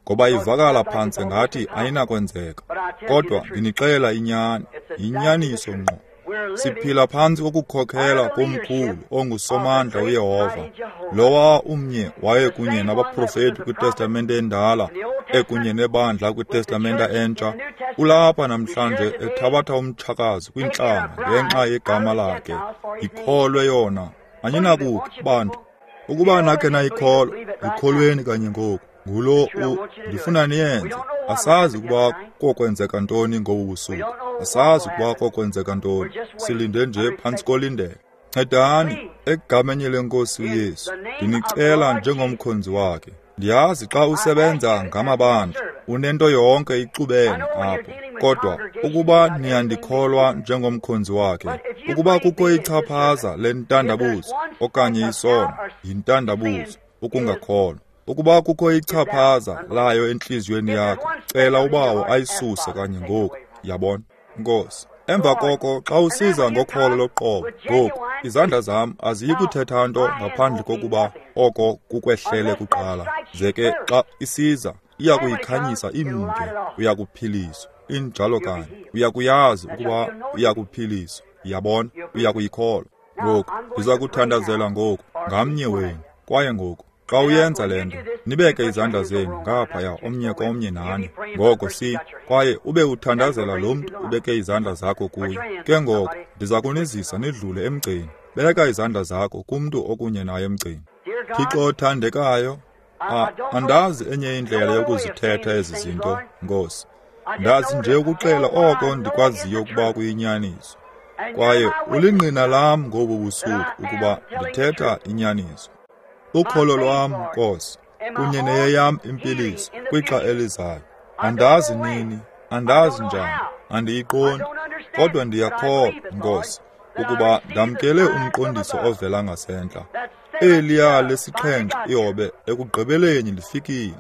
ngoba ivakala phantse ngathi ayinakwenzeka, kodwa ndinixelela inyani, yinyaniso ngqo. Siphila phantsi kokukhokhela komkhulu onguSomandla uYehova, lowa umnye waye kunye nabaprofeti kwiTestamente endala, ekunye nebandla kwiTestamente entsha. Ulapha namhlanje ethabatha umtshakazi kwintlanga ngenxa yegama lakhe. Ikholwe yona. Aninakukhe bantu. Ukuba nakhe nayikholwa, ikholweni kanye ngoku. Ngulo u ndifuna niyenze. Asazi ukuba kokwenzeka ntoni ngobu busuku. Asazi ukuba kokwenzeka ntoni. Silinde nje phantsi kolindelo. Ncedani egameni leNkosi uYesu. Ndinicela njengomkhonzi wakhe. Ndiyazi xa usebenza ngamabandla unento yonke ixubene apho. Kodwa ukuba niyandikholwa njengomkhonzi wakhe, ukuba kukho ichaphaza lentandabuzo okanye isono, yintandabuzo ukungakholwa. Ukuba kukho ichaphaza layo entliziyweni yakho, cela uBawo ayisuse kanye ngoku. Yabona, Nkosi. Emva koko xa usiza ngokholo loqobo, ngoku izandla zam aziyi kuthetha nto ngaphandle kokuba oko kukwehlele kuqala. Ze ke xa isiza, iya kuyikhanyisa imke, uya kuphiliswa. Injalo kanye. Uya kuyazi ukuba uya kuphiliswa. Yabona, uya kuyikholwa. Ngoku ndiza kuthandazela ngoku ngamnye wenu. Kwaye ngoku xa uyenza le nto, nibeke izandla zenu ngaphaya omnye komnye nani. Ngoko si, kwaye ube uthandazela lo mntu ubeke izandla zakho kuye. Ke ngoko ndiza kunizisa nidlule emgceni. Beka izandla zakho kumntu okunye naye emgceni. Thixo othandekayo, andazi enye indlela yokuzithetha ezi zinto, Nkosi. Ndazi nje ukuxela oko ndikwaziyo ukuba kuyinyaniso. Kwaye ulingqina lam ngobu busuku ukuba ndithetha inyaniso. Ukholo lwam, Nkosi, kunye neyeyam impiliso kwixa elizayo. Andazi nini, andazi njani, andiyiqondi, kodwa ndiyakholwa, Nkosi, ukuba ndamkele umqondiso ovela ngasentla. Eliya lesixhenxe ihobe ekugqibeleni lifikile.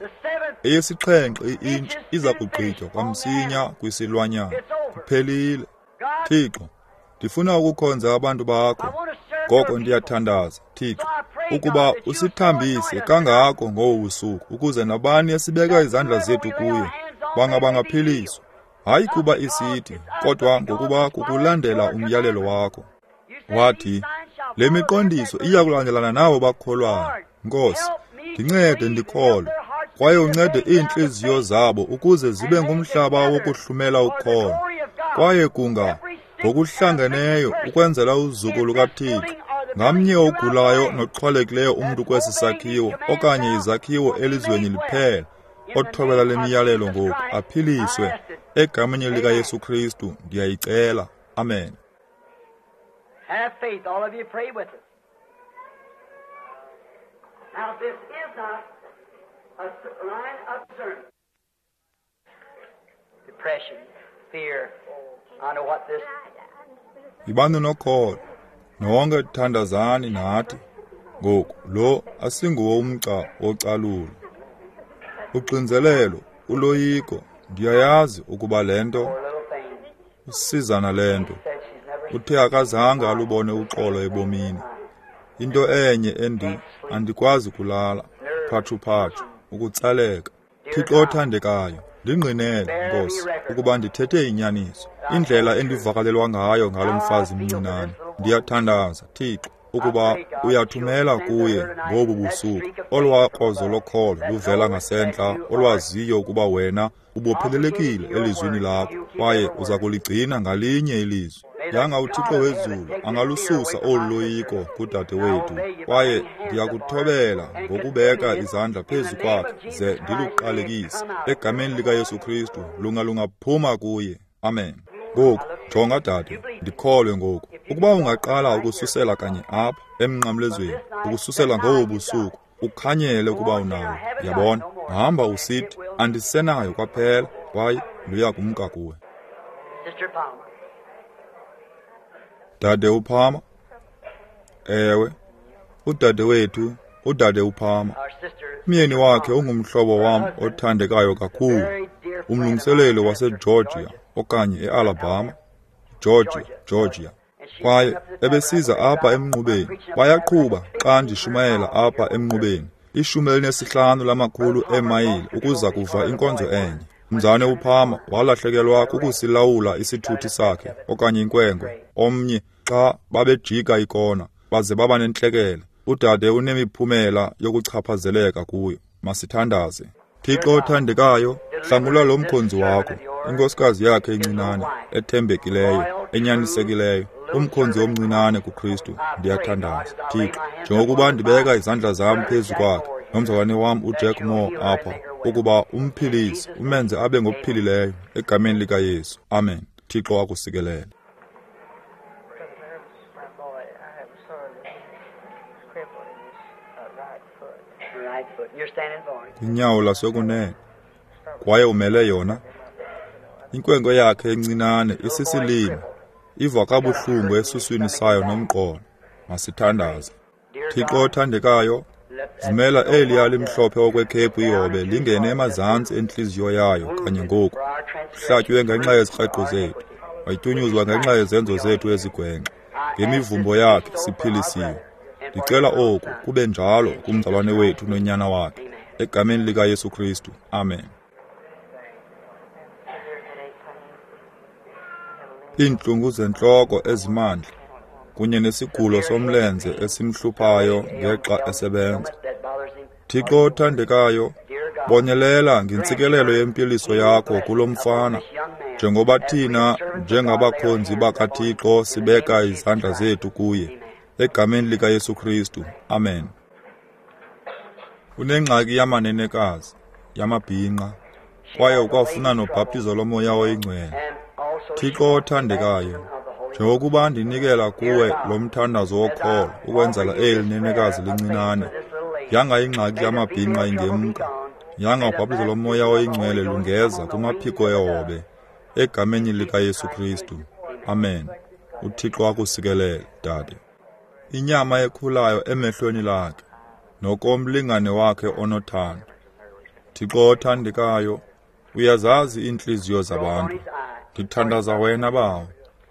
Eyesixhenxe i-intshi iza kugqitywa kwamsinya kwisilwanyana. Kuphelile. Thixo, ndifuna ukukhonza abantu bakho. Ngoko ndiyathandaza, Thixo, ukuba usithambise kangako ngobu busuku ukuze nabani esibeka izandla zethu kuye bangabangaphiliswa. Hayi kuba isithi, kodwa ngokuba kukulandela umyalelo wakho. Wathi, le miqondiso iya kulandelana nabo bakholwayo. Nkosi, ndincede ndikholwe, kwaye uncede iintliziyo zabo ukuze zibe ngumhlaba wokuhlumela ukholo. Kwaye kunga ngokuhlangeneyo ukwenzela uzuko lukaThixo, ngamnye ogulayo noxhwalekileyo umntu kwesi sakhiwo okanye izakhiwo elizweni liphela, othobela le miyalelo ngoku aphiliswe egameni likaYesu Kristu. Ndiyayicela. Amen. Have faith, all of you pray with us. Now this is not a line of discernment. Depression, fear. I know what this. Yibani nokholo, nonke thandazani nathi. Ngoku lo asinguwo umgca wocalulo. Uxinzelelo, uloyiko, ndiyayazi ukuba le nto usizana le nto. Uthe akazange alubone uxolo ebomini. Into enye endi andikwazi kulala, phatshu-phatshu, ukutsaleka. Thixo othandekayo, ndingqinele, Nkosi, ukuba ndithethe inyaniso. Indlela endivakalelwa ngayo ngalo mfazi mncinane. Ndiyathandaza, Thixo, ukuba uyathumela kuye ngobu busuku olwakrozo lokholo luvela ngasentla olwaziyo ukuba wena ubophelelekile elizwini lakho kwaye uza kuligcina ngalinye ilizwi. Yanga uThixo wezulu angalususa olu loyiko kudade wethu, kwaye ndiyakuthobela ngokubeka izandla phezu kwakhe ze ndiluqalekise egameni likaYesu Kristu, lunga lungaphuma kuye. Amen. Ngoku jonga dade, ndikholwe ngoku ukuba ungaqala ukususela kanye apha emnqamlezweni, ukususela ngobu busuku, ukhanyele ukuba unawo. Yabona, hamba usithi andisenayo kwaphela, kwaye luya kumka kuwe. Dade uPalmer? Ewe, udade wethu, udade uPalmer. Umyeni wakhe ungumhlobo wam othandekayo kakhulu, umlungiseleli waseGeorgia okanye eAlabama, Georgia, Georgia. Kwaye ebesiza apha emnqubeni, bayaqhuba xa ndishumayela apha emnqubeni, ishumi elinesihlanu lamakhulu eemayile ukuza kuva inkonzo enye. Mzane uPalmer walahlekelwa kukusilawula isithuthi sakhe okanye inkwenkwe omnye xa babejika ikona baze baba nentlekele. Udade unemiphumela yokuchaphazeleka kuyo. Masithandaze. Thixo othandekayo, hlangula lo mkhonzi wakho, inkosikazi yakhe encinane, ethembekileyo, enyanisekileyo, umkhonzi omncinane kuKristu. Ndiyathandaza, Thixo, njengokuba ndibeka izandla zam phezu kwakhe nomzalwane wam uJack Moore apha, ukuba umphilise, umenze abe ngophilileyo egameni likaYesu. Amen. Thixo akusikelele. Inyawo lasekunene, kwaye umele yona. Inkwenkwe yakhe encinane isisilima, iva kabuhlungu esuswini sayo nomqolo. Masithandaze. Thixo othandekayo, vumela eliya limhlophe okwekhephu ihobe lingene emazantsi entliziyo yayo kanye ngoku. Uhlatywe ngenxa yezikreqo zethu, watyunyuzwa ngenxa yezenzo zethu ezigwenxa. Ngemivumbo yakhe siphilisiwe. Ndicela oku kube njalo kumzalwane wethu nonyana wakhe, egameni likaYesu Kristu. Amen. Iintlungu zentloko ezimandla kunye nesigulo somlenze esimhluphayo ngexa esebenza. Thixo othandekayo, bonelela ngentsikelelo yempiliso yakho kulo mfana, njengoba thina njengabakhonzi bakaThixo sibeka izandla zethu kuye, egameni likaYesu Kristu. Amen. Unengxaki yamanenekazi, yamabhinqa, kwaye ukwafuna nobhaptizo loMoya oyiNgcwele. Thixo othandekayo, njengokuba ndinikela kuwe lo mthandazo wokholo ukwenzela eli nenekazi lincinane, yanga ingxaki yamabhinqa ingemka, yanga ubhaptizo loMoya oyiNgcwele lungeza kumaphiko ehobe, egameni likaYesu Kristu. Amen. uThixo akusikelele, dade. Inyama ekhulayo emehlweni lakhe, nokomlingane wakhe onothando. Thixo othandekayo, uyazazi iintliziyo zabantu. Ndithandaza wena, Bawo,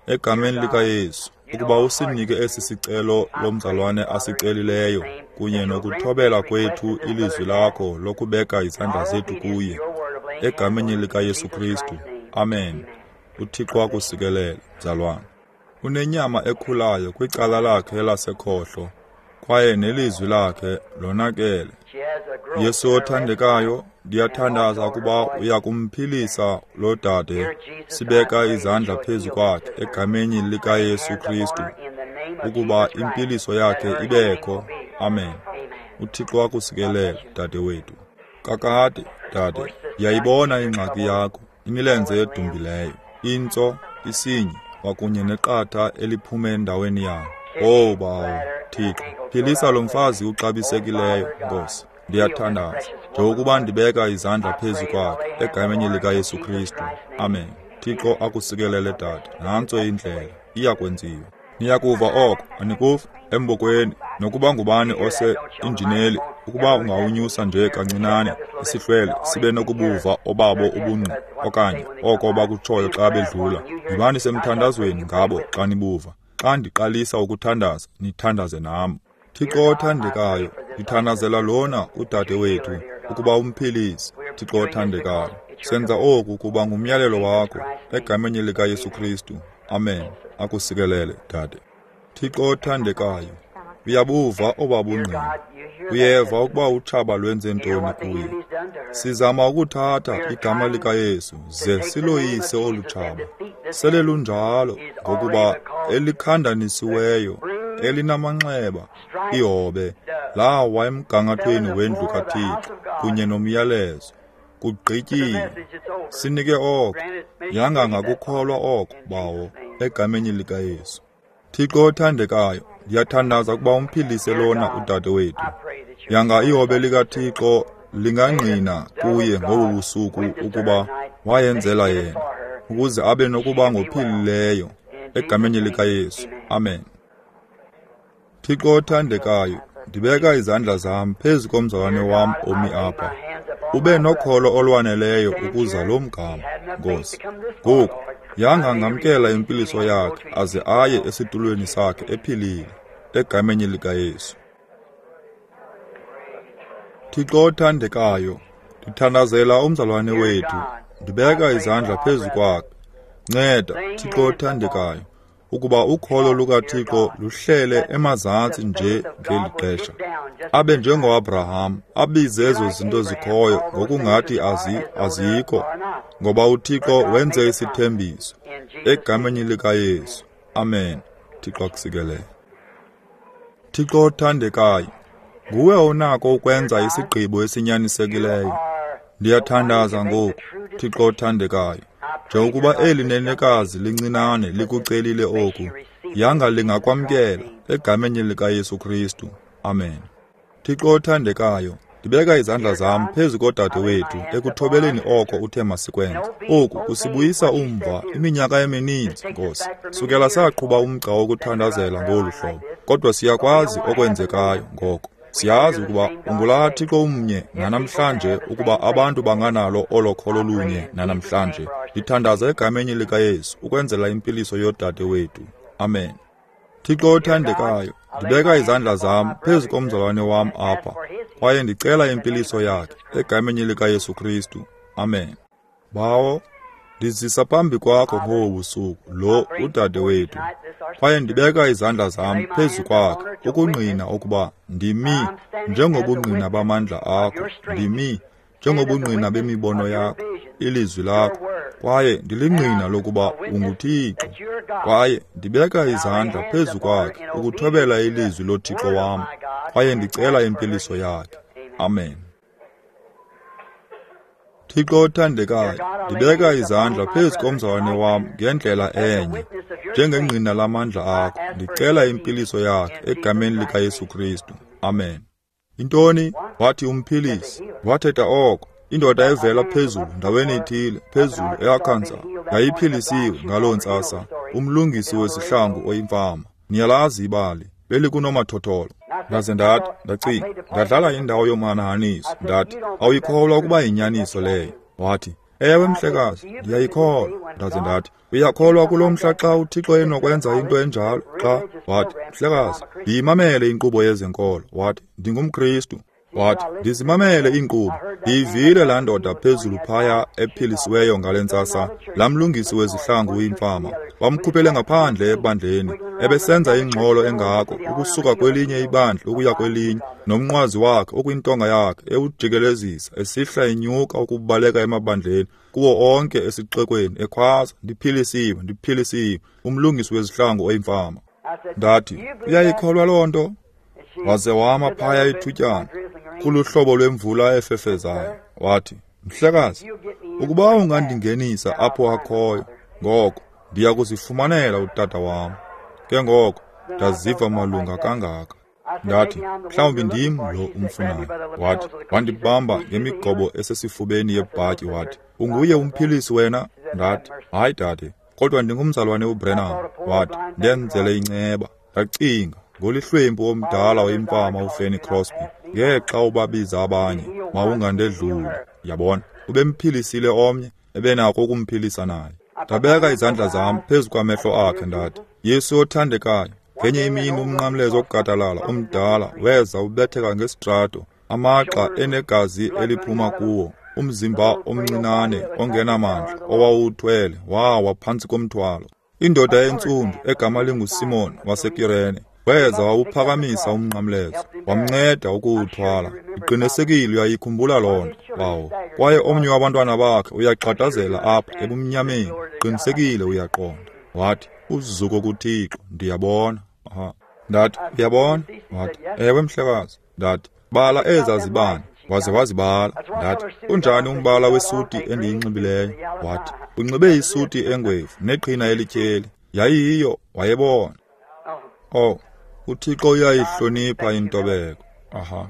egameni likaYesu, ukuba usinike esi sicelo lomzalwane asicelileyo kunye nokuthobela kwethu ilizwi lakho lokubeka izandla zethu kuye, egameni likaYesu Kristu. Amen. uThixo akusikelele, mzalwane. Unenyama ekhulayo kwicala lakhe lasekhohlo, kwaye nelizwi lakhe lonakele. Yesu othandekayo, ndiyathandaza ukuba uyakumphilisa lo dade. Sibeka izandla phezu kwakhe egameni likaYesu Kristu, ukuba impiliso yakhe ibekho. Amen. uThixo akusikelele, dade wethu. Kakade, dade, ndiyayibona ingxaki yakho, imilenze edumbileyo, intso, isinyi, kwakunye neqatha eliphume endaweni yayo. Oh Bawo, Thixo, philisa lo mfazi uxabisekileyo, Nkosi. Ndiyathandaza njengokuba ndibeka izandla phezu kwakhe egameni likaYesu Kristu. Amen. Thixo akusikelele, dade. Nantso indlela iyakwenziwa. Niyakuva oko, anikuva? Embokweni, nokuba ngubani ose injineli, ukuba ungawunyusa nje kancinane isihlwele sibe nokubuva obabo ubungqi okanye oko bakutshoyo xa bedlula. Yibani semthandazweni ngabo xa nibuva. Xa ndiqalisa ukuthandaza, nithandaze nam. Thixo othandekayo, ndithandazela lona udade wethu ukuba umphilise. Thixo othandekayo, senza oku kuba ngumyalelo wakho egameni likaYesu Kristu. Amen. Akusikelele, dade. Thixo othandekayo, uyabuva obabungqina. Uyeva ukuba utshaba lwenze ntoni kuye. Sizama ukuthatha igama likaYesu ze siloyise olu tshaba. Sele lunjalo, ngokuba elikhandanisiweyo, elinamanxeba, ihobe, lawa emgangathweni wendlu kaThixo kunye nomyalezo. Kugqityiwe. Sinike oko, yanga ngakukholwa oko, Bawo, egameni likaYesu. Thixo othandekayo, ndiyathandaza ukuba umphilise lona udade wethu. Yanga ihobe likaThixo lingangqina kuye ngobu busuku ukuba wayenzela yena, ukuze abe nokuba ngophilileyo, egameni likaYesu. Amen. Thixo othandekayo, ndibeka izandla zam phezu komzalwane wam omi apha. Ube nokholo olwaneleyo ukuza lo mgama, Nkosi. Ngoku, yanga ngamkela impiliso yakhe aze aye esitulweni sakhe ephilile, egameni likaYesu. Thixo othandekayo, ndithandazela umzalwane wethu, ndibeka izandla phezu kwakhe. Nceda, Thixo othandekayo, ukuba ukholo lukaThixo luhlele emazantsi nje ngeli xesha. Abe njengoAbraham, abize ezo zinto zikhoyo ngokungathi azi azikho, ngoba uThixo wenze isithembiso. Egameni likaYesu. Amen. Thixo akusikelele. Thixo othandekayo, nguwe onako ukwenza isigqibo esinyanisekileyo. Ndiyathandaza ngoku, Thixo othandekayo, njengokuba eli nenekazi lincinane likucelile oku, yanga lingakwamkela egameni likaYesu Kristu. Amen. Thixo othandekayo, ndibeka izandla zam phezu kodade wethu ekuthobeleni oko uthe masikwenze. Oku kusibuyisa umva iminyaka emininzi, Nkosi. Sukela saqhuba umgca wokuthandazela ngolu hlobo, kodwa siyakwazi okwenzekayo ngoko. Siyazi ukuba ungulaa Thixo umnye nanamhlanje, ukuba abantu banganalo olo kholo lunye nanamhlanje. Ndithandaza egameni likaYesu ukwenzela impiliso yodade wethu. Amen. Thixo othandekayo, ndibeka izandla zam phezu komzalwane wam apha, kwaye ndicela impiliso yakhe egameni likaYesu Kristu. Amen. Bawo, ndizisa phambi kwakho ngobu busuku lo udade wethu, kwaye ndibeka izandla zam phezu kwakhe ukungqina ukuba ndimi njengobungqina bamandla akho, ndimi njengobungqina bemibono yakho, ilizwi lakho, kwaye ndilingqina lokuba unguThixo. Kwaye ndibeka izandla phezu kwakhe ukuthobela ilizwi loThixo wam, kwaye ndicela impiliso yakhe. Amen. Thixo othandekayo, ndibeka izandla phezu komzalwane wam ngendlela enye, njengengqina lamandla akho, ndicela impiliso yakhe egameni likaYesu Kristu. Amen. Intoni? Wathi umphilisi. Wathetha oko. Indoda evela phezulu ndaweni ethile, phezulu eArkansas, yayiphilisiwe ngaloo ntsasa, umlungisi wezihlangu oyimfama. Niyalazi ibali, belikunomathotholo. Ndaze ndathi, ndacinga, ndadlala indawo yomhanahaniso. Ndathi, awuyikholwa ukuba yinyaniso leyo? Wathi, ewe mhlekazi, ndiyayikholwa. Ndaze ndathi, uyakholwa kulo mhla xa uThixo enokwenza into enjalo? Xa? Wathi, mhlekazi, ndiyimamele inkqubo yezenkolo. Wathi, ndingumKristu. Wathi, ndizimamele iinkqubo. Ndiyivile laa ndoda phezulu phaya ephilisiweyo ngale ntsasa, laa mlungisi wezihlangu uyimfama. Bamkhuphele ngaphandle ebandleni, ebesenza ingxolo engako ukusuka kwelinye ibandla ukuya kwelinye, nomnqwazi wakhe okwintonga yakhe ewujikelezisa, esihla enyuka ukubaleka emabandleni kuwo onke esixekweni, ekhwaza, ndiphilisiwe, ndiphilisiwe, umlungisi wezihlangu oyimfama. Ndathi, uyayikholwa loo nto? Waze wama phaya ithutyana kuluhlobo lwemvula efefezayo. Wathi, mhlekazi, ukuba ungandingenisa apho akhoyo, ngoko ndiya kuzifumanela utata wam. Ke ngoko ndaziva malunga kangaka. Ndathi, mhlawumbi ndim lo umfunayo. Wathi, wandibamba ngemigobo esesifubeni yebhatyi. Wathi, unguye umphilisi wena? Ndathi, hayi dade, kodwa ndingumzalwane uBrenham. Wathi, ndenzele inceba. Ndacinga, Ngolihlwempu omdala oyimfama uFanny Crosby, ngexa ubabiza abanye, mawungandedluli. Yabona, ubemphilisile omnye, ebenako ukumphilisa naye. Ndabeka izandla zam phezu kwamehlo akhe ndathi, Yesu othandekayo, ngenye imini umnqamlezo wokugadalala omdala weza ubetheka ngesitrato, amagxa enegazi eliphuma kuwo, umzimba omncinane ongenamandla owawuthwele wawa phantsi komthwalo. Indoda entsundu egama linguSimon waseKirene weza wawuphakamisa umnqamlezo, wamnceda ukuwuthwala. Iqinisekile uyayikhumbula loo nto, bawo. Kwaye omnye wabantwana bakhe uyagxadazela apha ebumnyameni, qinisekile uyaqonda. Wathi, uzuko kuThixo, ndiyabona. Aha. Ndathi, uyabona? Wathi, ewe mhlekazi. Ndathi, bala eza zibane. Waze wazibala. Ndathi, unjani umbala wesuti endiyinxibileyo? Wathi, unxibe isuti engwevu neqhina elityheli. Yayiyiyo, wayebona. Oh, uThixo uyayihlonipha intobeko. Aha.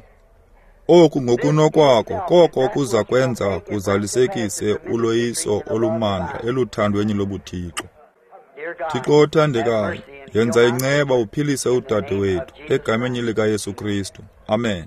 Oku ngokunokwako koko kuza kwenza kuzalisekise uloyiso olumandla eluthandweni lobuThixo. Thixo othandekayo, yenza inceba uphilise udade wethu egameni likaYesu Kristu. Amen.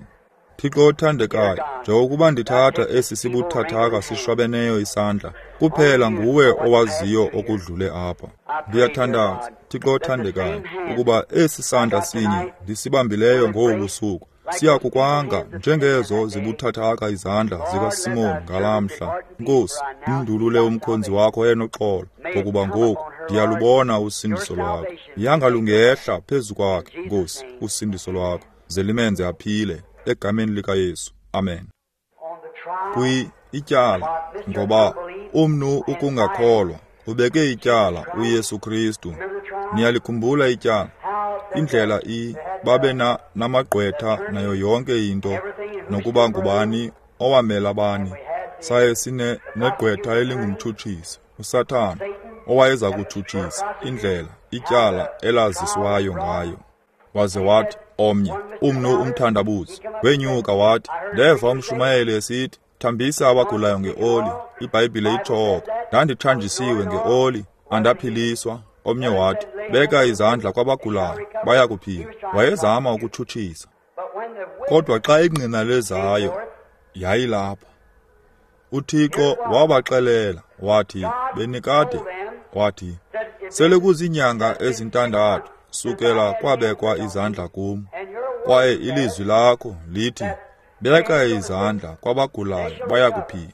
Thixo othandekayo, njengokuba ndithatha esi sibuthathaka sishwabeneyo isandla, kuphela nguwe owaziyo okudlule apha. Ndiyathandaza, Thixo othandekayo, ukuba esi sandla sinye ndisibambileyo ngobu busuku siya kukwanga njengezo zibuthathaka izandla zikaSimon ngalaa mhla. Nkosi, mndulule umkhonzi wakho enoxolo, ngokuba ngoku ndiyalubona usindiso lwakho. Yanga lungehla phezu kwakhe, Nkosi, usindiso lwakho, ze limenze aphile egameni likaYesu. Amen. Kwi ityala, ngoba umnu ukungakholwa ubeke ityala uYesu Kristu. Niyalikhumbula ityala, indlela i babe na namagqwetha nayo yonke into, nokuba ngubani owamela bani. Saye sine negqwetha elingumtshutshisi, uSathana, owayeza kutshutshisa indlela ityala elaziswayo ngayo. Waze wathi omnye, umnu umthandabuzi, wenyuka wathi, ndeva umshumayeli esithi, thambisa abagulayo ngeoli, iBhayibhile itsho oko. Ndandithanjisiwe ngeoli, andaphiliswa. Omnye wathi, beka izandla kwabagulayo, baya kuphila. Wayezama ukutshutshisa. Kodwa xa ingqina lezayo, yayilapha. UThixo wabaxelela, wathi, benikade, wathi, sele kuziinyanga ezintandathu sukela kwabekwa izandla kum, kwaye ilizwi lakho lithi, beka izandla kwabagulayo, baya kuphila.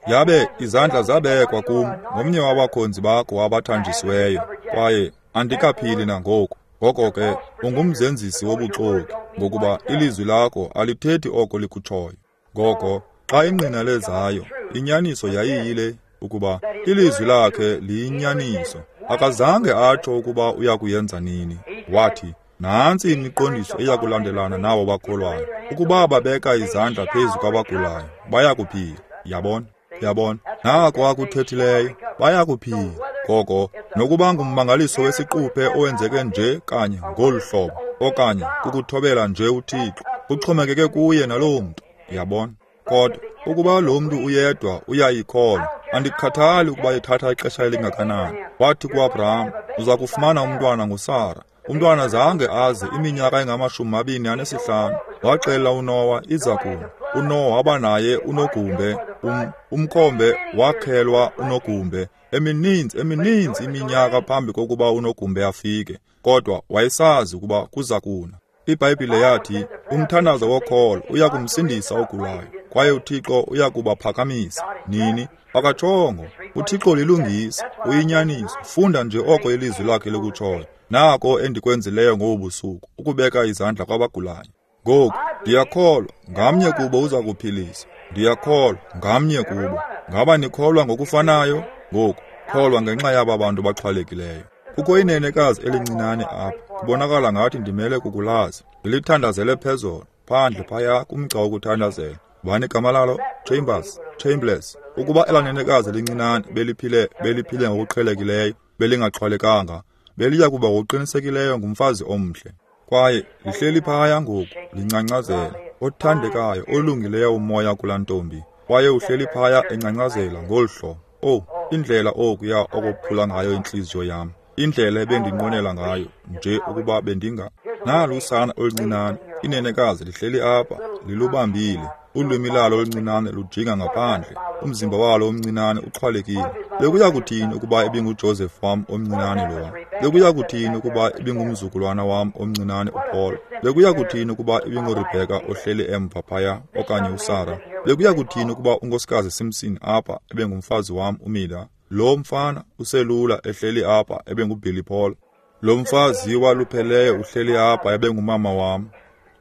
Yabe izandla zabekwa kum ngomnye wabakhonzi bakho abathanjisiweyo, kwaye andikaphili nangoku. Ngoko ke ungumzenzisi wobuxoki, ngokuba ilizwi lakho alithethi oko likutshoyo. Ngoko xa ingqina lezayo, inyaniso yayiyile ukuba ilizwi lakhe liyinyaniso. Akazange atsho ukuba uya kuyenza nini. Wathi, nantsi imiqondiso eya kulandelana nabo bakholwayo, ukuba babeka izandla phezu kwabagulayo, baya kuphila. Yabona? Yabona? Nako akuthethileyo, baya kuphila. Ngoko nokuba ngummangaliso wesiquphe owenzeke nje kanye ngolu hlobo, okanye kukuthobela nje uThixo, kuxhomekeke kuye naloo mntu. Yabona? Kodwa ukuba lo mntu uyedwa uyayikholwa, andikhathali ukuba ithatha ixesha elingakanani. Wathi kuAbraham, uza kufumana umntwana nguSara. Umntwana zange aze iminyaka engamashumi mabini anesihlanu. Waxelela uNowa iza kuna. uNowa waba naye unogumbe, um, umkhombe wakhelwa unogumbe emininzi emininzi iminyaka phambi kokuba unogumbe afike, kodwa wayesazi ukuba kuza kuna. IBhayibhile yathi umthandazo wokholo uya kumsindisa ogulayo, kwaye uThixo uya kubaphakamisa. Nini? Akatshongo. UThixo lilungisa, uyinyaniso. Funda nje oko ilizwi lakhe likutshoyo. Nako endikwenzileyo ngobu busuku, ukubeka izandla kwabagulayo. Ngoku ndiyakholwa ngamnye kubo uza kuphilisa. Ndiyakholwa ngamnye kubo. Ngaba nikholwa ngokufanayo? Ngoku kholwa ngenxa yaba bantu baxhwalekileyo. Kukho inenekazi elincinane apha, kubonakala ngathi ndimele kukulazi. Ndilithandazele phezolo, phandle phaya kumgca wokuthandazela. Bani igama lalo? Chambers, Chambliss. Ukuba elanenekazi elincinane beliphile beliphile ngokuqhelekileyo, belingaxhwalekanga, beliya kuba ngokuqinisekileyo ngumfazi omhle. Kwaye lihleli phaya ngoku, lincancazela, othandekayo, olungileyo umoya kulaa ntombi. Kwaye uhleli phaya encancazela ngolu hlobo. Oh, indlela okuya okophula ngayo intliziyo yam, indlela ebendinqwenela ngayo nje ukuba bendinga. Nalu usana oluncinane, inenekazi lihleli apha, lilubambile. Ulwimi lalo oluncinane lujinga ngaphandle, umzimba walo omncinane uxhwalekile. Bekuya kuthini ukuba ibinguJoseph wam omncinane lowa? Bekuya kuthini ukuba ibingumzukulwana wam omncinane uPaul? Bekuya kuthini ukuba ibinguRebecca ohleli emva phaya okanye uSarah? Bekuya kuthini ukuba unkosikazi Simpson apha ebengumfazi wam uMida? Lo mfana uselula ehleli apha ebenguBilly Paul. Lo mfazi walupheleyo uhleli apha ebengumama wam.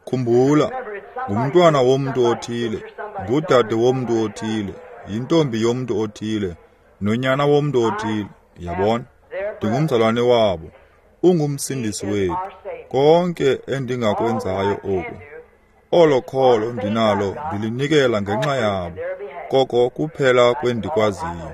Khumbula, ngumntwana womntu othile, ngudade womntu othile, yintombi yomntu othile, nonyana womntu othile. Yabona, ndingumzalwane wabo, ungumsindisi wethu. Konke endingakwenzayo oku, olo kholo ndinalo ndilinikela ngenxa yabo, koko kuphela kwendikwaziyo.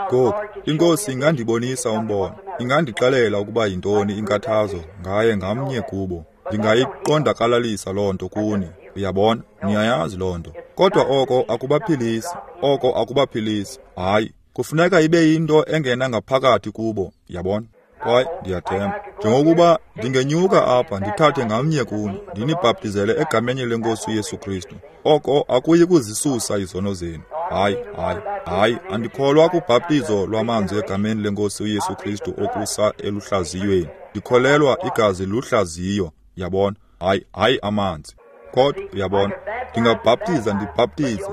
Ngoku, iNkosi ingandibonisa umbono, ingandixelela ukuba yintoni inkathazo ngaye ngamnye kubo. Ndingayiqondakalalisa loo nto kuni, uyabona, niyayazi loo nto. Kodwa oko akubaphilisi, oko akubaphilisi. Hayi, kufuneka ibe yinto engena ngaphakathi kubo, yabona. Kwaye ndiyathemba, njengokuba ndingenyuka apha ndithathe ngamnye kuni, ndinibhaptizele egameni leNkosi uYesu Kristu, oko akuyi kuzisusa izono zenu. Hayi, hayi, hayi, andikholwa kubhaptizo lwamanzi egameni leNkosi uYesu Kristu okusa eluhlaziyweni. Ndikholelwa igazi luhlaziyo, yabona. Hayi, hayi amanzi. Kodwa uyabona, ndingabhaptiza ndibhaptize,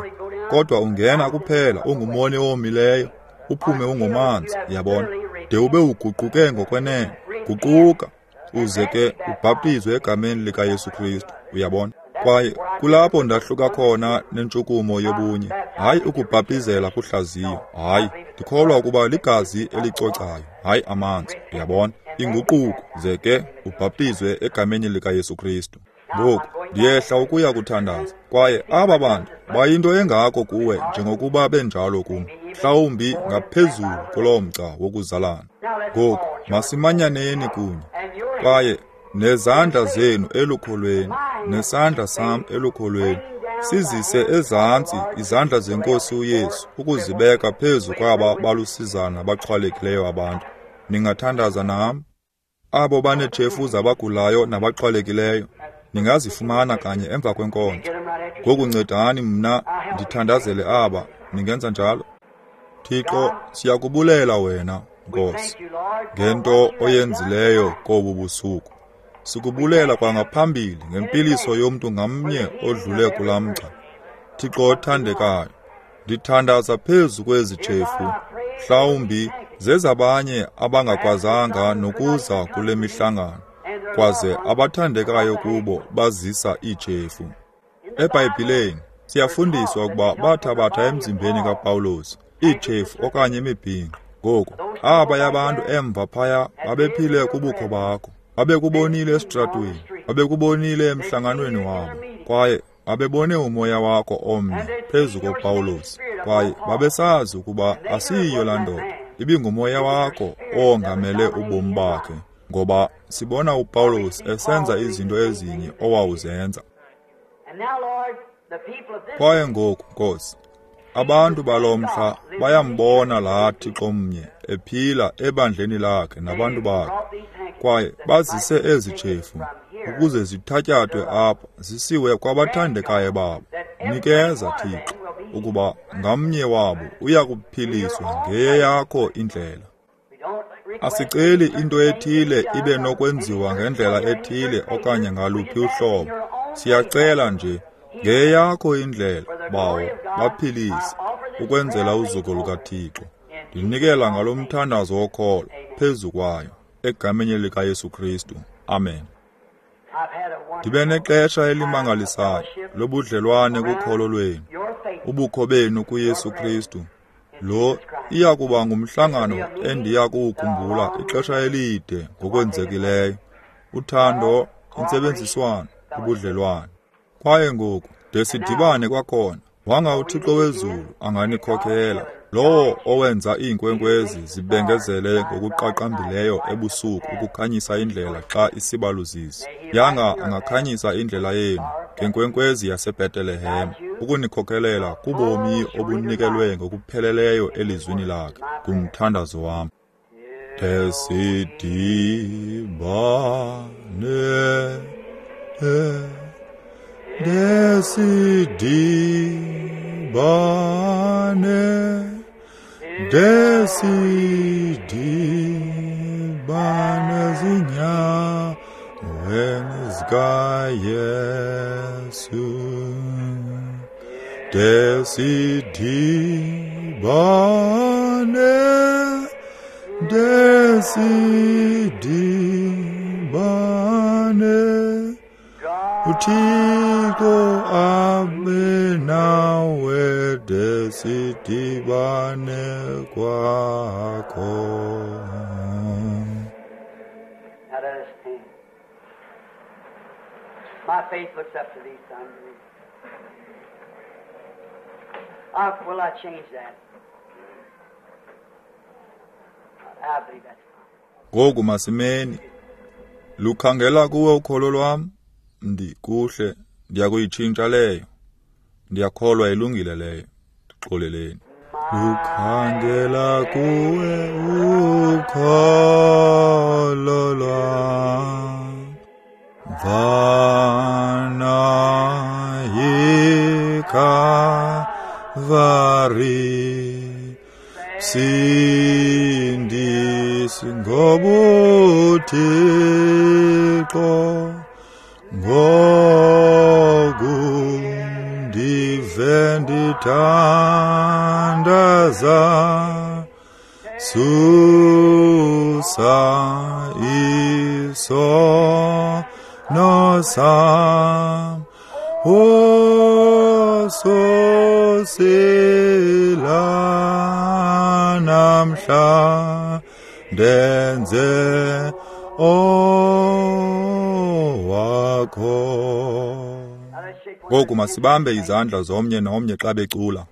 kodwa ungena kuphela ungumoni owomileyo, uphume ungomanzi, yabona, de ube uguquke ngokwenene. Guquka uze ke ubhaptizwe egameni likaYesu Kristu, uyabona. Kwaye kulapho ndahluka khona nentshukumo yobunye. Hayi ukubhaptizela kuhlaziyo, hayi, ndikholwa ukuba ligazi elicocayo, hayi amanzi, uyabona. Inguquko ze ke ubhaptizwe egameni likaYesu Kristu. Ngoku ndiyehla ukuya kuthandaza, kwaye aba bantu bayinto engako kuwe njengokuba benjalo kum, mhlawumbi ngaphezulu kuloo mgca wokuzalana. Ngoku masimanyaneni kunye, kwaye nezandla zenu elukholweni, nesandla sam elukholweni, sizise ezantsi izandla zeNkosi uYesu ukuzibeka phezu kwaba balusizana baxhwalekileyo abantu. Ningathandaza nam? Abo baneetshefu zabagulayo nabaxhwalekileyo ningazifumana kanye emva kwenkonzo. Ngoku ncedani mna ndithandazele aba. Ningenza njalo? Thixo, siyakubulela wena, Nkosi, ngento oyenzileyo kobu busuku. Sikubulela kwangaphambili ngempiliso yomntu ngamnye odlule kulaa mgca. Thixo othandekayo, ndithandaza phezu kwezi tshefu, mhlawumbi zezabanye abangakwazanga nokuza kule mihlangano, kwaze abathandekayo kubo bazisa iitshefu. EBhayibhileni siyafundiswa ukuba bathabatha emzimbeni kaPawulos iitshefu okanye imibhinqo. Ngoku aba yabantu emva phaya babephile kubukho bakho, babekubonile esitratweni, babekubonile emhlanganweni wabo, kwaye babebone umoya wakho omnye phezu koPawulos, kwaye babesazi ukuba asiyiyo laa ndoda, ibingumoya wakho owongamele ubomi bakhe, ngoba sibona uPawulos esenza izinto ezinye owawuzenza. Kwaye ngoku, Nkosi, abantu balo mhla bayambona laa Thixo mnye ephila ebandleni lakhe nabantu bakhe, kwaye bazise ezi tshefu ukuze zithatyathwe apha zisiwe kwabathandekayo babo. Nikeza, Thixo, ukuba ngamnye wabo uya kuphiliswa ngeyakho indlela. Asiceli into ethile ibe nokwenziwa ngendlela ethile okanye ngaluphi uhlobo. Siyacela nje ngeyakho indlela, Bawo, baphilise ukwenzela uzuko lukaThixo. Ndinikela ngalo mthandazo wokholo phezu kwayo, egameni likaYesu Kristu. Amen. Ndibe nexesha elimangalisayo lobudlelwane kukholo lwenu, ubukho benu kuYesu Kristu. Lo iya kuba ngumhlangano endiya kuwukhumbula ixesha elide ngokwenzekileyo. Uthando, intsebenziswano, ubudlelwane. Kwaye ngoku de sidibane kwakhona, wanga uThixo wezulu anganikhokela, lowo owenza iinkwenkwezi zibengezele ngokuqaqambileyo ebusuku ukukhanyisa indlela xa isibaluzisi. Yanga angakhanyisa indlela yenu ngenkwenkwezi yaseBhetelehem, ukunikhokelela kubomi obunikelwe ngokupheleleyo elizwini lakhe. Ngumthandazo wam. De sidibane Desidibane, desidibane zinyaweni zikaYesu. Desidibane, desidibane, uThixo abe nawe, desidibane kwakho. Now let us stand. My faith looks up to thee, son. I, will I change that? I believe that's fine. Ngoku masimeni. Lukhangela kuwe ukholo lwam. Ndikuhle, ndiyakuyitshintsha leyo. Ndiyakholwa ilungile leyo. Ndixoleleni. Lukhangela kuwe ukholo lwam. Vana yiKalvari, sindisi ngobuThixo, ngoku ndive ndithandaza, susa isono sam, ososela namhla ndenze owakho. Ngoku masibambe izandla zomnye nomnye xa becula.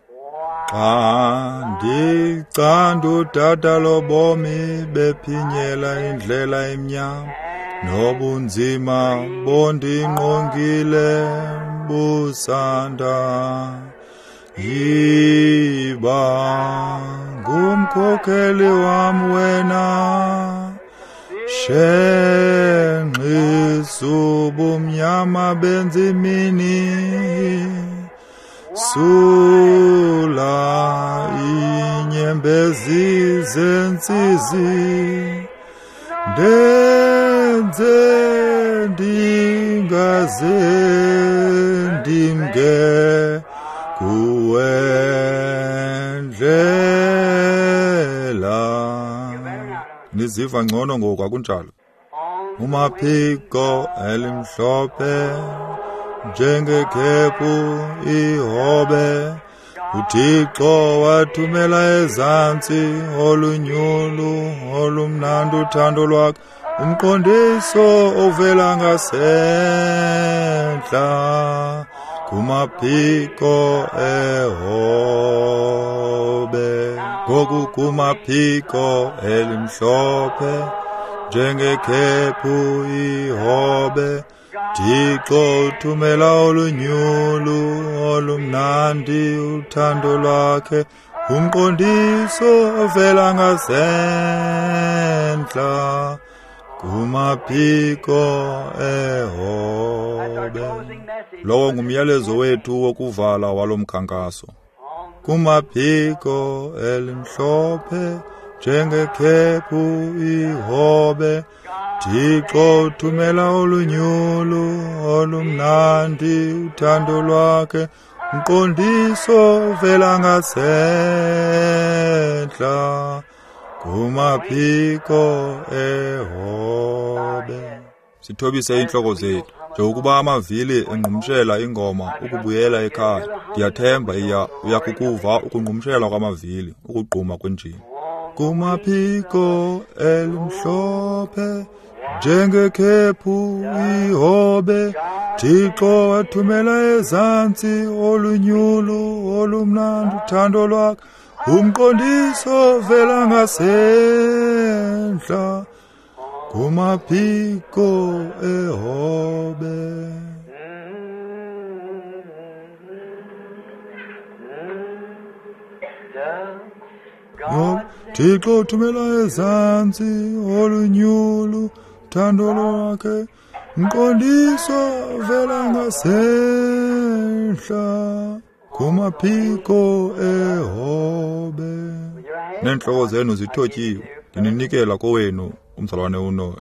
Xa ndicanda udada lobomi bephinyela indlela emnyama, nobunzima bondingqongile busanda, yiba ngumkhokheli wam wena, shenxisa ubumnyama benzimini, sula inyembezi zentsizi, ndenze ndingaze ndimke kuwe ndlela. Niziva ngcono ngoku, akunjalo? Umaphiko elimhlophe njengekhephu ihobe, uThixo wathumela ezantsi olunyulu olumnandi uthando lwakhe, umqondiso ovela ngasentla kumaphiko ehobe. Ngoku kumaphiko elimhlophe njengekhephu ihobe, Thixo uthumela olunyulu olumnandi uthando lwakhe, umqondiso ovela ngasentla kumaphiko ehobe. Lowo ngumyalezo wethu wokuvala walo mkhankaso. Kumaphiko elimhlophe njengekhephu ihobe, Thixo uthumela olunyulu olumnandi uthando lwakhe, umqondiso ovela ngasentla kumaphiko ehobe. Sithobise iintloko zethu njengokuba amavili engqumshela ingoma ukubuyela ekhaya. Ndiyathemba iya uyakukuva ukungqumshela kwamavili ukugquma kwenjini. Kumaphiko elimhlophe njengekhephu ihobe, Thixo wathumela ezantsi olunyulu olumnandi uthando lwakhe, umqondiso ovela ngasentla kumaphiko ehobe. Thixo uthumela ezantsi olunyulu uthando lwakhe, Mqondiso vela ngasehla kumaphiko ehobe. Neentloko zenu zithotyiwe, ndininikela kowenu umzalwane uNoel.